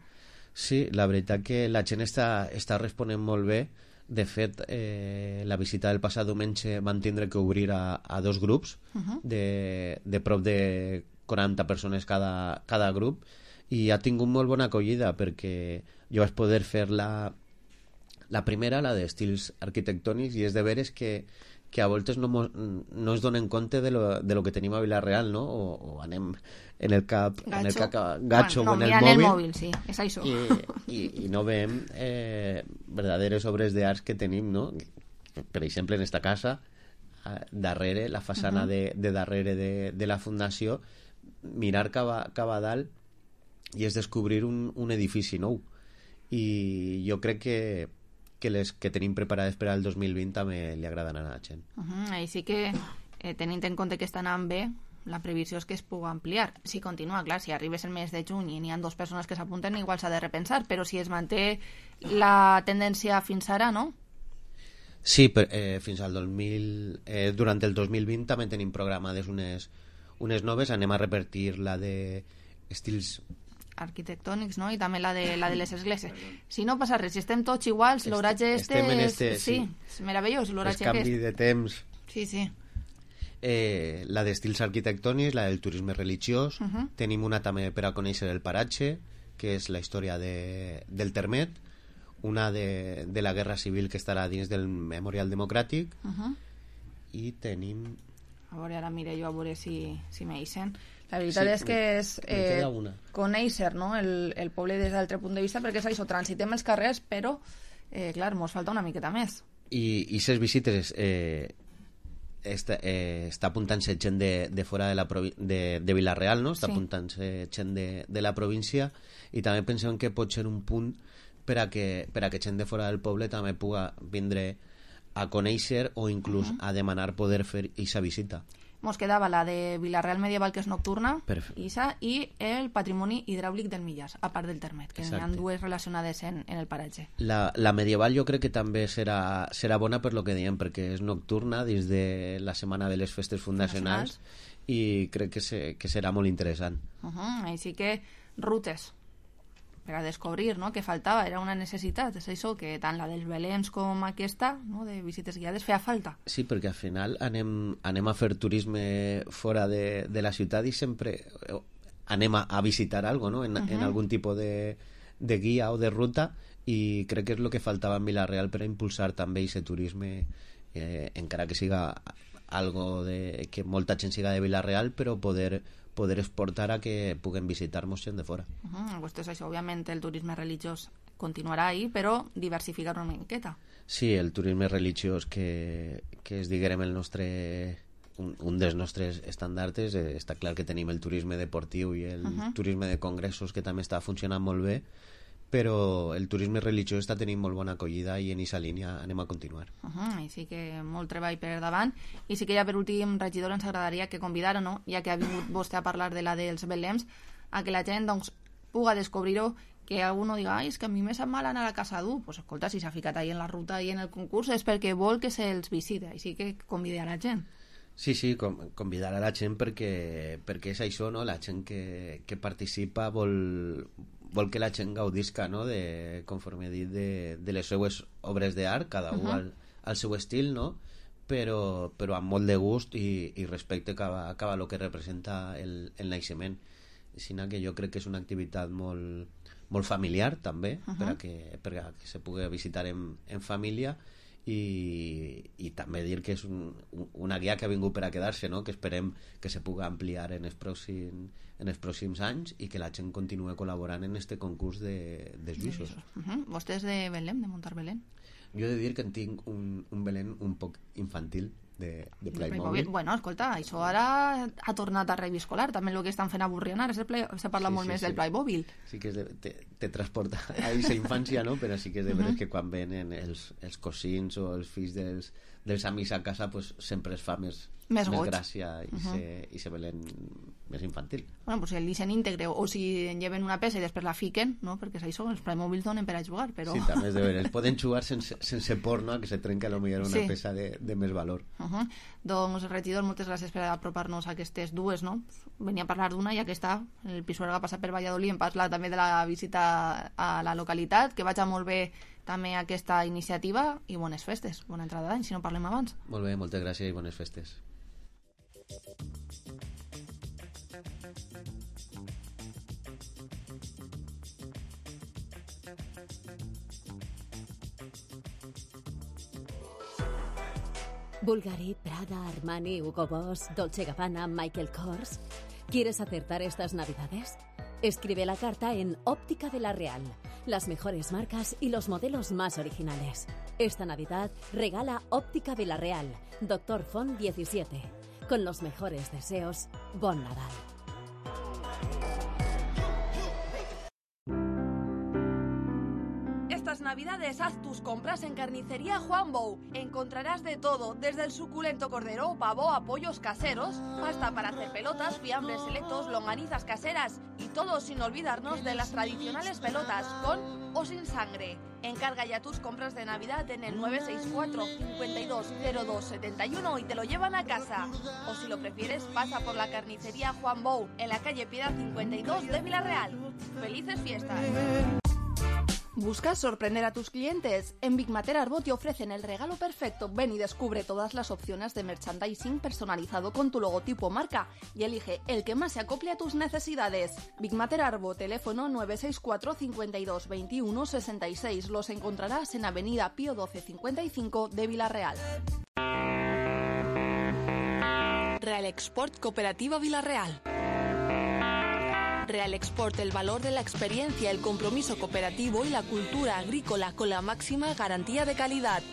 Sí, la veritat que la gent està, està responent molt bé. De fet, eh, la visita del passat diumenge van tindre que obrir a, a dos grups uh -huh. de, de prop de quaranta persones cada, cada grup i ha tingut molt bona acollida perquè jo vaig poder fer la, la primera, la d'estils arquitectònics, i és de veres que, que a voltes no, mos, no es donen compte de lo, de lo que tenim a Vila-real, no? O, o anem en el cap gatxo, en el cap, gatxo bueno, no, o en el mòbil, el mòbil sí, és això. I, i, i no veiem eh, verdaderes obres d'arts que tenim, no? Per exemple, en esta casa darrere, la façana uh -huh. de, de darrere de, de la fundació, mirar cap a, cap a dalt i és descobrir un, un edifici nou, i jo crec que que les que tenim preparades per al dos mil vint també li agraden a la gent. Uh -huh. Així que, eh, tenint en compte que està anant bé, la previsió és que es pugui ampliar. Si continua, clar, si arribes el mes de juny i n'hi ha dues persones que s'apunten, igual s'ha de repensar, però si es manté la tendència fins ara, no? Sí, per, eh, fins al dos mil... Eh, durant el dos mil vint també tenim programades unes, unes noves. Anem a repetir la de estils arquitectònics, no? I també la de, la de les esglésies. Si no passa res, si estem tots iguals, l'oratge este... Estem en este, és, sí, és meravellós, l'oratge aquest. El canvi de temps. Sí, sí. Eh, la d'estils arquitectònics, la del turisme religiós. Uh -huh. Tenim una també per a conèixer el paratge, que és la història de, del Termet. Una de, de la Guerra Civil, que estarà dins del Memorial Democràtic. Uh -huh. I tenim... A veure, ara mire jo a veure si, si m'eixen. La veritat sí, és que és eh, una. conèixer, no?, el, el poble des d'altre punt de vista, perquè és això, transitem els carrers, però, eh, clar, mos falta una miqueta més. I, i ses visites eh, està, eh, està apuntant-se gent de, de fora de, la de, de Vila-real, no? Està sí. apuntant-se gent de, de la província, i també pensem que pot ser un punt per a que, per a que gent de fora del poble també pugui vindre a conèixer o inclús uh -huh. a demanar poder fer aquesta visita. Mos quedava la de Vilareal Medieval, que és nocturna, Perfecte. Isa, i el patrimoni hidràulic del Millars, a part del Termet, que Exacte. n'hi ha dues relacionades en, en el paratge. La, la medieval jo crec que també serà, serà bona per lo que diem, perquè és nocturna dins de la setmana de les festes fundacionals i crec que, se, que serà molt interessant. Uh -huh. Així que rutes per a descobrir, no?, que faltava, era una necessitat, és això, que tant la dels Belems com aquesta, no?, de visites guiades, feia falta. Sí, perquè al final anem, anem a fer turisme fora de, de la ciutat i sempre anem a, a visitar algo, no?, en, uh -huh. en algun tipus de, de guia o de ruta, i crec que és el que faltava en Vila-real per a impulsar també aquest turisme, eh, encara que siga algo de, que molta gent siga de Vila-real, però poder poder exportar a que puguen visitar-nos gent de fora. Uh -huh. Pues és això, òbviament el turisme religiós continuarà ahí, però diversificar una miqueta. Sí, el turisme religiós que, que és, diguem, el nostre un, un dels nostres estandartes, eh, està clar que tenim el turisme deportiu i el uh -huh. turisme de congressos, que també està funcionant molt bé, però el turisme religiós està tenint molt bona acollida i en aquesta línia anem a continuar. Uh -huh, I sí que molt treball per davant. I sí que ja per últim, regidor, ens agradaria que convidar, no?, ja que ha vingut vostè a parlar de la dels Belems, a que la gent doncs, puga descobrir-ho, que algú no diga, ai, és que a mi me sap mal anar a casa d'u. Pues escolta, si s'ha ficat ahí en la ruta i en el concurs és perquè vol que se'ls visite, així que convide a la gent. Sí, sí, com, convidar a la gent perquè, perquè és això, no?, la gent que, que participa vol... vol que la gent gaudisca, no?, de, conforme he dit, de, de les seues obres d'art, cada un uh -huh. al, al seu estil, no?, però, però amb molt de gust i, i respecte cap a, cap a lo que representa el, el naixement. Sinó que jo crec que és una activitat molt, molt familiar, també, uh -huh. per, a que, per a que se pugui visitar en, en família, i, i també dir que és un, una guia que ha vingut per a quedar-se, no?, que esperem que se pugui ampliar en els pròxims, en els pròxims anys i que la gent continuï col·laborant en este concurs de, de juixos. Uh -huh. Vostè és de Belém, de muntar Belén? Jo he de dir que en tinc un, un Belén un poc infantil, de, de Playmobil. Bueno, escolta, això ara ha tornat a reviscolar, també el que estan fent a Burriana, se parla sí, molt sí, més sí. del Playmobil. Sí que és de, te, te transporta a aquesta infància, no?, però sí que és de veres uh -huh. que quan venen els, els cosins o els fills dels, dels amics a casa, pues sempre es fa més, més, més gràcia i, uh -huh. se, i se Belén més infantil. Bueno, pues si el disseny íntegre, o si en lleven una peça i després la fiquen, no?, perquè és això, els Playmobil donen per a jugar, però... Sí, també és de veres. Poden jugar sense, sense por, no?, a que se trenca a millor una sí. peça de, de més valor. Uh -huh. Doncs, regidor, moltes gràcies per apropar-nos a aquestes dues, no? Venia a parlar d'una, ja que està, el Pisuerga ha passat per Valladolid, hem parlat també de la visita a la localitat, que vaig molt bé també aquesta iniciativa, i bones festes, bona entrada d'any, si no parlem abans. Molt bé, moltes gràcies i bones festes. Bulgari, Prada, Armani, Hugo Boss, Dolce Gabbana, Michael Kors. ¿Quieres acertar estas navidades? Escribe la carta en Óptica de la Real. Las mejores marcas y los modelos más originales. Esta Navidad regala Óptica de la Real, Doctor Font diecisiete. Con los mejores deseos, Bon Nadal. Estas navidades haz tus compras en Carnicería Juan Bou. Encontrarás de todo, desde el suculento cordero, pavo a pollos caseros, pasta para hacer pelotas, fiambres selectos, longanizas caseras y todo sin olvidarnos de las tradicionales pelotas, con o sin sangre. Encarga ya tus compras de Navidad en el nueve seis cuatro, cinco dos cero dos siete uno y te lo llevan a casa. O si lo prefieres, pasa por la Carnicería Juan Bou, en la calle Piedad cincuenta y dos de Vila-real. ¡Felices fiestas! ¿Buscas sorprender a tus clientes? En Big Mater Arbot te ofrecen el regalo perfecto. Ven y descubre todas las opciones de merchandising personalizado con tu logotipo o marca y elige el que más se acople a tus necesidades. Big Mater Arbot, teléfono nueve seis cuatro, cinco dos, veintiuno, sesenta y seis. Los encontrarás en Avenida Pío doce cincuenta y cinco de Vila-real. Real Export Cooperativa Vila-real. Real Export, el valor de la experiencia, el compromiso cooperativo y la cultura agrícola con la máxima garantía de calidad.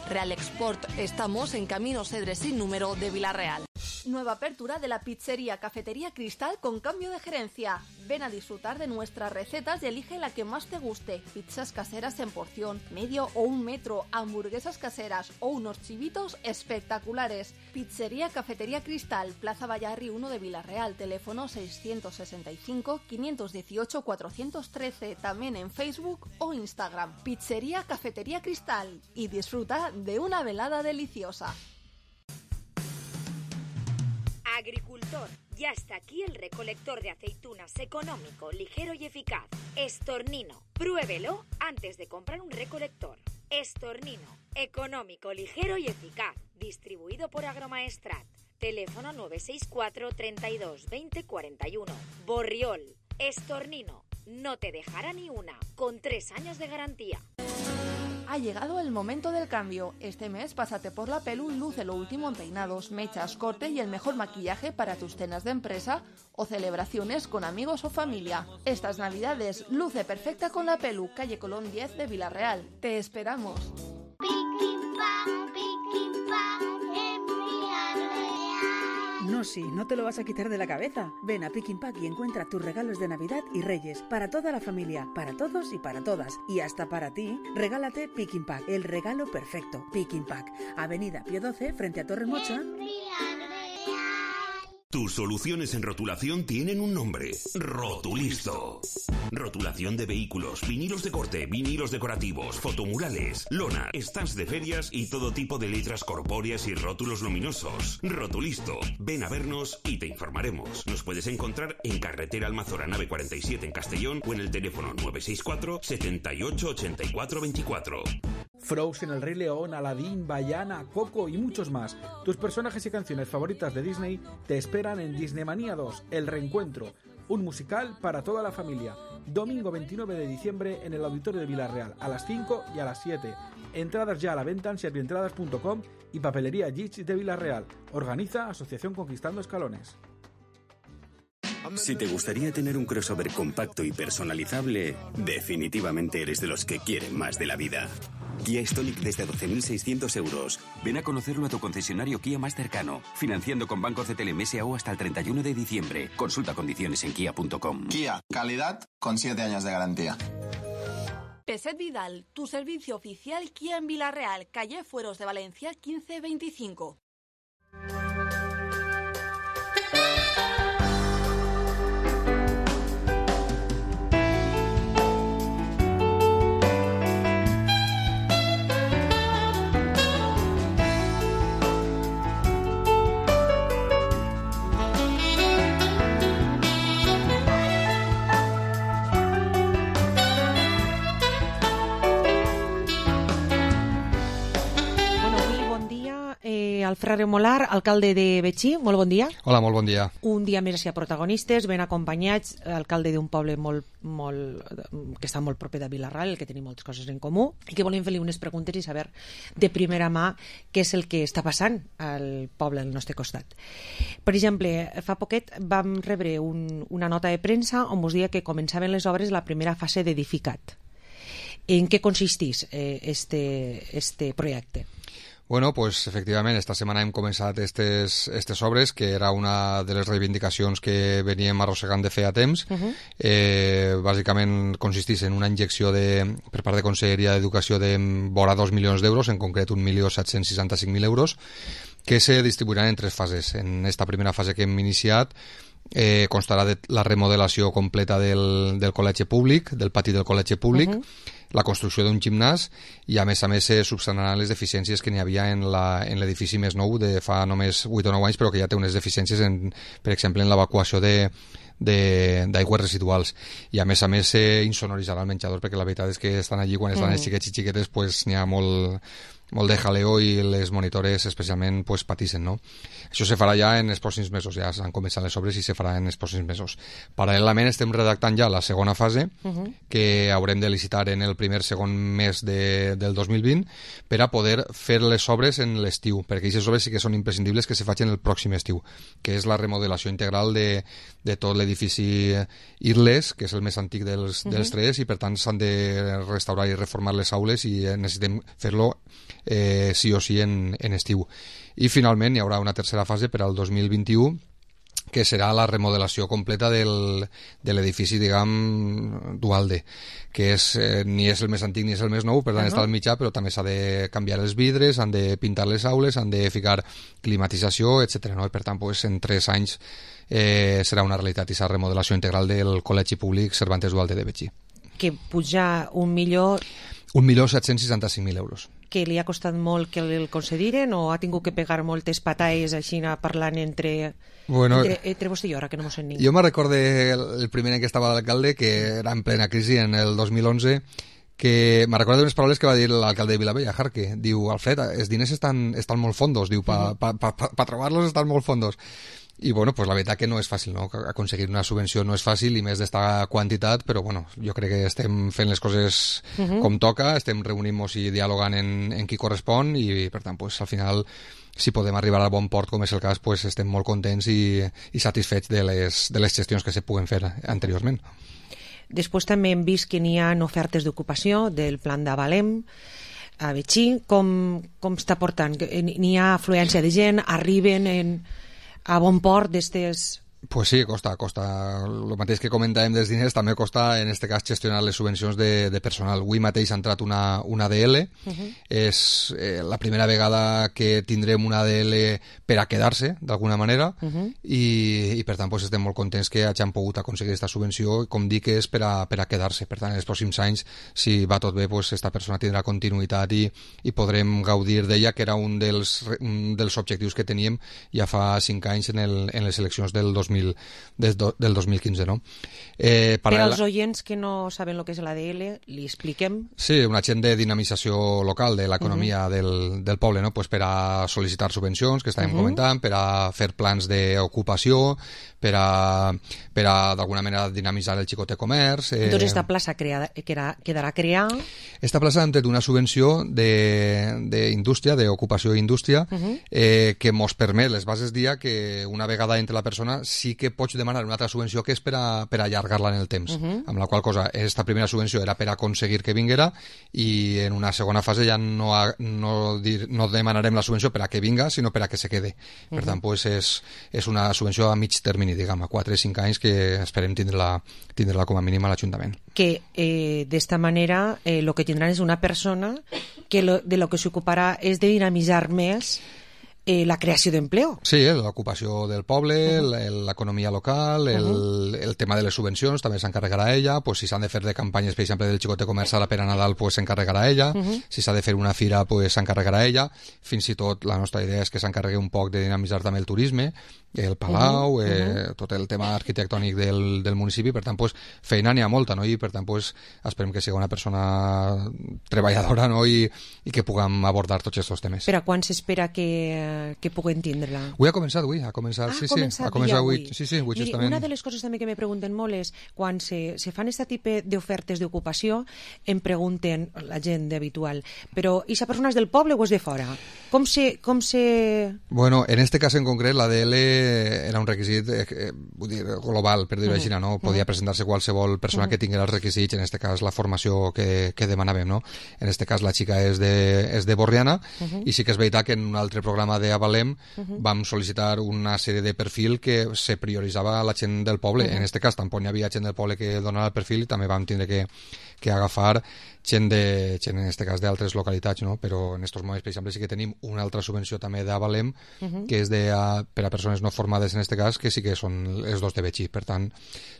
Real Export, estamos en Camino Cedres sin número de Vila-real. Nueva apertura de la pizzería Cafetería Cristal con cambio de gerencia. Ven a disfrutar de nuestras recetas y elige la que más te guste. Pizzas caseras en porción, medio o un metro, hamburguesas caseras o unos chivitos espectaculares. Pizzería Cafetería Cristal, Plaza Vallarri uno de Villarreal, teléfono seiscientos sesenta y cinco, quinientos dieciocho, cuatrocientos trece, también en Facebook o Instagram. Pizzería Cafetería Cristal y disfruta de una velada deliciosa. Agricultor, ya está aquí el recolector de aceitunas económico, ligero y eficaz. Estornino, pruébelo antes de comprar un recolector. Estornino, económico, ligero y eficaz. Distribuido por Agromaestrat. Teléfono nueve seis cuatro, treinta y dos, veinte, cuarenta y uno. Borriol, Estornino, no te dejará ni una, con tres años de garantía. Ha llegado el momento del cambio. Este mes pásate por la Pelu y luce lo último en peinados, mechas, corte y el mejor maquillaje para tus cenas de empresa o celebraciones con amigos o familia. Estas navidades luce perfecta con la Pelu, calle Colón diez de Villarreal. Te esperamos. No, sí, no te lo vas a quitar de la cabeza. Ven a Pick Pack y encuentra tus regalos de Navidad y Reyes para toda la familia, para todos y para todas. Y hasta para ti, regálate Pick Pack, el regalo perfecto. Pick Pack, Avenida Pío doce, frente a Torre Mocha. Tus soluciones en rotulación tienen un nombre: Rotulisto. Rotulación de vehículos, vinilos de corte, vinilos decorativos, fotomurales, lona, stands de ferias y todo tipo de letras corpóreas y rótulos luminosos. Rotulisto. Ven a vernos y te informaremos. Nos puedes encontrar en Carretera Almazora Nave cuarenta y siete en Castellón o en el teléfono nueve seis cuatro, setenta y ocho, ochenta y cuatro veinticuatro. Frozen, El Rey León, Aladdin, Vaiana, Coco y muchos más. Tus personajes y canciones favoritas de Disney te esperan en Disneymania dos, El Reencuentro, un musical para toda la familia. Domingo veintinueve de diciembre en el Auditorio de Villarreal, a las cinco y a las siete. Entradas ya a la venta en servientradas punto com y Papelería Gich de Villarreal. Organiza Asociación Conquistando Escalones. Si te gustaría tener un crossover compacto y personalizable, definitivamente eres de los que quieren más de la vida. Kia Stonic desde doce mil seiscientos euros. Ven a conocerlo a tu concesionario Kia más cercano. Financiando con Banco C T L M S A U hasta el treinta y uno de diciembre. Consulta condiciones en kia punto com. Kia, calidad con siete años de garantía. Peset Vidal, tu servicio oficial Kia en Villarreal, calle Fueros de Valencia quince veinticinco. Alfredo Molar, alcalde de Betxí, molt bon dia. Hola, molt bon dia. Un dia més a protagonistes, ben acompanyats, alcalde d'un poble molt, molt, que està molt proper de Vilarral, el que tenim moltes coses en comú, i que volem fer-li unes preguntes i saber de primera mà què és el que està passant al poble del nostre costat. Per exemple, fa poquet vam rebre un, una nota de premsa on us deia que començaven les obres de la primera fase d'Edificat. En què consistís eh, este, este projecte? Bueno, pues efectivament, esta setmana hem començat estes, estes obres, que era una de les reivindicacions que veníem arrossegant de feia temps. Uh-huh. Eh, bàsicament consistís en una injecció de, per part de Conselleria d'Educació de vora dos milions d'euros, en concret un milió set-cents seixanta-cinc mil euros, que se distribuiran en tres fases. En esta primera fase que hem iniciat, eh, constarà de la remodelació completa del, del col·legi públic, del pati del col·legi públic, uh-huh. la construcció d'un gimnàs i a més a més se subsanaran les deficiències que n'hi havia en l'edifici més nou de fa només vuit o nou anys, però que ja té unes deficiències, en, per exemple, en l'evacuació de d'aigües residuals, i a més a més s'insonoritzarà el menjador, perquè la veritat és que estan allí quan estan mm. els xiquets i xiquetes pues n'hi ha molt, molt de jaleo i les monitores especialment pues patissen, no? Això se farà ja en els pròxims mesos, ja s'han començat les obres i se farà en els pròxims mesos. Paral·lelament estem redactant ja la segona fase, uh-huh. que haurem de licitar en el primer segon mes de, del dos mil vint per a poder fer les obres en l'estiu, perquè aquestes obres sí que són imprescindibles que se facin el pròxim estiu, que és la remodelació integral de, de tot l'edifici l'edifici Irles, que és el més antic dels, Mhm. dels tres, i per tant s'han de restaurar i reformar les aules i eh, necessitem fer-lo eh, sí o sí en, en estiu. I finalment hi haurà una tercera fase per al dos mil vint-i-u, que serà la remodelació completa del, de l'edifici, diguem, Dualde, que és, eh, ni és el més antic ni és el més nou, per tant Uh-huh. està al mitjà, però també s'ha de canviar els vidres, han de pintar les aules, han de ficar climatització, etcètera. No? I per tant, pues, en tres anys eh, serà una realitat i aquesta remodelació integral del Col·legi Públic Cervantes Dualde de Betxí. Que puja un milió un milió set-cents seixanta-cinc mil euros. que li ha costat molt que el concediren o ha tingut que pegar moltes patalles així parlant entre, Bueno, entre, entre vostè i jo, ara que no mos sentim. Jo me recorde el, el primer any que estava l'alcalde, que era en plena crisi en el dos mil onze, que me recordo unes paraules que va dir l'alcalde de Vilavella, Jarque. Diu, Alfred, els diners estan, estan molt fondos, diu, pa, pa, pa, pa, pa trobar-los estan molt fondos. I bueno, pues la veritat que no és fàcil, no? Aconseguir una subvenció no és fàcil, i més d'esta quantitat, però bueno, jo crec que estem fent les coses Mhm. com toca, estem reunint-nos i dialogant en, en qui correspon, i per tant, pues al final, si podem arribar al bon port, com és el cas, pues estem molt contents i, i satisfets de les, de les gestions que se puguen fer anteriorment. Després també hem vist que n'hi ha ofertes d'ocupació del plan d'Avalem a Betxí. Com, com està portant? N'hi ha afluència de gent? Arriben en, a bon port d'estes... Pues sí, costa, costa. El mateix que comentàvem dels diners, també costa, en este cas, gestionar les subvencions de, de personal. Avui mateix ha entrat una, una A D L. Uh-huh. És eh, la primera vegada que tindrem una A D L per a quedar-se, d'alguna manera, Uh-huh. i, i per tant pues, estem molt contents que hagin pogut aconseguir aquesta subvenció, i com dic, és per a, per a quedar-se. Per tant, en els pròxims anys, si va tot bé, pues, esta persona tindrà continuïtat i, i podrem gaudir d'ella, que era un dels, un dels objectius que teníem ja fa cinc anys en, el, en les eleccions del dos mil, des do, del dos mil quinze, no? Eh, Per paral·lela- als oients que no saben el que és l'A D L, li expliquem. Sí, un agent de dinamització local de l'economia Uh-huh. del, del poble, no? Pues per a sol·licitar subvencions, que estàvem Uh-huh. comentant, per a fer plans d'ocupació, per a, per a d'alguna manera dinamitzar el xicote comerç. Eh, Doncs esta plaça creada, quedarà, quedarà creada. Esta plaça hem tret una subvenció d'indústria, d'ocupació i indústria, Uh-huh. eh, que mos permet, les bases dia, que una vegada entre la persona sí que pots demanar una altra subvenció que és per a, per a allargar-la en el temps. Uh-huh. Amb la qual cosa, esta primera subvenció era per a aconseguir que vinguera, i en una segona fase ja no, ha, no, dir, no demanarem la subvenció per a que vinga, sinó per a que se quede. Per Uh-huh. tant, pues, és, és una subvenció a mig termini, diguem, a quatre o cinc anys, que esperem tindre-la tindre com a mínim a l'Ajuntament. Que eh, d'esta manera eh, lo que tindran és una persona que lo, de lo que s'ocuparà és de dinamitzar més eh, la creació d'empleo. Sí, eh, l'ocupació del poble, uh-huh. l'economia local, el, uh-huh. el tema de les subvencions també s'encarregarà ella, pues, si s'han de fer de campanyes, per exemple, del xicote comerç ara per a Nadal, pues, s'encarregarà ella, uh-huh. si s'ha de fer una fira, pues, s'encarregarà ella, fins i tot la nostra idea és que s'encarregui un poc de dinamitzar també el turisme, el palau, uh-huh. eh, tot el tema arquitectònic del, del municipi, per tant, pues, feina n'hi ha molta, no? I per tant, pues, esperem que sigui una persona treballadora, no? I, i que puguem abordar tots aquests temes. Per a quan s'espera que, que puguen tindre-la? Avui ha començat, avui, ha començat, Ah, sí, ha començat sí, ha començat ja avui, avui. sí, sí, avui Miri, justament. una de les coses també que me pregunten molt és quan se, se fan aquest tipus d'ofertes d'ocupació, em pregunten la gent d'habitual, però i sa persona és del poble o és de fora? Com se... Com se... Bueno, en este cas en concret la D L era un requisit eh, eh, vull dir, global, per dir-ho Uh-huh. així, no? Podia Uh-huh. presentar-se qualsevol persona Uh-huh. que tingués els requisits, en este cas la formació que, que demanàvem, no? En este cas la xica és de, és de Borriana, Uh-huh. i sí que és veritat que en un altre programa d'Avalem Uh-huh. vam sol·licitar una sèrie de perfil que se prioritzava a la gent del poble. Uh-huh. En este cas tampoc hi havia gent del poble que donava el perfil, i també vam tindre que, que agafar gent, de, gent en este cas d'altres localitats, no? Però en estos moments, per exemple, sí que tenim una altra subvenció també d'Avalem, Uh-huh. que és de, a, per a persones no formades en este cas, que sí que són els dos de Betxí. Per tant,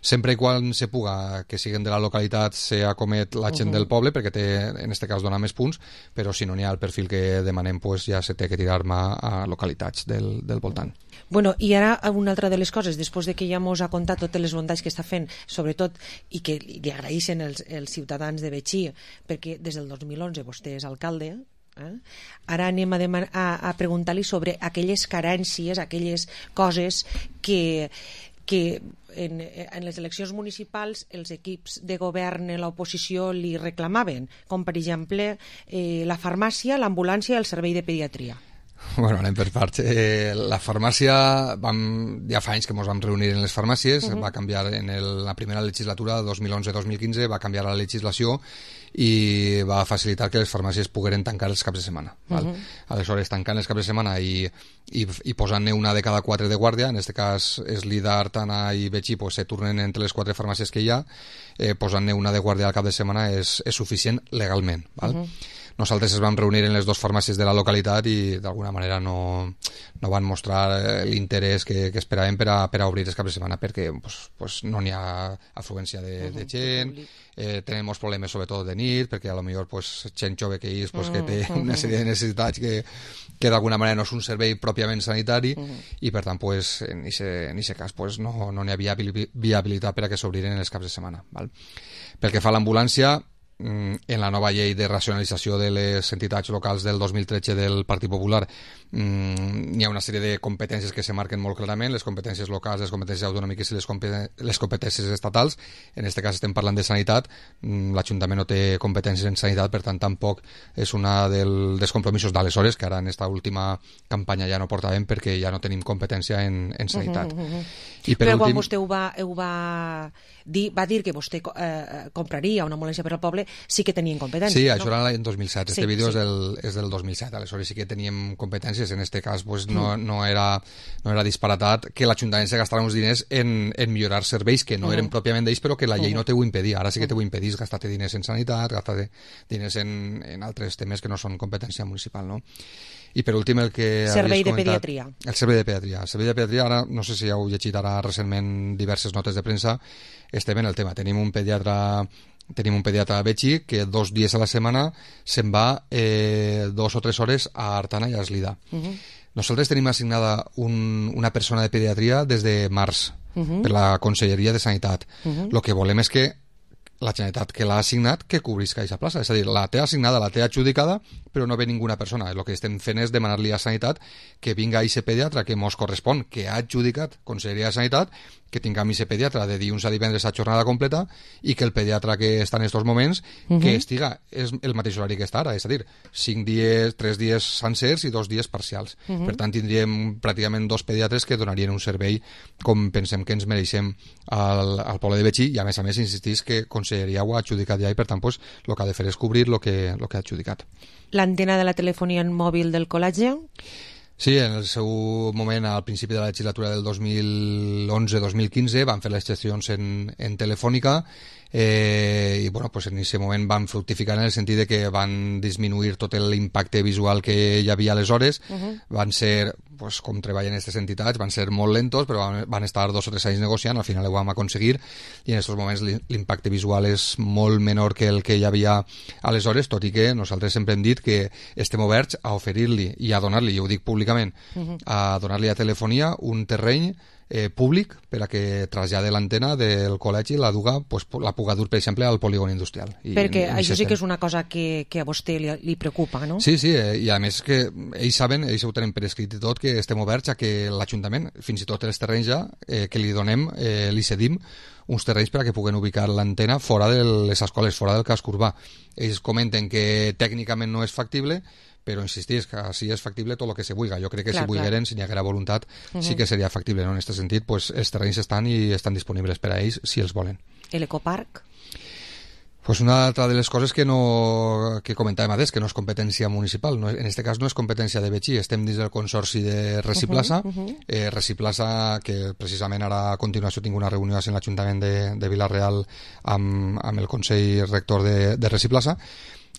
sempre i quan se puga que siguin de la localitat se acomet la gent Uh-huh. del poble, perquè té, en este cas dona més punts, però si no n'hi ha el perfil que demanem, pues ja se té que tirar mà a localitats del, del voltant. Bueno, i ara una altra de les coses, després de que ja mos ha contat totes les bondats que està fent, sobretot, i que li agraeixen els, els ciutadans de Betxí, perquè des del dos mil onze vostè és alcalde, eh? Ara anem a, deman- a, a preguntar-li sobre aquelles carències, aquelles coses que, que en, en les eleccions municipals els equips de govern i l'oposició li reclamaven, com per exemple eh, la farmàcia, l'ambulància i el servei de pediatria. Bueno, anem per parts. Eh, la farmàcia, vam, ja fa anys que ens vam reunir en les farmàcies, uh-huh. va canviar en el, la primera legislatura, dos mil onze dos mil quinze, va canviar la legislació i va facilitar que les farmàcies pogueren tancar els caps de setmana. Val? Uh-huh. Aleshores, tancant els caps de setmana i, i, i posant-ne una de cada quatre de guàrdia, en aquest cas és Lida, Artana i Betxí, pues, se turnen entre les quatre farmàcies que hi ha, eh, posant-ne una de guàrdia al cap de setmana és, és suficient legalment. Val? Uh-huh. Nosaltres ens vam reunir en les dues farmàcies de la localitat i d'alguna manera no, no van mostrar l'interès que, que esperàvem per a, per a obrir els caps de setmana perquè pues, pues no n'hi ha afluència de, de gent, eh, tenim molts problemes sobretot de nit perquè a lo millor pues, gent jove que és pues, que té una sèrie de necessitats que, que d'alguna manera no és un servei pròpiament sanitari uh-huh. i per tant pues, en aquest cas pues, no n'hi no havia viabilitat per a que s'obriren els caps de setmana. Val? Pel que fa a l'ambulància, en la nova llei de racionalització de les entitats locals del dos mil tretze del Partit Popular mmm, hi ha una sèrie de competències que se marquen molt clarament, les competències locals, les competències autonòmiques i les, competen les competències estatals. En aquest cas estem parlant de sanitat, l'Ajuntament no té competències en sanitat, per tant tampoc és una del, dels compromisos d'aleshores, que ara en esta última campanya ja no portàvem perquè ja no tenim competència en, en sanitat. Uh -huh, uh -huh. I per Però últim, quan vostè ho va, ho va, dir, va dir que vostè eh, compraria una ambulància per al poble, sí que tenien competències. Sí, no? això era l'any dos mil set. Este sí, vídeo sí. és, del, és del dos mil set. Aleshores sí que teníem competències. En este cas pues, no, no, era, no era disparatat que l'Ajuntament se gastara uns diners en, en millorar serveis que no eren uh -huh. pròpiament d'ells, però que la llei uh -huh. no te ho impedia. Ara sí que te ho impedís gastar-te diners en sanitat, gastar-te diners en, en altres temes que no són competència municipal, no? I per últim el que servei de comentat, pediatria. El servei de pediatria. El servei de pediatria, ara no sé si heu llegit ara recentment diverses notes de premsa, estem en el tema. Tenim un pediatre tenim un pediatre a Betxí que dos dies a la setmana se'n va eh, dos o tres hores a Artana i a Eslida. Uh -huh. Nosaltres tenim assignada un, una persona de pediatria des de març uh -huh. per la Conselleria de Sanitat. Uh -huh. Lo que volem és que la Generalitat que l'ha assignat que cobrisca aquesta plaça, és a dir, la té assignada, la té adjudicada, però no ve ninguna persona. El que estem fent és demanar-li a Sanitat que vinga a aquest pediatre que mos correspon, que ha adjudicat Conselleria de Sanitat, que tinguem aquest pediatre de dilluns a divendres a jornada completa i que el pediatre que està en aquests moments uh -huh. que estiga és el mateix horari que està ara, és a dir, cinc dies, tres dies sencers i dos dies parcials. Uh -huh. Per tant, tindríem pràcticament dos pediatres que donarien un servei com pensem que ens mereixem al, al poble de Betxí i a més a més insistís que Conselleria ho ha adjudicat ja i per tant pues, el que ha de fer és cobrir el que, lo que ha adjudicat. L'antena de la telefonia mòbil del col·legi? Sí, en el seu moment, al principi de la legislatura del dos mil onze dos mil quinze, van fer les gestions en, en Telefònica eh, i bueno, pues en aquest moment van fructificar en el sentit de que van disminuir tot l'impacte visual que hi havia aleshores. Uh -huh. Van ser, pues, com treballen aquestes entitats, van ser molt lentos, però van, van estar dos o tres anys negociant, al final ho vam aconseguir i en aquests moments l'impacte visual és molt menor que el que hi havia aleshores, tot i que nosaltres sempre hem dit que estem oberts a oferir-li i a donar-li, i ho dic públicament, uh -huh. a donar-li a Telefonia un terreny eh, públic per a que trasllade l'antena del col·legi la duga, pues, la puga dur, per exemple, al polígon industrial. I Perquè en, en això sí que és una cosa que, que a vostè li, li preocupa, no? Sí, sí, eh, i a més que ells saben, ells ho tenen per escrit i tot, que estem oberts a que l'Ajuntament, fins i tot els terrenys ja, eh, que li donem, eh, li cedim uns terrenys per a que puguen ubicar l'antena fora de les escoles, fora del casc urbà. Ells comenten que tècnicament no és factible, però insistís que si és factible tot el que se vulga. Jo crec que clar, si volgueren, si n'hi haguera voluntat, uh -huh. sí que seria factible, no? En aquest sentit, pues, els terrenys estan i estan disponibles per a ells si els volen. L'ecoparc? Pues una altra de les coses que no que comentàvem abans, que no és competència municipal, no, en aquest cas no és competència de Betxí, estem dins del consorci de Reciplaça, uh -huh, uh -huh. eh, Reciplaça, que precisament ara a continuació tinc una reunió en l'Ajuntament de, de Vila-real amb, amb el Consell Rector de, de Reciplaça,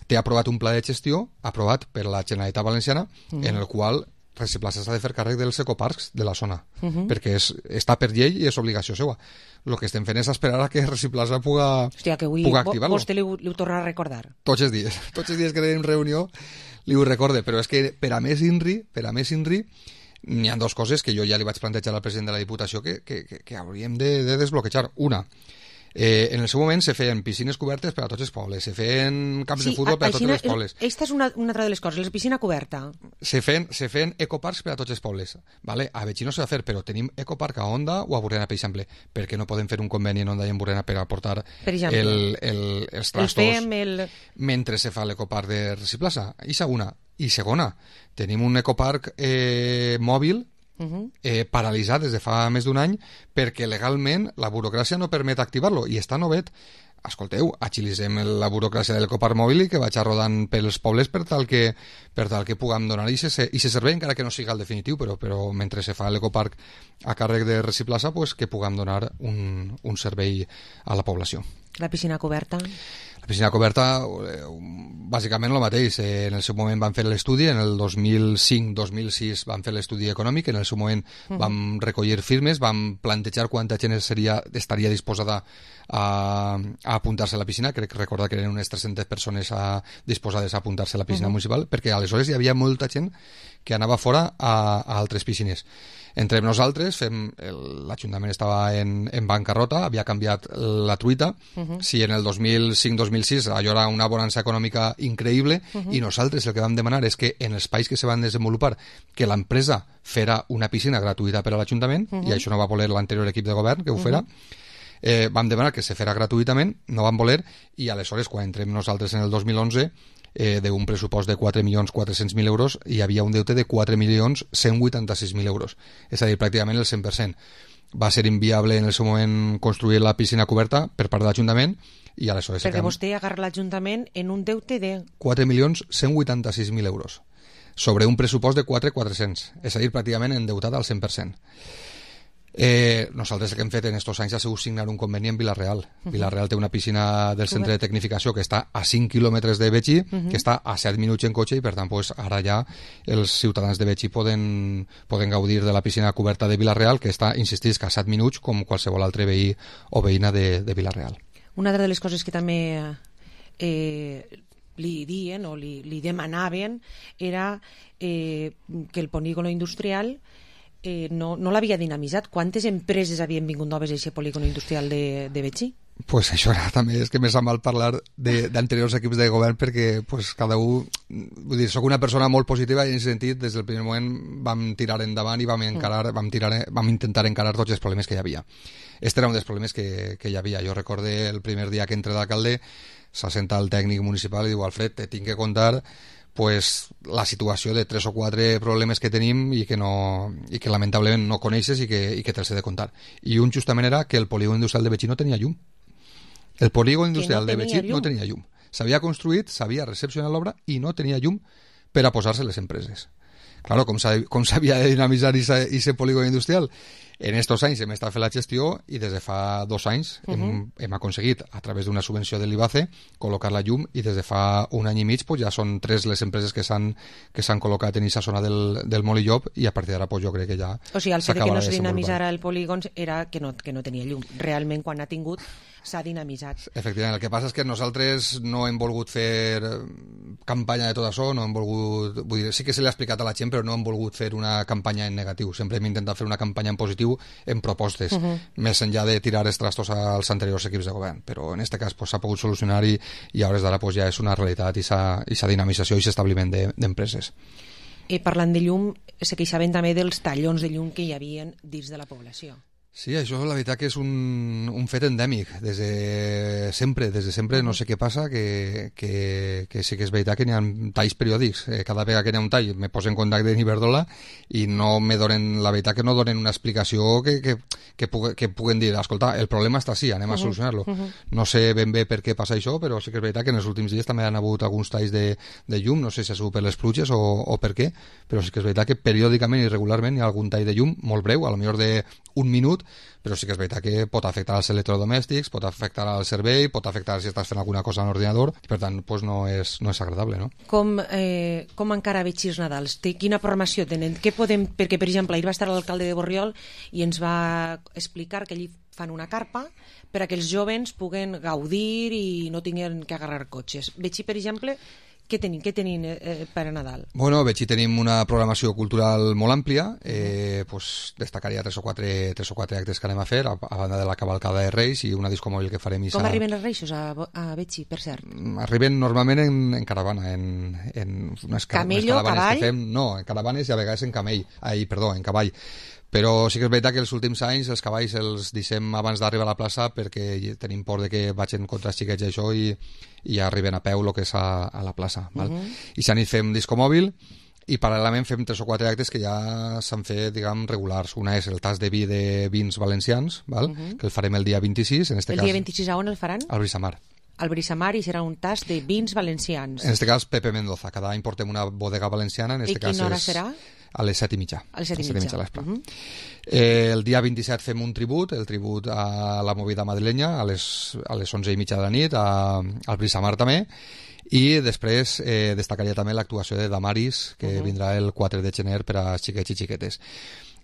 té aprovat un pla de gestió aprovat per la Generalitat Valenciana uh -huh. en el qual Reciplaça s'ha de fer càrrec dels ecoparcs de la zona, uh -huh. perquè és, està per llei i és obligació seva. El que estem fent és esperar a que Reciplaça puga, Hòstia, que avui puga activar-lo. Vostè li, li ho torna a recordar. Tots els dies, tots els dies que tenim reunió li ho recorde, però és que per a més INRI, per a més INRI n'hi ha dues coses que jo ja li vaig plantejar al president de la Diputació que, que, que, que hauríem de, de desbloquejar. Una, Eh, en el seu moment se feien piscines cobertes per a tots els pobles, se feien camps sí, de futbol per a tots els pobles. Aquesta és una, una altra de les coses, la piscina coberta. Se feien, se feien ecoparcs per a tots els pobles. Vale? A Betxí no s'ha de fer, però tenim ecoparc a Onda o a Burrena, per exemple. Per què no podem fer un conveni en Onda i en Burrena per aportar per el, el, els trastos el el... mentre se fa l'ecoparc de Reciplaça? I segona, I segona, tenim un ecoparc eh, mòbil eh, paralitzat des de fa més d'un any perquè legalment la burocràcia no permet activar-lo i està novet. Escolteu, agilitzem la burocràcia de l'ecoparc mòbil i que vagi rodant pels pobles per tal que, per tal que puguem donar i se servei, encara que no siga el definitiu, però, però mentre se fa l'ecoparc a càrrec de Reciplaça, pues, que puguem donar un, un servei a la població. La piscina coberta? La piscina coberta, bàsicament el mateix. En el seu moment van fer l'estudi, en el dos mil cinc dos mil sis van fer l'estudi econòmic, en el seu moment uh-huh. vam recollir firmes, vam plantejar quanta gent seria, estaria disposada a, a apuntar-se a la piscina. Crec recordar que eren unes tres-centes persones a, disposades a apuntar-se a la piscina uh-huh. municipal, perquè aleshores hi havia molta gent que anava fora a, a altres piscines. Entre nosaltres, fem, l'Ajuntament estava en, en bancarrota, havia canviat la truita. Uh-huh. Si en el dos mil cinc dos mil sis allò era una bonança econòmica increïble, uh-huh. i nosaltres el que vam demanar és que en els espais que se van desenvolupar, que l'empresa fera una piscina gratuïta per a l'Ajuntament, uh-huh. i això no va voler l'anterior equip de govern que ho fera, uh-huh. eh, vam demanar que se fera gratuïtament, no van voler, i aleshores quan entrem nosaltres en el dos mil onze, Eh, d'un pressupost de quatre milions quatre-cents mil euros hi havia un deute de quatre milions cent vuitanta-sis mil euros, és a dir, pràcticament el cent per cent. Va ser inviable en el seu moment construir la piscina coberta per part de l'Ajuntament i aleshores... Perquè vostè agarra l'Ajuntament en un deute de... quatre milions cent vuitanta-sis mil euros sobre un pressupost de quatre milions quatre-cents, és a dir, pràcticament endeutat al cent per cent. Eh, nosaltres el que hem fet en estos anys ha sigut signar un conveni amb Vila-real. Uh-huh. Vila-real té una piscina del centre de tecnificació que està a cinc quilòmetres de Betxí, uh-huh. que està a set minuts en cotxe, i per tant pues, ara ja els ciutadans de Betxí poden, poden gaudir de la piscina coberta de Vila-real, que està, insistís, que a set minuts com qualsevol altre veí o veïna de, de Vila-real. Una de les coses que també eh, li dien o li, li demanaven era eh, que el polígono industrial Eh, no, no l'havia dinamitzat. Quantes empreses havien vingut noves a aquest polígono industrial de, de Betxí? Pues això era, també és que me sap mal parlar d'anteriors equips de govern perquè pues, cada un... Vull dir, soc una persona molt positiva i en aquest sentit des del primer moment vam tirar endavant i vam, encarar, vam, tirar, vam intentar encarar tots els problemes que hi havia. Este era un dels problemes que, que hi havia. Jo recorde el primer dia que entré d'alcalde, s'assenta el tècnic municipal i diu: Alfred, te tinc que contar pues, la situació de tres o quatre problemes que tenim i que, no, i que lamentablement no coneixes i que, i que te'ls he de contar. I un justament era que el polígon industrial de Betxí no tenia llum. El polígon industrial no de Betxí no tenia llum. S'havia construït, s'havia recepcionat l'obra i no tenia llum per a posar-se les empreses. Claro, com s'havia de dinamitzar aquest polígon industrial? En estos anys hem estat fent la gestió i des de fa dos anys uh-huh. hem, hem aconseguit, a través d'una subvenció de l'I B A C E, col·locar la llum, i des de fa un any i mig pues, ja són tres les empreses que s'han que s'han col·locat en aquesta zona del, del Molillop, i a partir d'ara pues, jo crec que ja o sigui, el fet que no se dinamitzara el polígon era que no, que no tenia llum. Realment, quan ha tingut, s'ha dinamitzat. Efectivament, el que passa és que nosaltres no hem volgut fer campanya de tot això, no hem volgut, vull dir, sí que se l'ha explicat a la gent, però no hem volgut fer una campanya en negatiu. Sempre hem intentat fer una campanya en positiu, en propostes, uh-huh. més enllà de tirar els trastos als anteriors equips de govern. Però en aquest cas s'ha pues, pogut solucionar i, i a hores d'ara pues, ja és una realitat i aquesta dinamització i aquest establiment d'empreses. De, eh, parlant de llum, se queixaven també dels tallons de llum que hi havia dins de la població. Sí, això la veritat que és un, un fet endèmic des de sempre, des de sempre no sé què passa, que, que, que sí que és veritat que n'hi ha talls periòdics. Eh, cada vegada que n'hi ha un tall me poso en contacte amb Iberdrola i no me donen, la veritat que no donen una explicació que, que, que, pugui, que puguen dir, escolta, el problema està així, anem a solucionar-lo. Uh-huh. No sé ben bé per què passa això, però sí que és veritat que en els últims dies també han hagut alguns talls de, de llum, no sé si ha sigut per les pluges o, o per què, però sí que és veritat que periòdicament i regularment hi ha algun tall de llum molt breu, a lo millor d'un minut, però sí que és veritat que pot afectar els electrodomèstics, pot afectar al servei, pot afectar si estàs fent alguna cosa en l'ordinador, i per tant pues, no, és, no és agradable, no? Com, eh, com encara Betxí els Nadals? Té, quina programació tenen? Què podem... Perquè, per exemple, ahir va estar l'alcalde de Borriol i ens va explicar que allí fan una carpa per a que els joves puguen gaudir i no tinguin que agarrar cotxes. Betxí, per exemple, què tenim, què tenim eh, per a Nadal? Bueno, Betxí tenim una programació cultural molt àmplia, eh, pues, destacaria tres o, quatre, tres o quatre actes que anem a fer, a, a banda de la cavalcada de Reis i una disco mòbil que farem. Com arriben els Reixos a, a Betxí, per cert? Arriben normalment en, en caravana, en, en unes, Camello, unes caravanes cavall? que fem, no, en caravanes i a vegades en camell, ai, perdó, en cavall. Però sí que és veritat que els últims anys els cavalls els deixem abans d'arribar a la plaça perquè tenim por de que vagin contra els xiquets i això i, i arriben a peu el que és a, a la plaça. Val? Mhm. I s'han dit fem disco mòbil i paral·lelament fem tres o quatre actes que ja s'han fet, diguem, regulars. Una és el tas de vi de vins valencians, val? Mhm. Que el farem el dia vint-i-sis. En este El cas, dia vint-i-sis a on el faran? al Brisamar. Al Brisamar, i serà un tas de vins valencians. En este cas, Pepe Mendoza. Cada any portem una bodega valenciana. En este I cas quina hora és serà? A les set i mitja. A les set i set mitja. a l'espre. Mhm. Eh, el dia vint-i-set fem un tribut, el tribut a la movida madrilenya, a les, a les onze i mitja de la nit, a, al Brisamar també, i després eh, destacaria també l'actuació de Damaris, que Mhm. vindrà el quatre de gener per a xiquets i xiquetes.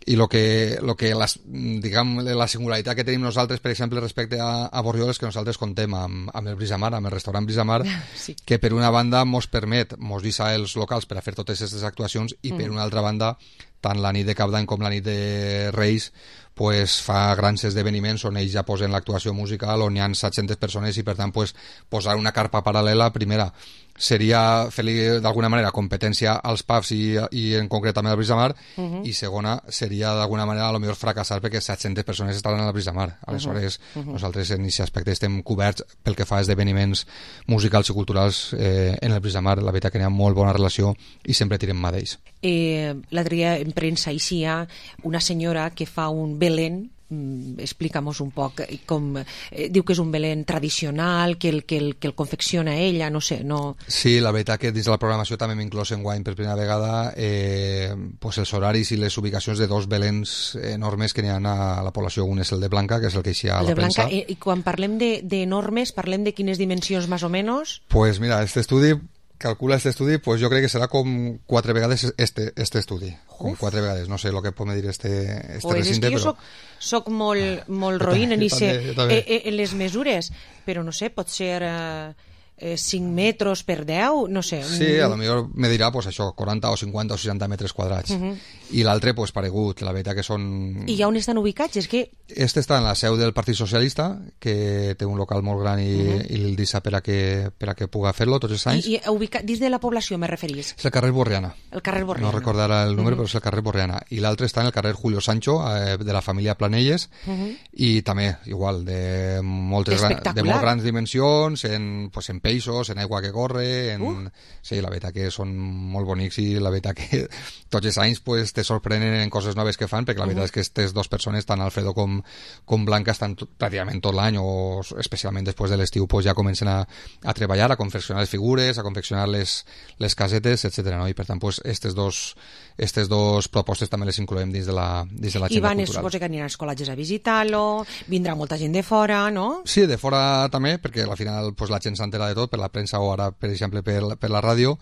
I lo que, lo que les, diguem, la singularitat que tenim nosaltres, per exemple, respecte a, a Borriol, és que nosaltres contem amb, amb el Brisamar, amb el restaurant Brisamar, Sí. que per una banda mos permet, mos deixa els locals per a fer totes aquestes actuacions, i per Mm. una altra banda, tant la nit de Cap d'Any com la nit de Reis, pues, fa grans esdeveniments on ells ja posen l'actuació musical, on hi ha set-centes persones, i per tant pues, posar una carpa paral·lela, primera, seria fer-li d'alguna manera competència als pubs i, i en concret també al Brisamar, Mhm. i segona seria d'alguna manera a lo millor fracassar perquè set-centes persones estaran al Brisamar. Aleshores, Mhm. Mhm. nosaltres en aquest aspecte estem coberts pel que fa a esdeveniments musicals i culturals eh, en el Brisamar. La veritat que n'hi ha molt bona relació i sempre tirem mà d'ells. Eh, L'altre dia en premsa eixia una senyora que fa un Belén. Mm, explica'm-nos un poc com, eh, diu que és un Belén tradicional, que el, que, el, que el confecciona ella, no sé, no... Sí, la veritat que dins de la programació també hem inclòs enguany per primera vegada eh, pues els horaris i les ubicacions de dos Belens enormes que n'hi ha a la població. Un és el de Blanca, que és el que eixia a El la de Blanca, premsa. i, i quan parlem de, de normes, parlem de quines dimensions més o menys? Pues mira, este estudi, calcula este estudi, pues jo crec que serà com quatre vegades este, este estudi. Com quatre vegades, no sé el que pot medir este, este Pues és recinte, que jo però... soc, soc molt, molt Jo roïn també, en, jo ixe, també, jo també. eh, eh, en les mesures, però no sé, pot ser eh, eh, cinc metres per deu, no sé. Sí, a lo millor me dirà pues, això, quaranta o cinquanta o seixanta metres quadrats. Uh -huh. I l'altre, pues, paregut. La veritat que són... I ja on estan ubicats? És que... Este està en la seu del Partit Socialista, que té un local molt gran i, Uh-huh. i el deixa per a que, per a que puga fer-lo tots els anys. I, i ubicat dins de la població, me referís? És el carrer Borriana. El carrer Borriana. No recordarà el número, Uh-huh. però és el carrer Borriana. I l'altre està en el carrer Julio Sancho, eh, de la família Planelles, Uh-huh. i també, igual, de, moltes, gran- de Espectacular. molt grans dimensions, en, pues, en peixos, en aigua que corre, en... Uh. Sí, la veritat que són molt bonics i la veritat que tots els anys pues, te sorprenen en coses noves que fan, perquè la veritat Uh-huh. és que aquestes dues persones, tant Alfredo com, com Blanca, estan tot, pràcticament tot l'any, o especialment després de l'estiu, pues, ja comencen a, a treballar, a confeccionar les figures, a confeccionar les, les casetes, etcètera. No? I per tant, pues, estes dos, estes dos propostes també les incloem dins de la, dins de I l'agenda van, cultural. suposo que aniran als col·legis a visitar-lo, vindrà molta gent de fora, no? Sí, de fora també, perquè al final pues, la gent s'entera de tot, per la premsa o ara, per exemple, per, la- per la ràdio,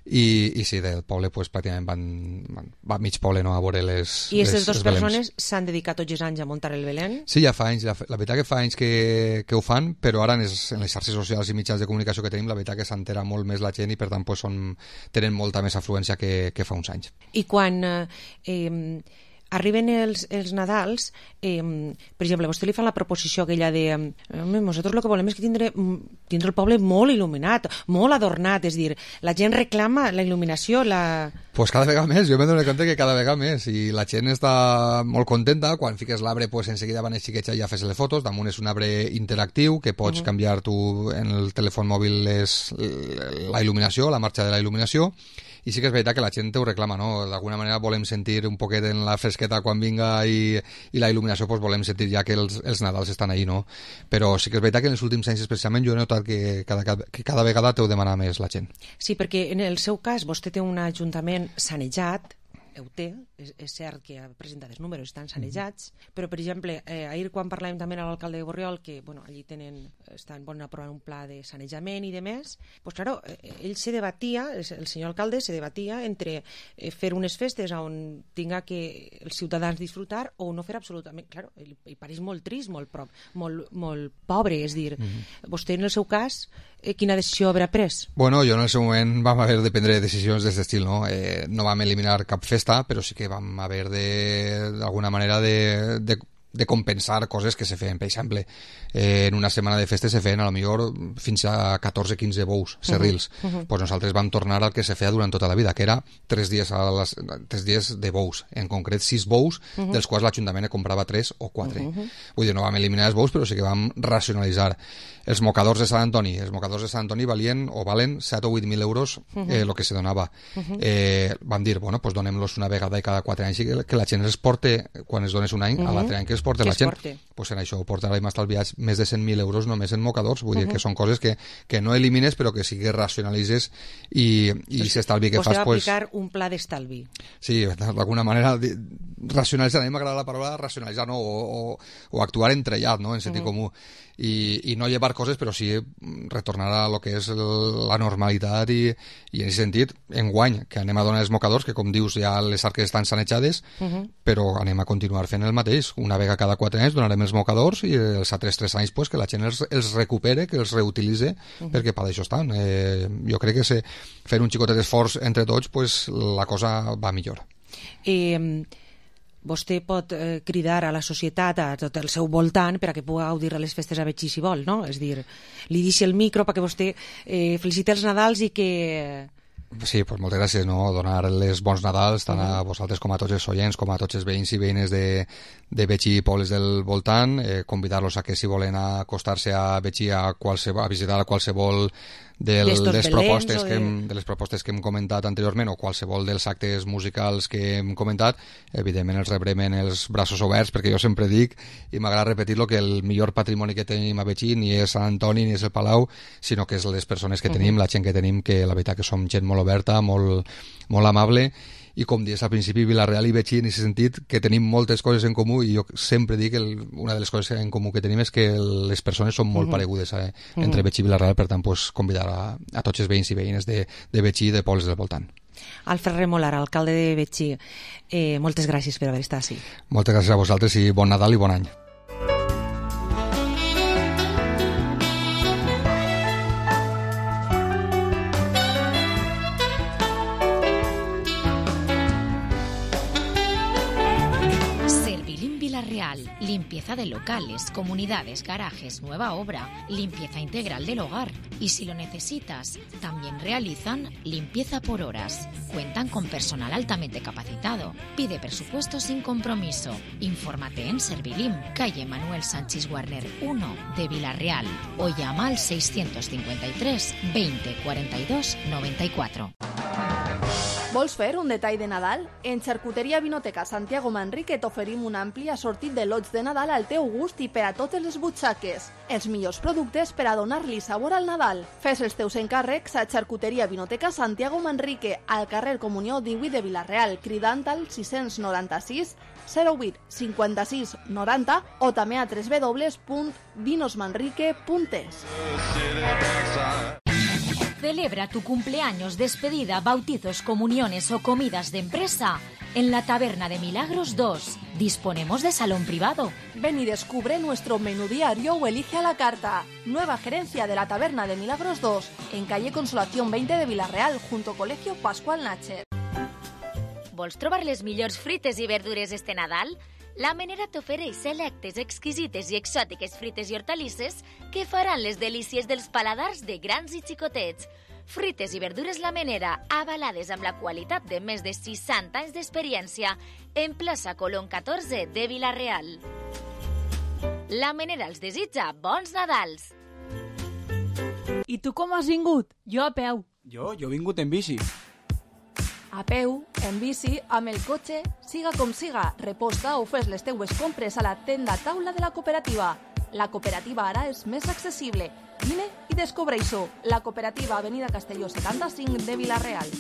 i, i sí, del poble pues, pràcticament van, van, va mig poble no, a veure les I aquestes les- dues els Belems. persones s'han dedicat tots els anys a muntar el Belén? Sí, ja fa anys, la, la veritat que fa anys que, que ho fan, però ara en les, en les xarxes socials i mitjans de comunicació que tenim, la veritat que s'entera molt més la gent i per tant pues, són, tenen molta més afluència que, que fa uns anys. I quan eh, eh, arriben els, els Nadals, eh, per exemple, vostè li fa la proposició aquella de eh, nosaltres el que volem és que tindre, tindre el poble molt il·luminat, molt adornat, és dir, la gent reclama la il·luminació, la... Pues cada vegada més, jo m'he donat compte que cada vegada més, i la gent està molt contenta. Quan fiques l'arbre, pues, enseguida van els xiquets allà a fer-se les fotos. Damunt és un arbre interactiu que pots Mhm. canviar tu en el telèfon mòbil les, la il·luminació, la marxa de la il·luminació, i sí que és veritat que la gent ho reclama, no? D'alguna manera volem sentir un poquet en la fresqueta quan vinga i, i la il·luminació, pues, volem sentir ja que els, els Nadals estan ahí, no? Però sí que és veritat que en els últims anys especialment jo he notat que cada, que cada vegada t'ho demana més la gent. Sí, perquè en el seu cas vostè té un ajuntament sanejat, ho té, és, és cert que ha presentat els números, estan sanejats, però, per exemple, eh, ahir quan parlàvem també amb l'alcalde de Borriol, que, bueno, allí tenen, estan volen aprovar un pla de sanejament i de més, pues, claro, eh, ell se debatia, el senyor alcalde se debatia entre eh, fer unes festes on tinga que els ciutadans disfrutar o no fer absolutament, claro, ell, ell pareix molt trist, molt, prop, molt, molt pobre, és dir, Mhm. vostè en el seu cas, eh, quina decisió haurà pres? Bueno, jo en el seu moment vam haver de prendre decisions d'aquest estil, no? Eh, no vam eliminar cap festa, però sí que vam haver de, d'alguna manera, de, de, de compensar coses que se feien. Per exemple, eh, en una setmana de festes se feien a lo millor fins a catorze quinze bous, serrils. Uh -huh. Uh -huh. Pues nosaltres vam tornar al que se feia durant tota la vida, que era tres dies, a les, tres dies de bous, en concret sis bous, uh -huh. dels quals l'Ajuntament comprava tres o quatre. Uh -huh. Vull dir, no vam eliminar els bous, però sí que vam racionalitzar. Els mocadors de Sant Antoni, els mocadors de Sant Antoni valien o valen set o vuit mil euros eh, el que se donava. Uh -huh. eh, vam dir, bueno, pues donem-los una vegada i cada quatre anys i que, que la gent els porte, quan es dones un any, uh -huh. a l'altre any que els porte que la gent. Porte. Pues en això portarà més estalviats més de cent mil euros només en mocadors. Vull uh -huh. dir que són coses que, que no elimines, però que sí que racionalitzes i, i pues, s'estalvi que fas... Vostè va aplicar pues, un pla d'estalvi. Sí, d'alguna manera, racionalitzar, a mi m'agrada la paraula racionalitzar, no? o, o, o actuar entrellat, no? En sentit uh -huh. comú. I, i no llevar coses, però sí retornar a lo que és el, la normalitat i, i en aquest sentit, enguany, que anem a donar els mocadors, que com dius ja les arques estan sanejades, uh -huh. però anem a continuar fent el mateix. Una vegada cada quatre anys donarem els mocadors i els altres tres anys pues, que la gent els, els recupere, que els reutilitze, uh -huh. perquè per això estan. Eh, jo crec que se, fer un xicotet d'esforç entre tots, pues, la cosa va millor. Eh... Vostè pot eh, cridar a la societat, a tot el seu voltant, per a que pugui gaudir a les festes a Betxí si vol, no? És dir, li deixi el micro perquè vostè eh, feliciti els Nadals i que... Sí, pues moltes gràcies, no? Donar les bons Nadals tant a vosaltres com a tots els oients, com a tots els veïns i veïnes de, de Betxí i pobles del voltant, eh, convidar-los a que si volen acostar-se a Betxí a, qualsevol, a visitar a qualsevol del, les propostes que hem, de les propostes que hem comentat anteriorment o qualsevol dels actes musicals que hem comentat, evidentment els rebrem en els braços oberts, perquè jo sempre dic i m'agrada repetir-lo que el millor patrimoni que tenim a Betxí ni és Sant Antoni ni és el Palau, sinó que és les persones que tenim, uh -huh. la gent que tenim, que la veritat que som gent molt oberta, molt, molt amable, i com dius al principi, Vila-real i Betxí en aquest sentit, que tenim moltes coses en comú, i jo sempre dic que el, una de les coses en comú que tenim és que les persones són molt uh -huh. paregudes eh, entre uh -huh. Betxí i Vila-real, per tant pues, convidar a, a tots els veïns i veïnes de, de Betxí i de pobles del voltant. Alfred Remolar, alcalde de Betxí, eh, moltes gràcies per haver estat així. Moltes gràcies a vosaltres i bon Nadal i bon any. Limpieza de locales, comunidades, garajes, nueva obra, limpieza integral del hogar. Y si lo necesitas, también realizan limpieza por horas. Cuentan con personal altamente capacitado. Pide presupuesto sin compromiso. Infórmate en Servilim, calle Manuel Sánchez Warner uno de Vila-real o llama al seiscientos cincuenta y tres veinte cuarenta y dos noventa y cuatro. Vols fer un detall de Nadal? En Xarcuteria Vinoteca Santiago Manrique t'oferim un ampli assortit de lots de Nadal al teu gust i per a totes les butxaques. Els millors productes per a donar-li sabor al Nadal. Fes els teus encàrrecs a Xarcuteria Vinoteca Santiago Manrique, al carrer Comunió divuit de Vila-real, cridant al sis noranta-sis zero vuit cinquanta-sis noranta o també a w w w punt vinos manrique punt es. Celebra tu cumpleaños, despedida, bautizos, comuniones o comidas de empresa en la Taberna de Milagros dos. Disponemos de salón privado. Ven y descubre nuestro menú diario o elige a la carta. Nueva gerencia de la Taberna de Milagros dos, en calle Consolación veinte de Vila-real, junto Colegio Pascual Nacher. Vols trobar les millors frites i verdures este Nadal? La Menera t'ofereix selectes, exquisites i exòtiques frites i hortalisses que faran les delícies dels paladars de grans i xicotets. Frites i verdures La Menera, avalades amb la qualitat de més de seixanta anys d'experiència, en plaça Colón catorze de Vila-real. La Menera els desitja bons Nadals. I tu com has vingut? Jo a peu. Jo? Jo he vingut en bici. A peu, en bici, amb el cotxe, siga com siga, reposta o fes les teues compres a la tenda taula de la cooperativa. La cooperativa ara és més accessible. Vine i descobreix-ho. La cooperativa Avenida Castelló setanta-cinc de Vila-real.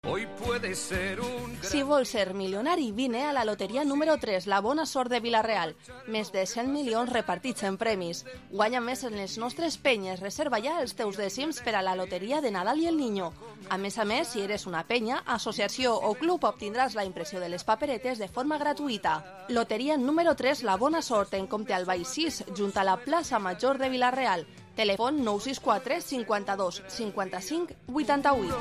Hoy puede ser un... Si vols ser milionari, vine a la loteria número tres, la bona sort de Vila-real. Més de cent milions repartits en premis. Guanya més en les nostres penyes. Reserva ja els teus dècims per a la loteria de Nadal i el Niño. A més a més, si eres una penya, associació o club, obtindràs la impressió de les paperetes de forma gratuïta. Loteria número tres, la bona sort, en Comte Albay sis, junt a la plaça Major de Vila-real. Telèfon nou sis quatre cinquanta-dos cinquanta-cinc vuitanta-vuit.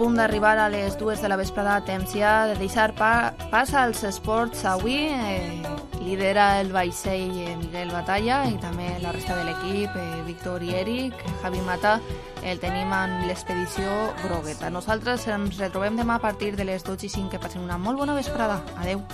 punt d'arribar a les dues de la vesprada, temps ja de deixar pa pas als esports avui. Eh, lidera el vaixell eh, Miguel Batalla i també la resta de l'equip, eh, Víctor i Eric, Javi Mata, el tenim en l'expedició Grogueta. Nosaltres ens retrobem demà a partir de les dotze i cinc. Que passen una molt bona vesprada. Adeu.